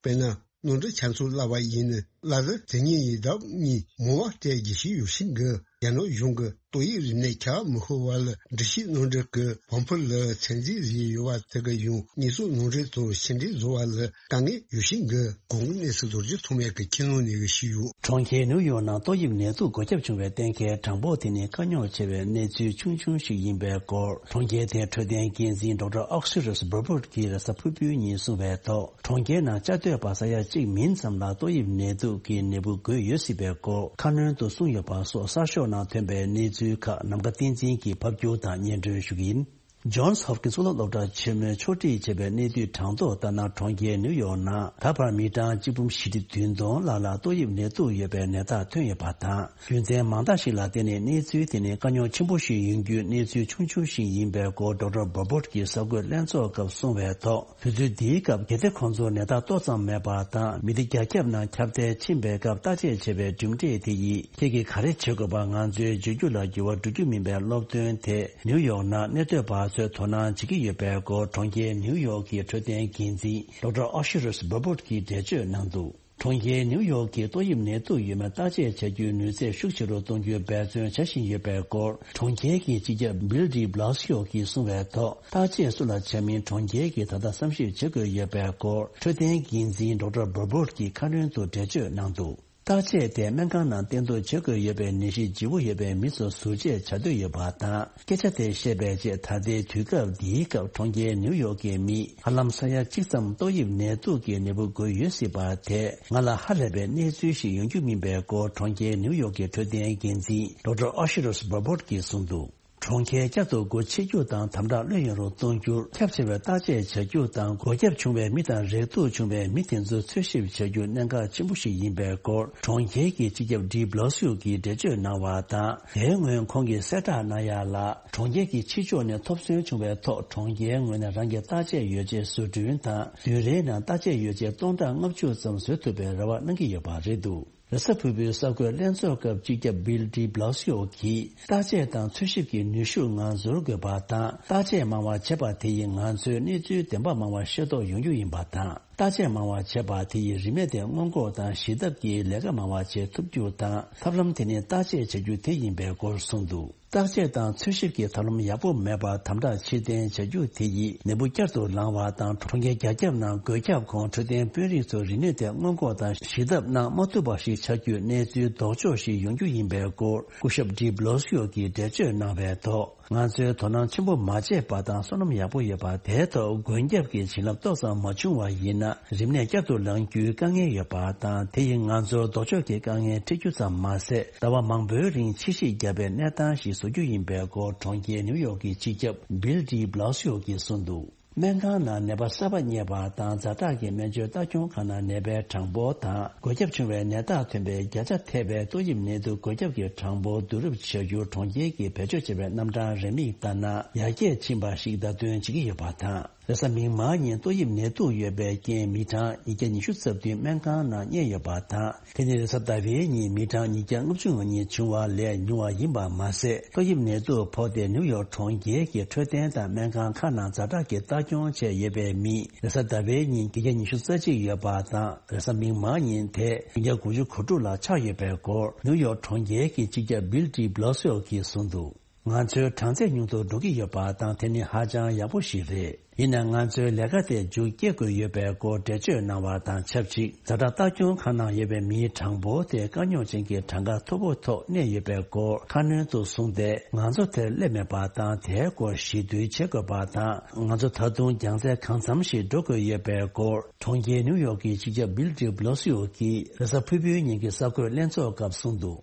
དཔེར་ན། ནོར་འཁྲུལ་ཆ་ཚང་བརླག་པ་ཡིན་ན་གླ་རྩི་དེ་ཉིད་ཡི་ལྡབ་གཉིས་མང་བ་སྤྲད་རྒྱུ་ཞིག་ཡོད་བཞིན་གི། རྒྱ་ནག་གཞུང་གིས་ཏོག་དབྱིབས་རིམས་ནད་ཁྱབ་མི་ཤོར་བ་ལ་འགྲུལ་བཞུད་ནང་འདྲེན་གྱི་བམ་ཕུ་ལ་ཚད་འཛིན་བཟོས་ཡོད་པ་དེ་གིས་ཡང་དངོས་ཟོག་ནང་འདྲེན་དང་ཕྱིར་འདྲེན་བཟོ་བ་ལ་དཀའ་ངལ་ཡོད་བཞིན་གི། གོང་གི་གནས་ཚུལ་རྡོ་རྗེ་ཐོགས་མེད་ཀྱིས་ཁྱེད་རྣམས་ནས་ཞུས་ཡོད། གྲོང་ཁྱེར་ནིའུ་ཡོག་ནང་ཏོག་དབྱིབས་ནད་དུག་འགོས་ཁྱབ་བྱུང་བའི་གཏན་འཁེལ་གྲངས་འབོར་དེ་ནི་དཀའ་རྙོག་ཆེ་བའི་གནས་ཚུལ་ཆུང་ཆུང་ཞིག་ཡིན་པའི་སྐོར། གྲོང་ཁྱེར་དེའི་འཕྲོད་བསྟེན་འགན་འཛིན་ཌོག་ཊར་ཨོག་སི་རི་སི་བྷར་བྷོར་གྱིས་རེས་གཟའ་ཕུར་བུའི་ཉིན་གསུངས་པའི་ཐོག་གྲོང་ཁྱེར་ནང་བཅའ་སྡོད་པ་ས་ཡ་གཅིག་མིན་ཙམ་ལ་ཏོག་དབྱིབས་ནད་དུག་གི་ནད་འབུ་འགོས་ཡོད་སྲིད་པའི་སྐོར་ཁ་སྣོན་དུ་གསུངས་ཡོད་པ་སོགས་གསར་ཤོག་ནང་ཐོན་པའི་གནས་ཚུལ་ཁག་ནམ་མཁའ་བསྟན་འཛིན་གྱིས་ཕབ་སྒྱུར་དང་སྙན་སྒྲོན་ཞུ་གི་ཡིན། ཇོན་སི་ཧོབ་ཀིན་སི་གཙུག་ལག་སློབ་གྲྭ་ཆེན་མོས་ཕྱོགས་སྒྲིག་བྱས་པའི་གནས་སྡུད་གྲངས་ཐོ་ལྟར་ན། གྲོང་ཁྱེར་ནིའུ་ཡོག་ནང་ད་བར་མི་གྲངས་གཅིག་འབུམ་བཞི་ཁྲི་བདུན་སྟོང་ལྷག་ལ་ཏོག་དབྱིབས་ནད་དུག་ཡོད་པའི་ནད་རྟགས་ཐོན་ཡོད་པ་དང་། རྒྱུ་མཚན་མང་དག་ཞིག་ལ་བརྟེན་ནས་གནས་ཚུལ་དེ་ནི་དཀའ་རྙོག་ཆེན་པོ་ཞིག་ཡིན་རྒྱུའི་གནས་ཚུལ་ཆུང་ཆུང་ཞིག་ཡིན་པའི་སྐོར་ཌོག་ཊར་བྷར་བྷོར་གྱིས་གསར་འགོད་ལྷན་ཚོགས་སྐབས་གསུངས་པའི་ཐོག་དུས་ཚོད་འདིའི་སྐབས་གལ་ཏེ་ཁོང་ཚོར་ནད་རྟགས་ཏོག་ཙམ་མེད་པ་དང་མི་སྡེ་རྒྱ་ཁྱབ་ནང་ཁྱབ་གདལ་ཕྱིན་པའི་སྐབས་བརྟག་དཔྱད་བྱས་པའི་གྲུབ་འབྲས་དེ་ཡིས་ཁྱེད་ཀྱིས་ག་རེ་བྱེད་དགོས་པ་ང་ཚོའི་བརྗོད་རྒྱུ་ལ་འགྱུར་བ་འགྲོ་རྒྱུ་མིན་པའི་སློབ་སྟོན་དེ། ནིའུ་ཡོག་ནང་གནས་སྡོད་པ་ཚོས་དོ་སྣང་བྱེད་ཀྱི་ཡོད་པའི་སྐོར་གྲོང་ཁྱེར་ནིའུ་ཡོག་གི་འཕྲོད་བསྟེན་འགན་འཛིན་ཌོག་ཊར་ཨོ་ཤི་རུས་བྷར་བྷོར་གྱིས་འགྲེལ་བརྗོད་གནང་འདུག། གྲོང་ཁྱེར་ནིའུ་ཡོག་གིས་ཏོག་དབྱིབས་ནད་དུག་ཡོད་མེད་བརྟག་དཔྱད་བྱ་རྒྱུའི་ནུས་ཚད་ཤུགས་ཆེ་རུ་གཏོང་རྒྱུའི་འབད་བརྩོན་བྱ་བཞིན་ཡོད་པའི་སྐོར། གྲོང་ཁྱེར་གྱི་སྤྱི་ཁྱབ་བིལ་ཌི་བྷི་ལ་སི་ཡོ་གིས་གསུངས་པའི་ཐོག་བརྟག་དཔྱད་སུ་ལ་བྱ་མིན་གྲོང་ཁྱེར་གྱིས་ད་ལྟ་བསམ་ཞིབ་བྱེད་དགོས་ཡོད་པའི་སྐོར། འཕྲོད་བསྟེན་འགན་འཛིན་ཌོག་ཊར་བྷར་བྷོར་གྱིས་ཁ་སྣོན་དུ་འགྲེལ་བརྗོད་གནང་འདུག་བརྟག་དཔྱད་དེ་སྨན་ཁང་ནང་བསྟེན་གཏུག་བྱེད་དགོས་ཡོད་པའི་ནད་གཞི་ལྗིད་པོ་ཡོད་པའི་མི་ཚོར་ཟུར་བཅད་བྱ་འདོད་ཡོད་པ་དང་། སྐད་ཆ་དེ་བཤད་པའི་རྗེས་ད་ལྟའི་དུས་སྐབས་འདིའི་སྐབས་གྲོང་ཁྱེར་ནིའུ་ཡོག་གི་མི་ཧ་ལམ་ས་ཡ་གཅིག་ཙམ་ཏོག་དབྱིབས་ནད་དུག་གི་ནད་འབུ་འགོས་ཡོད་སྲིད་པ་དེ་ང་ལ་ཧ་ལས་པའི་གནས་ཚུལ་ཞིག་ཡོང་རྒྱུ་མིན་པའི་སྐོར་གྲོང་ཁྱེར་ནིའུ་ཡོག་གི་འཕྲོད་བསྟེན་འགན་འཛིན་ཌོག་ཊར་ཨོ་ཤི་རོས་བྷར་བྷོར་གྱིས་གསུངས་འདུག་གྲོང་ཁྱེར་བསྐྱར་དུ་སྒོ་ཕྱེ་རྒྱུ་དང་དམ་དྲག་ལྷོད་ཡངས་རུ་གཏོང་རྒྱུར་ཁྱབ་ཆེ་བའི་བརྟག་དཔྱད་བྱ་རྒྱུ་དང་། འགོས་ཁྱབ་བྱུང་བའི་མི་དང་རེག་ཐུག་བྱུང་བའི་མི་དེ་ཚོ་འཚོལ་ཞིབ་བྱ་རྒྱུ་གནད་འགག་ཆེན་པོ་ཞིག་ཡིན་པའི་སྐོར། གྲོང་ཁྱེར་གྱི་སྤྱི་ཁྱབ་ཌི་བྷི་ལ་སི་ཡོ་གིས་འགྲེལ་བརྗོད་གནང་བ་དང་། དེའི་སྔོན་ཁོང་གིས་གསལ་བསྒྲགས་གནང་ཡ་ལ། གྲོང་ཁྱེར་གྱི་ཕྱི་ཕྱོགས་ནས་ཐོབ་ཚོད་བྱུང་བའི་ཐོག་གྲོང་ཁྱེར་ངོས་ནས་རང་གི་བརྟག་དཔྱད་ཡོ་བྱད་བཟོ་སྐྲུན་དང་། བདུན་རེའི་ནང་བརྟག་དཔྱད་ཡོ་བྱད་སྟོང་ཕྲག་ལྔ་བཅུ་ཙམ་བཟོ་ཐུབ་པའི་རེ་བ་གནང་གི་ཡོད་པ་རེད་འདུག་རེས་གཟའ་ཕུར་བུའི་གསར་འགོད་ལྷན་ཚོགས་སྐབས་སྤྱི་ཁྱབ་བིལ་ཌི་བྷི་ལ་སི་ཡོ་གིས། བརྟག་དཔྱད་དང་འཚོལ་ཞིབ་ཀྱི་ནུས་ཤུགས་ང་ཚོར་དགོས་པ་དང་། བརྟག་དཔྱད་མང་བ་བྱས་པ་དེ་ཡིས་ང་ཚོའི་གནས་ཚུལ་བདེན་པ་མང་བ་ཤེས་རྟོགས་ཡོང་རྒྱུ་ཡིན་པ་དང་། བརྟག་དཔྱད་མང་བ་བྱས་པ་དེ་ཡིས་རིམས་ནད་དེ་སྔོན་འགོག་དང་ཞི་ཐབས་ཀྱི་ལས་ཀ་མང་བ་བྱེད་ཐུབ་རྒྱུ་དང་། ཐབས་ལམ་དེ་ནི་བརྟག་དཔྱད་བྱ་རྒྱུ་དེ་ཡིན་པའི་སྐོར་གསུངས་འདུག་བརྟག་དཔྱད་དང་འཚོལ་ཞིབ་ཀྱི་ཐབས་ལམ་ཡག་པོ་མེད་པར་དམ་དྲག་ཕྱིར་འཐེན་བྱ་རྒྱུ་དེ་ཡིས་ནད་འབུ་བསྐྱར་དུ་ལངས་པ་དང་། གྲོང་ཁྱེར་རྒྱ་ཁྱབ་ནང་འགོས་ཁྱབ་གོང་འཕྲོད་བསྟེན་དཔོན་རིགས་ཚོར་རིམས་ནད་དེ་སྔོན་འགོག་དང་ཞི་ཐབས་གནང་མ་ཐུབ་པ་ཞིག་ཆགས་རྒྱུའི་གནས་ཚུལ་ལྡོག་ཕྱོགས་ཤིག་ཡོང་རྒྱུ་ཡིན་པའི་སྐོར། སྐུ་ཞབས་ཌི་བྷི་ལ་སི་ཡོ་གིས་འགྲེལ་བརྗོད་གནང་བའི་ཐོག་ང་ཚོས་དོ་སྣང་ཆེན་པོ་མ་བྱས་པ་དང་བསོད་ནམས་ཡག་པོ་ཡོད་པ་དེའི་ཐོག་འགོས་ཁྱབ་ཀྱི་བྱིན་རླབས་ཏོག་ཙམ་མ་བྱུང་བ་ཡིན་ན། རིམས་ནད་བསྐྱར་དུ་ལངས་རྒྱུའི་དཀའ་ངལ་ཡོད་པ་དང་། དེ་ཡིས་ང་ཚོར་ལྡོག་ཕྱོགས་ཀྱི་དཀའ་ངལ་འཕྲད་རྒྱུ་ཙམ་མ་ཟད། ཟླ་བ་མང་པོའི་རིང་ཕྱི་བཤིག་བརྒྱབ་པའི་གནས་སྟངས་ཤིག་བཟོ་རྒྱུ་ཡིན་པའི་སྐོར། གྲོང་ཁྱེར་ནིའུ་ཡོག་གི་སྤྱི་ཁྱབ་བིལ་ཌི་བྷི་ལ་སི་ཡོ་གིས་གསུངས་འདུག་སྨན་ཁང་ནང་ནད་པ་གསར་པ་རྙེད་པ་དང་། ཛ་དྲག་གི་སྨན་བཅོས་ལྟ་སྐྱོང་ཁང་ནང་ནད་པའི་གྲངས་འབོར་དང་། འགོས་ཁྱབ་བྱུང་བའི་ནད་རྟགས་ཐོན་པའི་བརྒྱ་ཆ་ཐེ་བའི་ཏོག་དབྱིབས་ནད་དུག་འགོས་ཁྱབ་ཀྱི་གྲངས་འབོར་བསྡུ་རུབ་བྱ་རྒྱུར་གྲོང་ཁྱེར་གྱིས་བེད་སྤྱོད་བྱས་པའི་རྣམ་གྲངས་རེའུ་མིག་ལྟར་ན། ཡར་རྒྱས་ཕྱིན་པ་ཞིག་བརྡ་སྟོན་བྱེད་ཀྱི་ཡོད་པ་དང་། རེས་གཟའ་མིག་དམར་ཉིན་ཏོག་དབྱིབས་ནད་དུག་ཡོད་པའི་རྐྱེན་མི་གྲངས་ཉིས་བརྒྱ་ཉི་ཤུ་རྩ་བདུན་སྨན་ཁང་ནང་བསྙལ་ཡོད་པ་དང་། དེ་ནི་རེས་གཟའ་ཟླ་བའི་ཉིན་མི་གྲངས་ཉིས་བརྒྱ་ལྔ་བཅུ་ང་གཉིས་བྱུང་བ་ལས་ཉུང་བ་ཡིན་པ་མ་ཟད། ཏོག་དབྱིབས་ནད་དུག་ཕོག་སྟེ་ནིའུ་ཡོག་གྲོང་ཁྱེར་གྱི་འཕྲོད་བསྟེན་དང་སྨན་ཁང་ཁག་ནང་ཛ་དྲག་གི་ལྟ་སྐྱོང་བྱས་ཡོད་པའི་མི་རེས་གཟའ་ཟླ་བའི་ཉིན་བརྒྱད་བརྒྱ་ཉི་ཤུ་རྩ་གཅིག་ཡོད་པ་དང་། རེས་གཟའ་མིག་དམར་ཉིན་དེ་བདུན་བརྒྱ་དགུ་བཅུ་གོ་དྲུག་ལ་ཆགས་ཡོད་པའི་སྐོར། ནིའུ་ཡོག་གྲོང་ཁྱེར་གྱི་སྤྱི་ཁྱབ་བིལ་ཌི་བྷི་ལ་སི་ཡོ་གིས་གསུངས་འདུག་ང་ཚོའི་གྲངས་ཚད་ཉུང་དུ་འགྲོ་གི་ཡོད་པ་དང་། དེ་ནི་ཧ་ཅང་ཡག་པོ་ཞིག་རེད། ཡིན་ནའང་ང་ཚོའི་ལས་ཀ་དེ་མཇུག་སྐྱེལ་དགོས་ཡོད་པའི་སྐོར་འགྲེལ་བརྗོད་གནང་བ་དང་ཆབས་ཅིག་ཛ་དྲག་ལྟ་སྐྱོང་ཁང་ནང་ཡོད་པའི་མིའི་གྲངས་འབོར་དེ་དཀའ་རྙོག་ཅན་གྱི་གྲངས་ཀ་མཐོ་པོ་ཐོག་གནས་ཡོད་པའི་སྐོར་ཁ་སྣོན་དུ་གསུངས་ཏེ། ང་ཚོ་དེར་སླེབས་མེད་པ་དང་། དེའི་སྐོར་ཞི་དུལ་བྱེད་དགོས་པ་དང་། ང་ཚོ་ད་དུང་རྒྱང་ཚད་གང་འཚམ་ཞིག་འགྲོ་དགོས་ཡོད་པའི་སྐོར། གྲོང་ཁྱེར་ནིའུ་ཡོག་གི་སྤྱི་ཁྱབ་བིལ་ཌི་བྷི་ལ་སི་ཡོ་གིས་རེས་གཟའ་ཕུར་བུའི་ཉིན་གྱི་གསར་འགོད་ལྷན་ཚོགས་སྐབས་གསུངས་འདུག་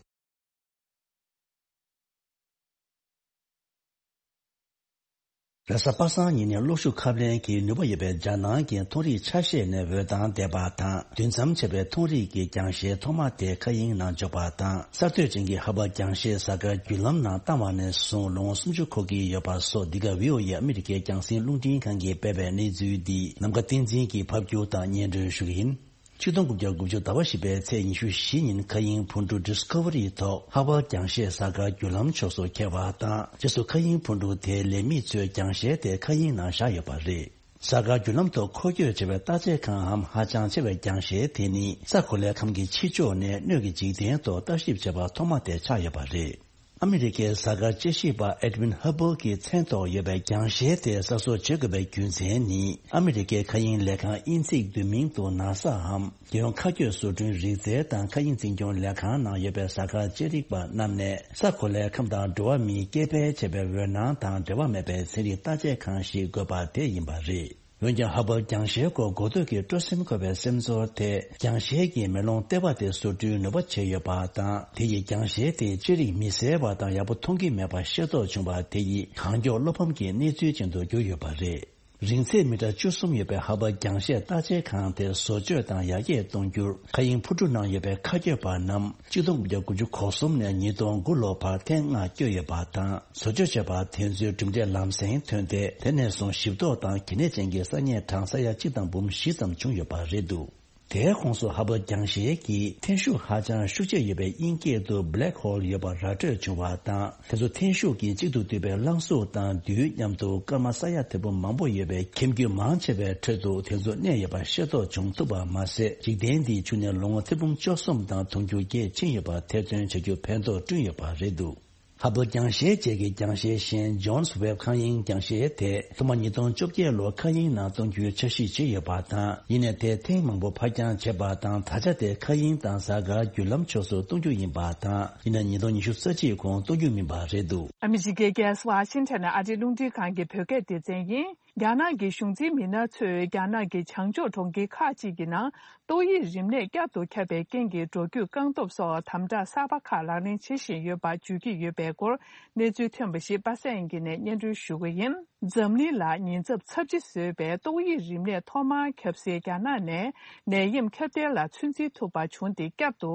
རེས་གཟའ་པ་སངས་ཉིན་ནས་གློག་ཤུགས་ཁབ་ལེན་གྱི་ནུས་པ་ཡོད་པའི་རྒྱ་ནང་གི་མཐོ་རིས་ཆ་ཤས་ནས་འོད་མདངས་འདེད་པ་དང་། དུས་མཚམས་ཆེ་བའི་མཐོ་རིས་ཀྱི་རྒྱང་ཤེལ་ཐོག་མ་དེ་མཁའ་དབྱིངས་ནང་འཇོག་པ་དང་། གསར་གཏོད་ཅན་གྱི་ཧ་པར་རྒྱང་ཤེལ་གཟའ་སྐར་བརྒྱུད་ལམ་ནང་བཏང་བ་ནས་བཟུང་ལོ་ངོ་སུམ་ཅུ་འཁོར་གྱི་ཡོད་པ་སོགས། འདི་ག་བྷི་ཨོ་ཨེ་ཨ་མི་རི་ཀའི་རྒྱང་སྲིང་རླུང་འཕྲིན་ཁང་གིས་སྤེལ་བའི་གནས་ཚུལ་འདི་ནམ་མཁའ་བསྟན་འཛིན་གྱིས་ཕབ་སྒྱུར་དང་སྙན་སྒྲོན་ཞུ་གི་ཡིན། ཆིག་སྟོང་དགུ་བརྒྱ་དགུ་བཅུ་ཟླ་བ་བཞི་པའི་ཚེས་ཉི་ཤུ་བཞི་ཉིན་མཁའ་དབྱིངས་འཕུར་གྲུ་Discovery་ཐོག་ཧ་པར་རྒྱང་ཤེལ་གཟའ་སྐར་བརྒྱུད་ལམ་ཕྱོགས་སུ་འཁེལ་བ་དང་། རྗེས་སུ་མཁའ་དབྱིངས་འཕུར་གྲུ་དེའི་ལས་མི་ཚོས་རྒྱང་ཤེལ་དེ་མཁའ་དབྱིངས་ནང་བཞག་ཡོད་པ་རེད། གཟའ་སྐར་བརྒྱུད་ལམ་ཐོག་འཁོར་སྐྱོད་བྱེད་པའི་རྟགས་དཔྱད་ཁང་འམ་ཧ་ཅང་ཆེ་བའི་རྒྱང་ཤེལ་དེ་ནི་ས་གོ་ལའི་ཁམས་ཀྱི་ཕྱི་ཕྱོགས་ནས་སྣོད་ཀྱི་འཇིག་རྟེན་ཐོག་ལྟ་ཞིབ་བྱས་པ་ཐོག་མ་དེ་ཆགས་ཡོད་པ་རེད། ཨ་མི་རི་ཀའི་གཟའ་སྐར་དཔྱད་ཞིབ་པ་Edwin Hubble་གྱི་མཚན་ཐོག་ཡོད་པའི་རྒྱང་ཤེལ་དེ་གསར་བཟོ་བྱེད་དགོས་པའི་རྒྱུ་མཚན་ནི། ཨ་མི་རི་ཀའི་མཁའ་དབྱིངས་ལས་ཁང་དབྱིན་ཚིག་བསྡུས་མིང་དུ་NASA་འམ། རྒྱལ་ཡོངས་མཁའ་སྐྱོད་བཟོ་སྐྲུན་རིག་རྩལ་དང་མཁའ་དབྱིངས་འཛིན་སྐྱོང་ལས་ཁང་ནང་ཡོད་པའི་གཟའ་སྐར་དཔྱད་རིག་པ་རྣམས་ནས། ས་གོ་ལའི་ཁམས་དང་འགྲོ་བ་མིས་སྐྱེ་འཕེལ་བྱས་པའི་འོད་སྣང་དང་འབྲེལ་བ་མེད་པའི་ཚན་རིག་བརྟག་དཔྱད་ཁང་ཞིག་དགོས་པ་དེ་ཡིན་པ་རེད། འོན་ཀྱང་། ཧ་པར་རྒྱང་ཤེལ་སྐོར་འགོ་སྟོད་ཀྱི་སྤྲོ་སེམས་འཁོལ་བའི་སེམས་ཚོར་དེ། རྒྱང་ཤེལ་གྱི་མེ་ལོང་ལྟེ་བ་དེ་བཟོ་སྐྲུན་ནུས་པ་ཆེ་ཡོད་པ་དང་། དེ་ཡིས་རྒྱང་ཤེལ་དེ་དཔྱད་རིག་མི་གསལ་བ་དང་ཡག་པོ་མཐོང་གི་མེད་པ་ཤེས་རྟོགས་བྱུང་བ་དེ་ཡིས་གང་མགྱོགས་བློ་ཕམ་གྱི་གནས་ཚུལ་ཅན་དུ་གྱུར་ཡོད་པ་རེད། རིང་ཚད་མི་ཊར་བཅུ་གསུམ་ཡོད་པའི་ཧ་པར་རྒྱང་ཤེལ་བརྟག་དཔྱད་ཁང་དེ་བཟོ་བཅོས་དང་ཡར་རྒྱས་གཏོང་རྒྱུར། མཁའ་དབྱིངས་འཕུར་གྲུ་ནང་ཡོད་པའི་མཁའ་སྐྱོད་པ་རྣམས་ཆིག་སྟོང་དགུ་བརྒྱ་དགུ་བཅུ་གོ་གསུམ་ནས་ཉིས་སྟོང་དགུ་ལོ་བར་ཐེངས་ལྔ་བསྐྱོད་ཡོད་པ་དང་། བཟོ་བཅོས་བྱས་པ་དེ་ཚོའི་གྲུབ་འབྲས་ལམ་སེང་ཐོན་ཏེ། དེ་ནས་བཟུང་ཞིབ་རྟོག་དང་གལ་གནད་ཅན་གྱི་ས་གནས་གྲངས་ས་ཡ་གཅིག་དང་འབུམ་བཞི་ཙམ་བྱུང་ཡོད་པ་རེད་འདུག་དེའི་ཁོངས་སུ་ཧ་བལ་རྒྱང་ཤེལ་གྱི་འཐེན་ཤུགས་ཧ་ཅང་ཤུགས་ཆེ་ཡོད་པའི་དབྱིན་སྐད་དུ་Black Hole ཡོད་པ་ར་སྤྲོད་བྱུང་བ་དང་། དེ་ཚོ་འཐེན་ཤུགས་ཀྱིས་གཅིག་ཏུ་བསྡུས་པའི་རླངས་གཟུགས་དང་རྡུལ་མཉམ་དུ་སྐར་མ་ས་ཡ་ཐེར་འབུམ་མང་པོ་ཡོད་པའི་ཁྱིམ་རྒྱུད་མང་ཆེ་བའི་ཁྲོད་དུ་དེ་ཚོ་གནས་ཡོད་པ་ཤེས་རྟོགས་བྱུང་ཐུབ་པ་མ་ཟད། འཇིག་རྟེན་འདིའི་ཕྱི་ནས་ལོ་ངོ་ཐེར་འབུམ་བཅུ་གསུམ་དང་དུང་ཕྱུར་བརྒྱད་ཕྱིན་ཡོད་པ་ཐེར་འདོན་བྱ་རྒྱུ་ཕན་ཐོགས་བསྐྲུན་ཡོད་པ་རེད་འདུག་ཧ་བལ་རྒྱང་ཤེལ་བཅས་ཀྱི་རྒྱང་ཤེལ་གཞན་Jones Webb མཁའ་དབྱིངས་རྒྱང་ཤེལ་དེ་ཐོག་མ་ཉིས་སྟོང་བཅོ་བརྒྱད་ལོར་མཁའ་དབྱིངས་ནང་གཏོང་རྒྱུའི་འཆར་གཞི་བྱས་ཡོད་པ་དང་། ཡིན་ནའི་དེ་ཐེངས་མང་པོ་ཕར་འགྱངས་བྱས་པ་དང་། ད་ཆ་དེ་མཁའ་དབྱིངས་དང་གཟའ་སྐར་བརྒྱུད་ལམ་ཕྱོགས་སུ་གཏོང་རྒྱུ་ཡིན་པ་དང་། ཡིན་ནའི་ཉིས་སྟོང་ཉི་ཤུ་རྩ་གཅིག་གོང་གཏོང་རྒྱུ་མིན་པ་རེད་འདུག་ཨ་མི་རི་ཀའི་རྒྱལ་ས་ཝ་ཤིང་ཊོན་ནས་ཨ་རིའི་རླུང་འཕྲིན་ཁང་གི་བོད་སྐད་སྡེ་ཚན་ཡིན། རྒྱ་ནག་གི་གཞུང་འཛིན་མི་སྣ་ཚོས་རྒྱ་ནག་གི་བྱང་ཕྱོགས་གྲོང་ཁྱེར་ཁག་ཅིག་གི་ནང་ཏོག་དབྱིབས་རིམས་ནད་བསྐྱར་དུ་ཁྱབ་པའི་རྐྱེན་གྱིས་འགྲོ་སྐྱོད་བཀག་སྡོམ་སོགས་དམ་དྲག་གསར་པ་ཁག་ལག་ལེན་བྱེད་བཞིན་ཡོད་པ་བརྗོད་ཀྱི་ཡོད་པའི་སྐོར་གནས་ཚུལ་ཐོན་པ་ཞིག་པ་སངས་དབྱངས་སྐྱིད་ནས་སྙན་སྒྲོན་ཞུ་གི་ཡིན། འཛམ་གླིང་ལ་ཉེན་ཚབས་ཚབས་ཆེ་བཟོས་པའི་ཏོག་དབྱིབས་རིམས་ནད་ཐོག་མར་ཁྱབ་སའི་རྒྱ་ནག་ནས་ནད་ཡམས་ཁྱབ་གདལ་ལ་ཚོད་འཛིན་ཐུབ་པ་བྱུང་སྟེ། བསྐྱར་དུ་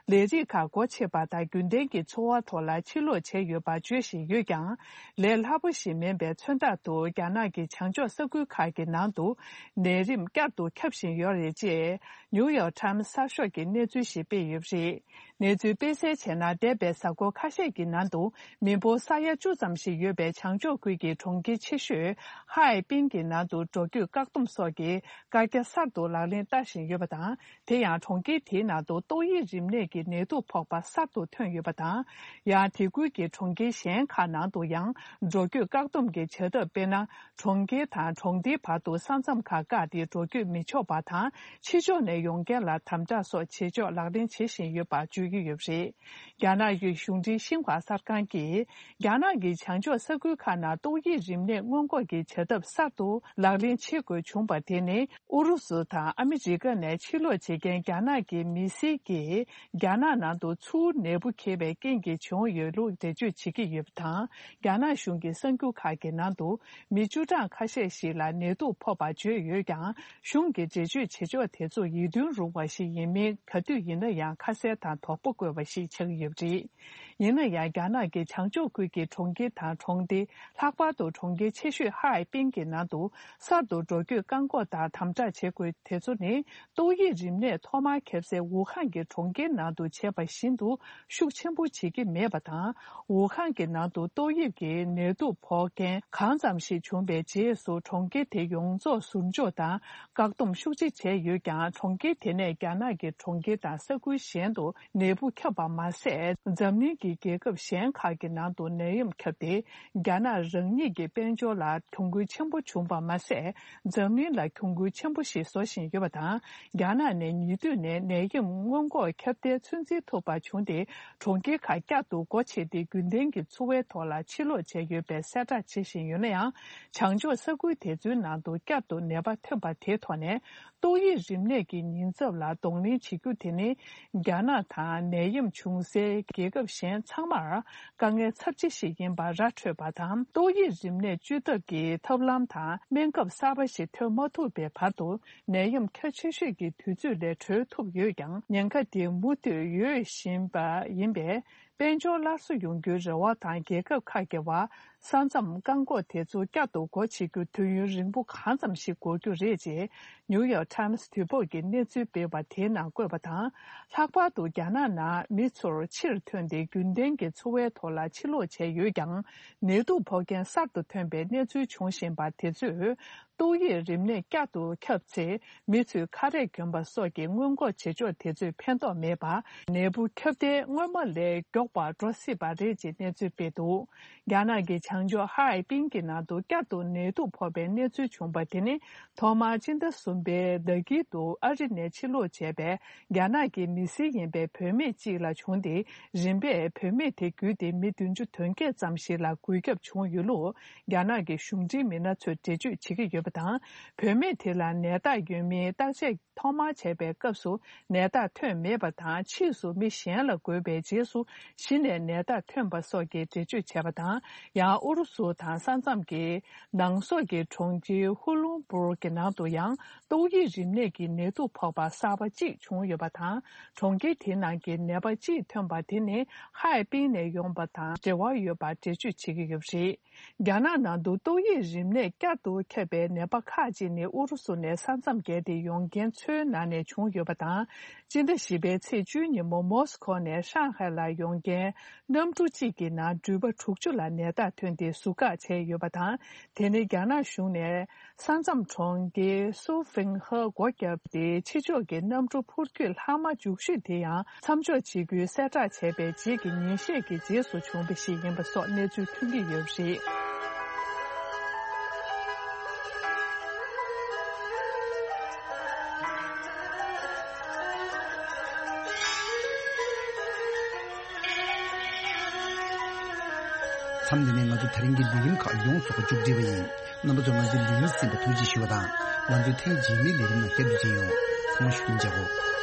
ལས་རིགས་ཁག་སྒོ་ཕྱེ་བ་དང་། རྒྱུན་ལྡན་གྱི་འཚོ་བ་ཐོག་ལ་ཕྱིར་ལོག་བྱས་ཡོད་པ་བརྗོད་བཞིན་ཡོད་ཀྱང་། ལས་སླ་པོ་ཞིག་མིན་པའི་མཚོན་རྟགས་དུ་རྒྱ་ནག་གི་བྱང་ཕྱོགས་ས་ཁུལ་ཁག་གི་ནང་དུ་ནད་རིམས་བསྐྱར་དུ་ཁྱབ་བཞིན་ཡོད་རེད། ཅེས་ནིའུ་ཡོག་ཊའིམ་གསར་ཤོག་གིས་གནས་ཚུལ་ཞིག་སྤེལ་ཡོད་པ་རེད། གནས་ཚུལ་སྤེལ་གསལ་བྱས་ན། འདས་པའི་གཟའ་འཁོར་ཁ་ཤས་ཀྱི་ནང་དུ་མི་འབོར་ས་ཡ་བཅུ་ཙམ་ཞིག་ཡོད་པའི་བྱང་ཕྱོགས་ཁུལ་གྱི་གྲོང་ཁྱེར་ཆེ་ཤོས་ཧའེ་པིན་གྱི་ནང་དུ་འགྲོ་སྐྱོད་བཀག་སྡོམ་སོགས་ཀྱི་བཀག་རྒྱ་གསར་དུ་ལག་ལེན་བསྟར་བཞིན་ཡོད་པ་དང་། དེ་ཡང་གྲོང་ཁྱེར་དེའི་ནང་དུ་ཏོག་དབྱིབས་རིམས་ནད་ཀྱི་ནད་དུག་ཕོག་པ་གསར་དུ་ཐོན་ཡོད་པ་དང་། ཡང་དེ་ཁུལ་གྱི་གྲོང་ཁྱེར་གཞན་ཁག་ནང་དུ་ཡང་འགྲོ་སྐྱོད་བཀག་སྡོམ་གྱི་བྱ་ཐབས། དཔེར་ན། གྲོང་ཁྱེར་དང་གྲོང་སྡེའི་བར་དུ་ས་མཚམས་ཁག་བཀག་སྟེ་འགྲོ་སྐྱོད་མི་ཆོག་པ་དང་། ཕྱི་ཕྱོགས་ནས་ཡོང་མཁན་ལ་དམ་དྲག་སོགས་བྱེད་ཕྱོགས་ལག་ལེན་བྱེད་བཞིན་ཡོད་པ་བརྗོད་ཀྱི་ཡོད་པ་རེད། རྒྱ་ནག་གི་གཞུང་འབྲེལ་ཤིན་ཧྭ་གསར་ཁང་གིས། རྒྱ་ནག་གི་བྱང་ཕྱོགས་ས་ཁུལ་ཁག་ནང་ཏོག་དབྱིབས་རིམས་ནད་སྔོན་འགོག་གི་བྱ་ཐབས་གསར་དུ་ལག་ལེན་བྱེད་དགོས་བྱུང་པ་དེ་ནི། ཨུ་རུ་སུ་དང་ཨ་མི་རི་ཀ་ནས་ཕྱིར་ལོག་བྱེད་མཁན་རྒྱ་ནག་གི་མི་སེར་གྱིས། རྒྱ་ནག་ནང་དུ་ཚུར་ནད་འབུ་འཁྱེར་བའི་རྐྱེན་གྱིས་བྱུང་ཡོད་ལུགས་འགྲེལ་བརྗོད་བྱེད་ཀྱི་ཡོད་པ་དང་། རྒྱ་ནག་གཞུང་གི་གསར་འགྱུར་ཁག་གི་ནང་དུ། མི་བཅུ་གྲངས་ཁ་ཤས་ཤིག་ལ་ནད་དུག་ཕོག་པ་བརྗོད་ཡོད་ཀྱང་། གཞུང་གིས་འགྲེལ་བརྗོད་བྱེད་ཕྱོགས་དེ་ཚོ་ཡིད་རྟོན་རུང་བ་ཞིག་ཡིན་མིན་ག་དུས་ཡིན་ན་ཡང་ཁ་གསལ་དང་དོགས་པ་བཀོད་པ་ཞིག་ཆགས་ཀྱི་ཡོད་པ་རེད། ཡིན་ན་ཡང་། རྒྱ་ནག་གི་བྱང་ཕྱོགས་ཁུལ་གྱི་གྲོང་ཁྱེར་དང་གྲོང་སྡེ། ལྷག་པར་དུ་གྲོང་ཁྱེར་ཆེ་ཤོས་ཧའེ་པིན་གྱི་ནང་དུ་གསར་དུ་འགྲོ་སྐྱོད་བཀག་འགོག་དང་དམ་དྲག་བྱེད་དགོས་དེ་ཚོ་ནི། ཏོག་དབྱིབས་རིམས་ནད་ཐོག་མར་ཁྱབ་སའི་ཝུ་ཧན་གྱི་གྲོང་ཁྱེར་ནང་དུ་བྱས་པ་བཞིན་དུ་ཤུགས་ཆེན་པོ་བྱེད་ཀྱི་མེད་པ་དང་། ཝུ་ཧན་གྱི་ནང་དུ་ཏོག་དབྱིབས་ཀྱི་ནད་དུག་ཕོག་མཁན་གང་ཙམ་ཞིག་བྱུང་བའི་རྗེས་སུ་གྲོང་ཁྱེར་དེ་ཡོངས་རྫོགས་ཟུར་འཇོག་དང་བཀག་སྡོམ་ཤུགས་ཆེ་བྱས་ཡོད་ཀྱང་། གྲོང་ཁྱེར་དེ་ནས་རྒྱ་ནག་གི་གྲོང་ཁྱེར་དང་ས་ཁུལ་གཞན་དུ་ནད་འབུ་ཁྱབ་པ་མ་ཟད། འཛམ་གླིང་གི་རྒྱལ་ཁབ་གཞན་ཁག་གི་ནང་དུ་ནད་ཡམས་ཁྱབ་སྟེ། རྒྱ་ནག་རང་ཉིད་ཀྱི་དཔལ་འབྱོར་ལ་གྱོང་གུན་ཆེན་པོ་བྱུང་བ་མ་ཟད། འཛམ་གླིང་ལ་གྱོང་གུན་ཆེན་པོ་ཞིག་བཟོ་བཞིན་ཡོད་པ་དང་། རྒྱ་ནག་ནས་ཉེ་དུས་ནས་ནད་ཡམས་སྔོན་འགོག་ཁྱབ་གདལ་ཚོད་འཛིན་ཐུབ་པ་བྱུང་སྟེ། གྲོང་ཁྱེར་ཁག་བསྐྱར་དུ་སྒོ་ཕྱེ་སྟེ། རྒྱུན་ལྡན་གྱི་འཚོ་བའི་ཐོག་ལ་ཕྱིར་ལོག་བྱས་ཡོད་པའི་གསལ་བསྒྲགས་བྱེད་བཞིན་ཡོད་ན་ཡང་། བྱང་ཕྱོགས་ས་ཁུལ་དེ་ཚོའི་ནང་དུ་བསྐྱར་དུ་ནད་པ་ཐོན་པ་དེའི་ཐོག་ནས། ཏོག་དབྱིབས་རིམས་ནད་ཀྱི་ཉེན་ཚབས་ལ་གདོང་ལེན་བྱེད་རྒྱུ་དེ་ནི། རྒྱ་ནག་དང་ནད་ཡམས་བྱུང་སའི་རྒྱལ་ཁབ་གཞན་ཚང་མར་དཀའ་ངལ་ཚབས་ཆེ་ཞིག་ཡིན་པ་ར་འཕྲོད་པ་དང་། ཏོག་དབྱིབས་རིམས་ནད་བཅོས་ཐབས་ཀྱི་ཐབས་ལམ་དང་སྨན་ཁབ་གསར་པ་ཞིག་ཐོན་མ་ཐུབ་པའི་བར་དུ། ནད་ཡམས་ཁྱབ་ཆེ་ཤོས་ཀྱི་དུས་ཚོད་ལས་གྲོལ་ཐུབ་ཡོད་ཀྱང་། ཉེན་ཁ་དེ་མུ་མཐུད་ཡོད་བཞིན་པ་ཡིན་པས། དཔལ་འབྱོར་སླར་གསོ་ཡོང་རྒྱུའི་རེ་བ་དང་། རྒྱལ་ཁབ་ཁག་གི་བར་ས་མཚམས་བཀག་འགོག་དེ་ཚོ་བསྐྱར་དུ་སྒོ་ཕྱེ་རྒྱུ་དུས་ཡུན་རིང་པོ་གང་ཙམ་ཞིག་འགོར་རྒྱུ་རེད། ཅེས་ནིའུ་ཡོག་ཊའིམ་སི་དུས་བབ་ཀྱི་གནས་ཚུལ་སྤེལ་བ་དེའི་ནང་བཀོད་པ་དང་། ལྷག་པར་དུ་རྒྱ་ནག་ནང་མི་ཚོར་ཕྱིར་ཐོན་ཏེ་རྒྱུན་ལྡན་གྱི་འཚོ་བའི་ཐོག་ལ་ཕྱིར་ལོག་བྱས་ཡོད་ཀྱང་། ནད་དུག་ཕོག་མཁན་གསར་དུ་ཐོན་པའི་གནས་ཚུལ་འབྱུང་བཞིན་པ་དེ་ཚོས། ཏོག་དབྱིབས་རིམས་ནད་བསྐྱར་དུ་ཁྱབ་ཚེ། མི་ཚོས་ཁ་རས་གྱོན་པ་སོགས་ཀྱི་སྔོན་འགོག་བྱེད་ཕྱོགས་དེ་ཚོས་ཕན་ཐོགས་མེད་པར། ནད་འབུ་ཁྱབ་གདལ་སྔོན་མ་ལས་མགྱོགས་པར་འགྲོ་སྲིད་པ་རེད། ཅེས་གནས་ཚུལ་སྤེལ་འདུག་རྒྱ་ནག་གི་བྱང་ཕྱོགས་ཧའེ་པིན་གྱི་ནང་དུ་བསྐྱར་དུ་ནད་དུག་ཕོག་པའི་གནས་ཚུལ་བྱུང་བ་དེ་ནི། ཐོག་མར་སྤྱི་ཟླ་གསུམ་པའི་ཟླ་དཀྱིལ་དུ་ཨ་རི་ནས་ཕྱིར་ལོག་བྱས་པའི་རྒྱ་ནག་གི་མི་སེར་ཡིན་པའི་བུད་མེད་ཅིག་ལ་བྱུང་སྟེ། རིམ་པས་བུད་མེད་དེ་བརྒྱུད་དེ་མི་བདུན་ཅུ་དོན་བརྒྱད་ཙམ་ཞིག་ལ་འགོས་ཁྱབ་བྱུང་ཡོད་ལུགས། རྒྱ་ནག་གི་གཞུང་འབྲེལ་མི་སྣ་ཚོས་འགྲེལ་བརྗོད་བྱེད་ཀྱི་ཡོད་པ་དང་། བུད་མེད་དེ་ལ་ནད་རྟགས་ཡོད་མེད་བརྟག་དཔྱད་ཐོག་མར་བྱས་པའི་སྐབས་སུ་ནད་རྟགས་ཐོན་མེད་པ་དང་། ཕྱིས་སུ་མི་གཞན་ལ་འགོས་པའི་རྗེས་སུ་ གཞི་ནས་ནད་རྟགས་ཐོན་པ་སོགས་ཀྱི་འགྲེལ་བརྗོད་བྱས་པ་དང་། ཡང་ཨུ་རུ་སུ་དང་ས་མཚམས་ཀྱི་ནང་སོག་གི་གྲོང་ཁྱེར་ཧུ་ལུང་པུར་གྱི་ནང་དུ་ཡང་ཏོག་དབྱིབས་རིམས་ནད་ཀྱི་ནད་དུག་ཕོག་པ་གསར་པ་གཅིག་བྱུང་ཡོད་པ་དང་། གྲོང་ཁྱེར་དེའི་ནང་གི་ནད་པ་གཅིག་ཐོན་པ་དེ་ནི་ཧའེ་པིན་ནས་ཡོང་པ་དང་འབྲེལ་བ་ཡོད་པ་འགྲེལ་བརྗོད་བྱེད་ཀྱི་ཡོད་པ་རེད། རྒྱ་ནག་ནང་དུ་ཏོག་དབྱིབས་རིམས་ནད་བསྐྱར་དུ་ཁྱབ་པའི་ནད་པ་ཁག་ཅིག་ནི་ཨུ་རུ་སུ་ནས་ས་མཚམས་བརྒལ་ཏེ་ཡོང་མཁན་ཚོའི་ནང་ནས་བྱུང་ཡོད་པ་དང་། སྤྱི་ཟླ་བཞི་པའི་ཚེས་བཅུའི་ཉིན་མོ་མོ་སི་ཁོ་ནས་ཧྲང་ཧའེ་ལ་ཡོང་མཁན་གནམ་གྲུ་གཅིག་གི་ནང་འགྲུལ་པ་དྲུག་ཅུ་ལ་ནད་རྟགས་ཐོན་ཏེ་ཟུར་བཀག་བྱས་ཡོད་པ་དང་། དེ་ནི་རྒྱ་ནག་གཞུང་ནས་ས་མཚམས་གྲོང་ཁྱེར་སུའུ་ཧྥེང་ཧེ་སྒོ་བརྒྱབ་སྟེ། ཕྱི་ཕྱོགས་ཀྱི་གནམ་གྲུ་འཕུར་སྐྱོད་ལྷག་མ་རྒྱུགས་ཤོས་དེ་ཡང་མཚམས་འཇོག་བྱེད་རྒྱུའི་གསལ་བསྒྲགས་བྱས་པའི་རྗེས་ཀྱི་ཉིན་ཤས་ཀྱི་རྗེས་སུ་བྱུང་བ་ཞིག་ཡིན་པ་སོགས་གནས་ཚུལ་ཐོན་གྱི་ཡོད་པ་རེད། མཚམས་འདི་ནས་ང་ཚོ་དེ་རིང་གི་ལས་རིམ་ཁག་ཡོངས་སུ་མཇུག་སྒྲིལ་བ་ཡིན། རྣམ་པ་ཚོས་ང་ཚོའི་ལས་རིམ་གསན་པར་ཐུགས་རྗེ་ཞུ་བ་དང་། ང་ཚོའི་ཐེངས་རྗེས་མའི་ལས་རིམ་ནང་བསྐྱར་དུ་མཇལ་ཡོང་། ཚང་མ་བཞུགས་གདན་འཇགས་སྒོ།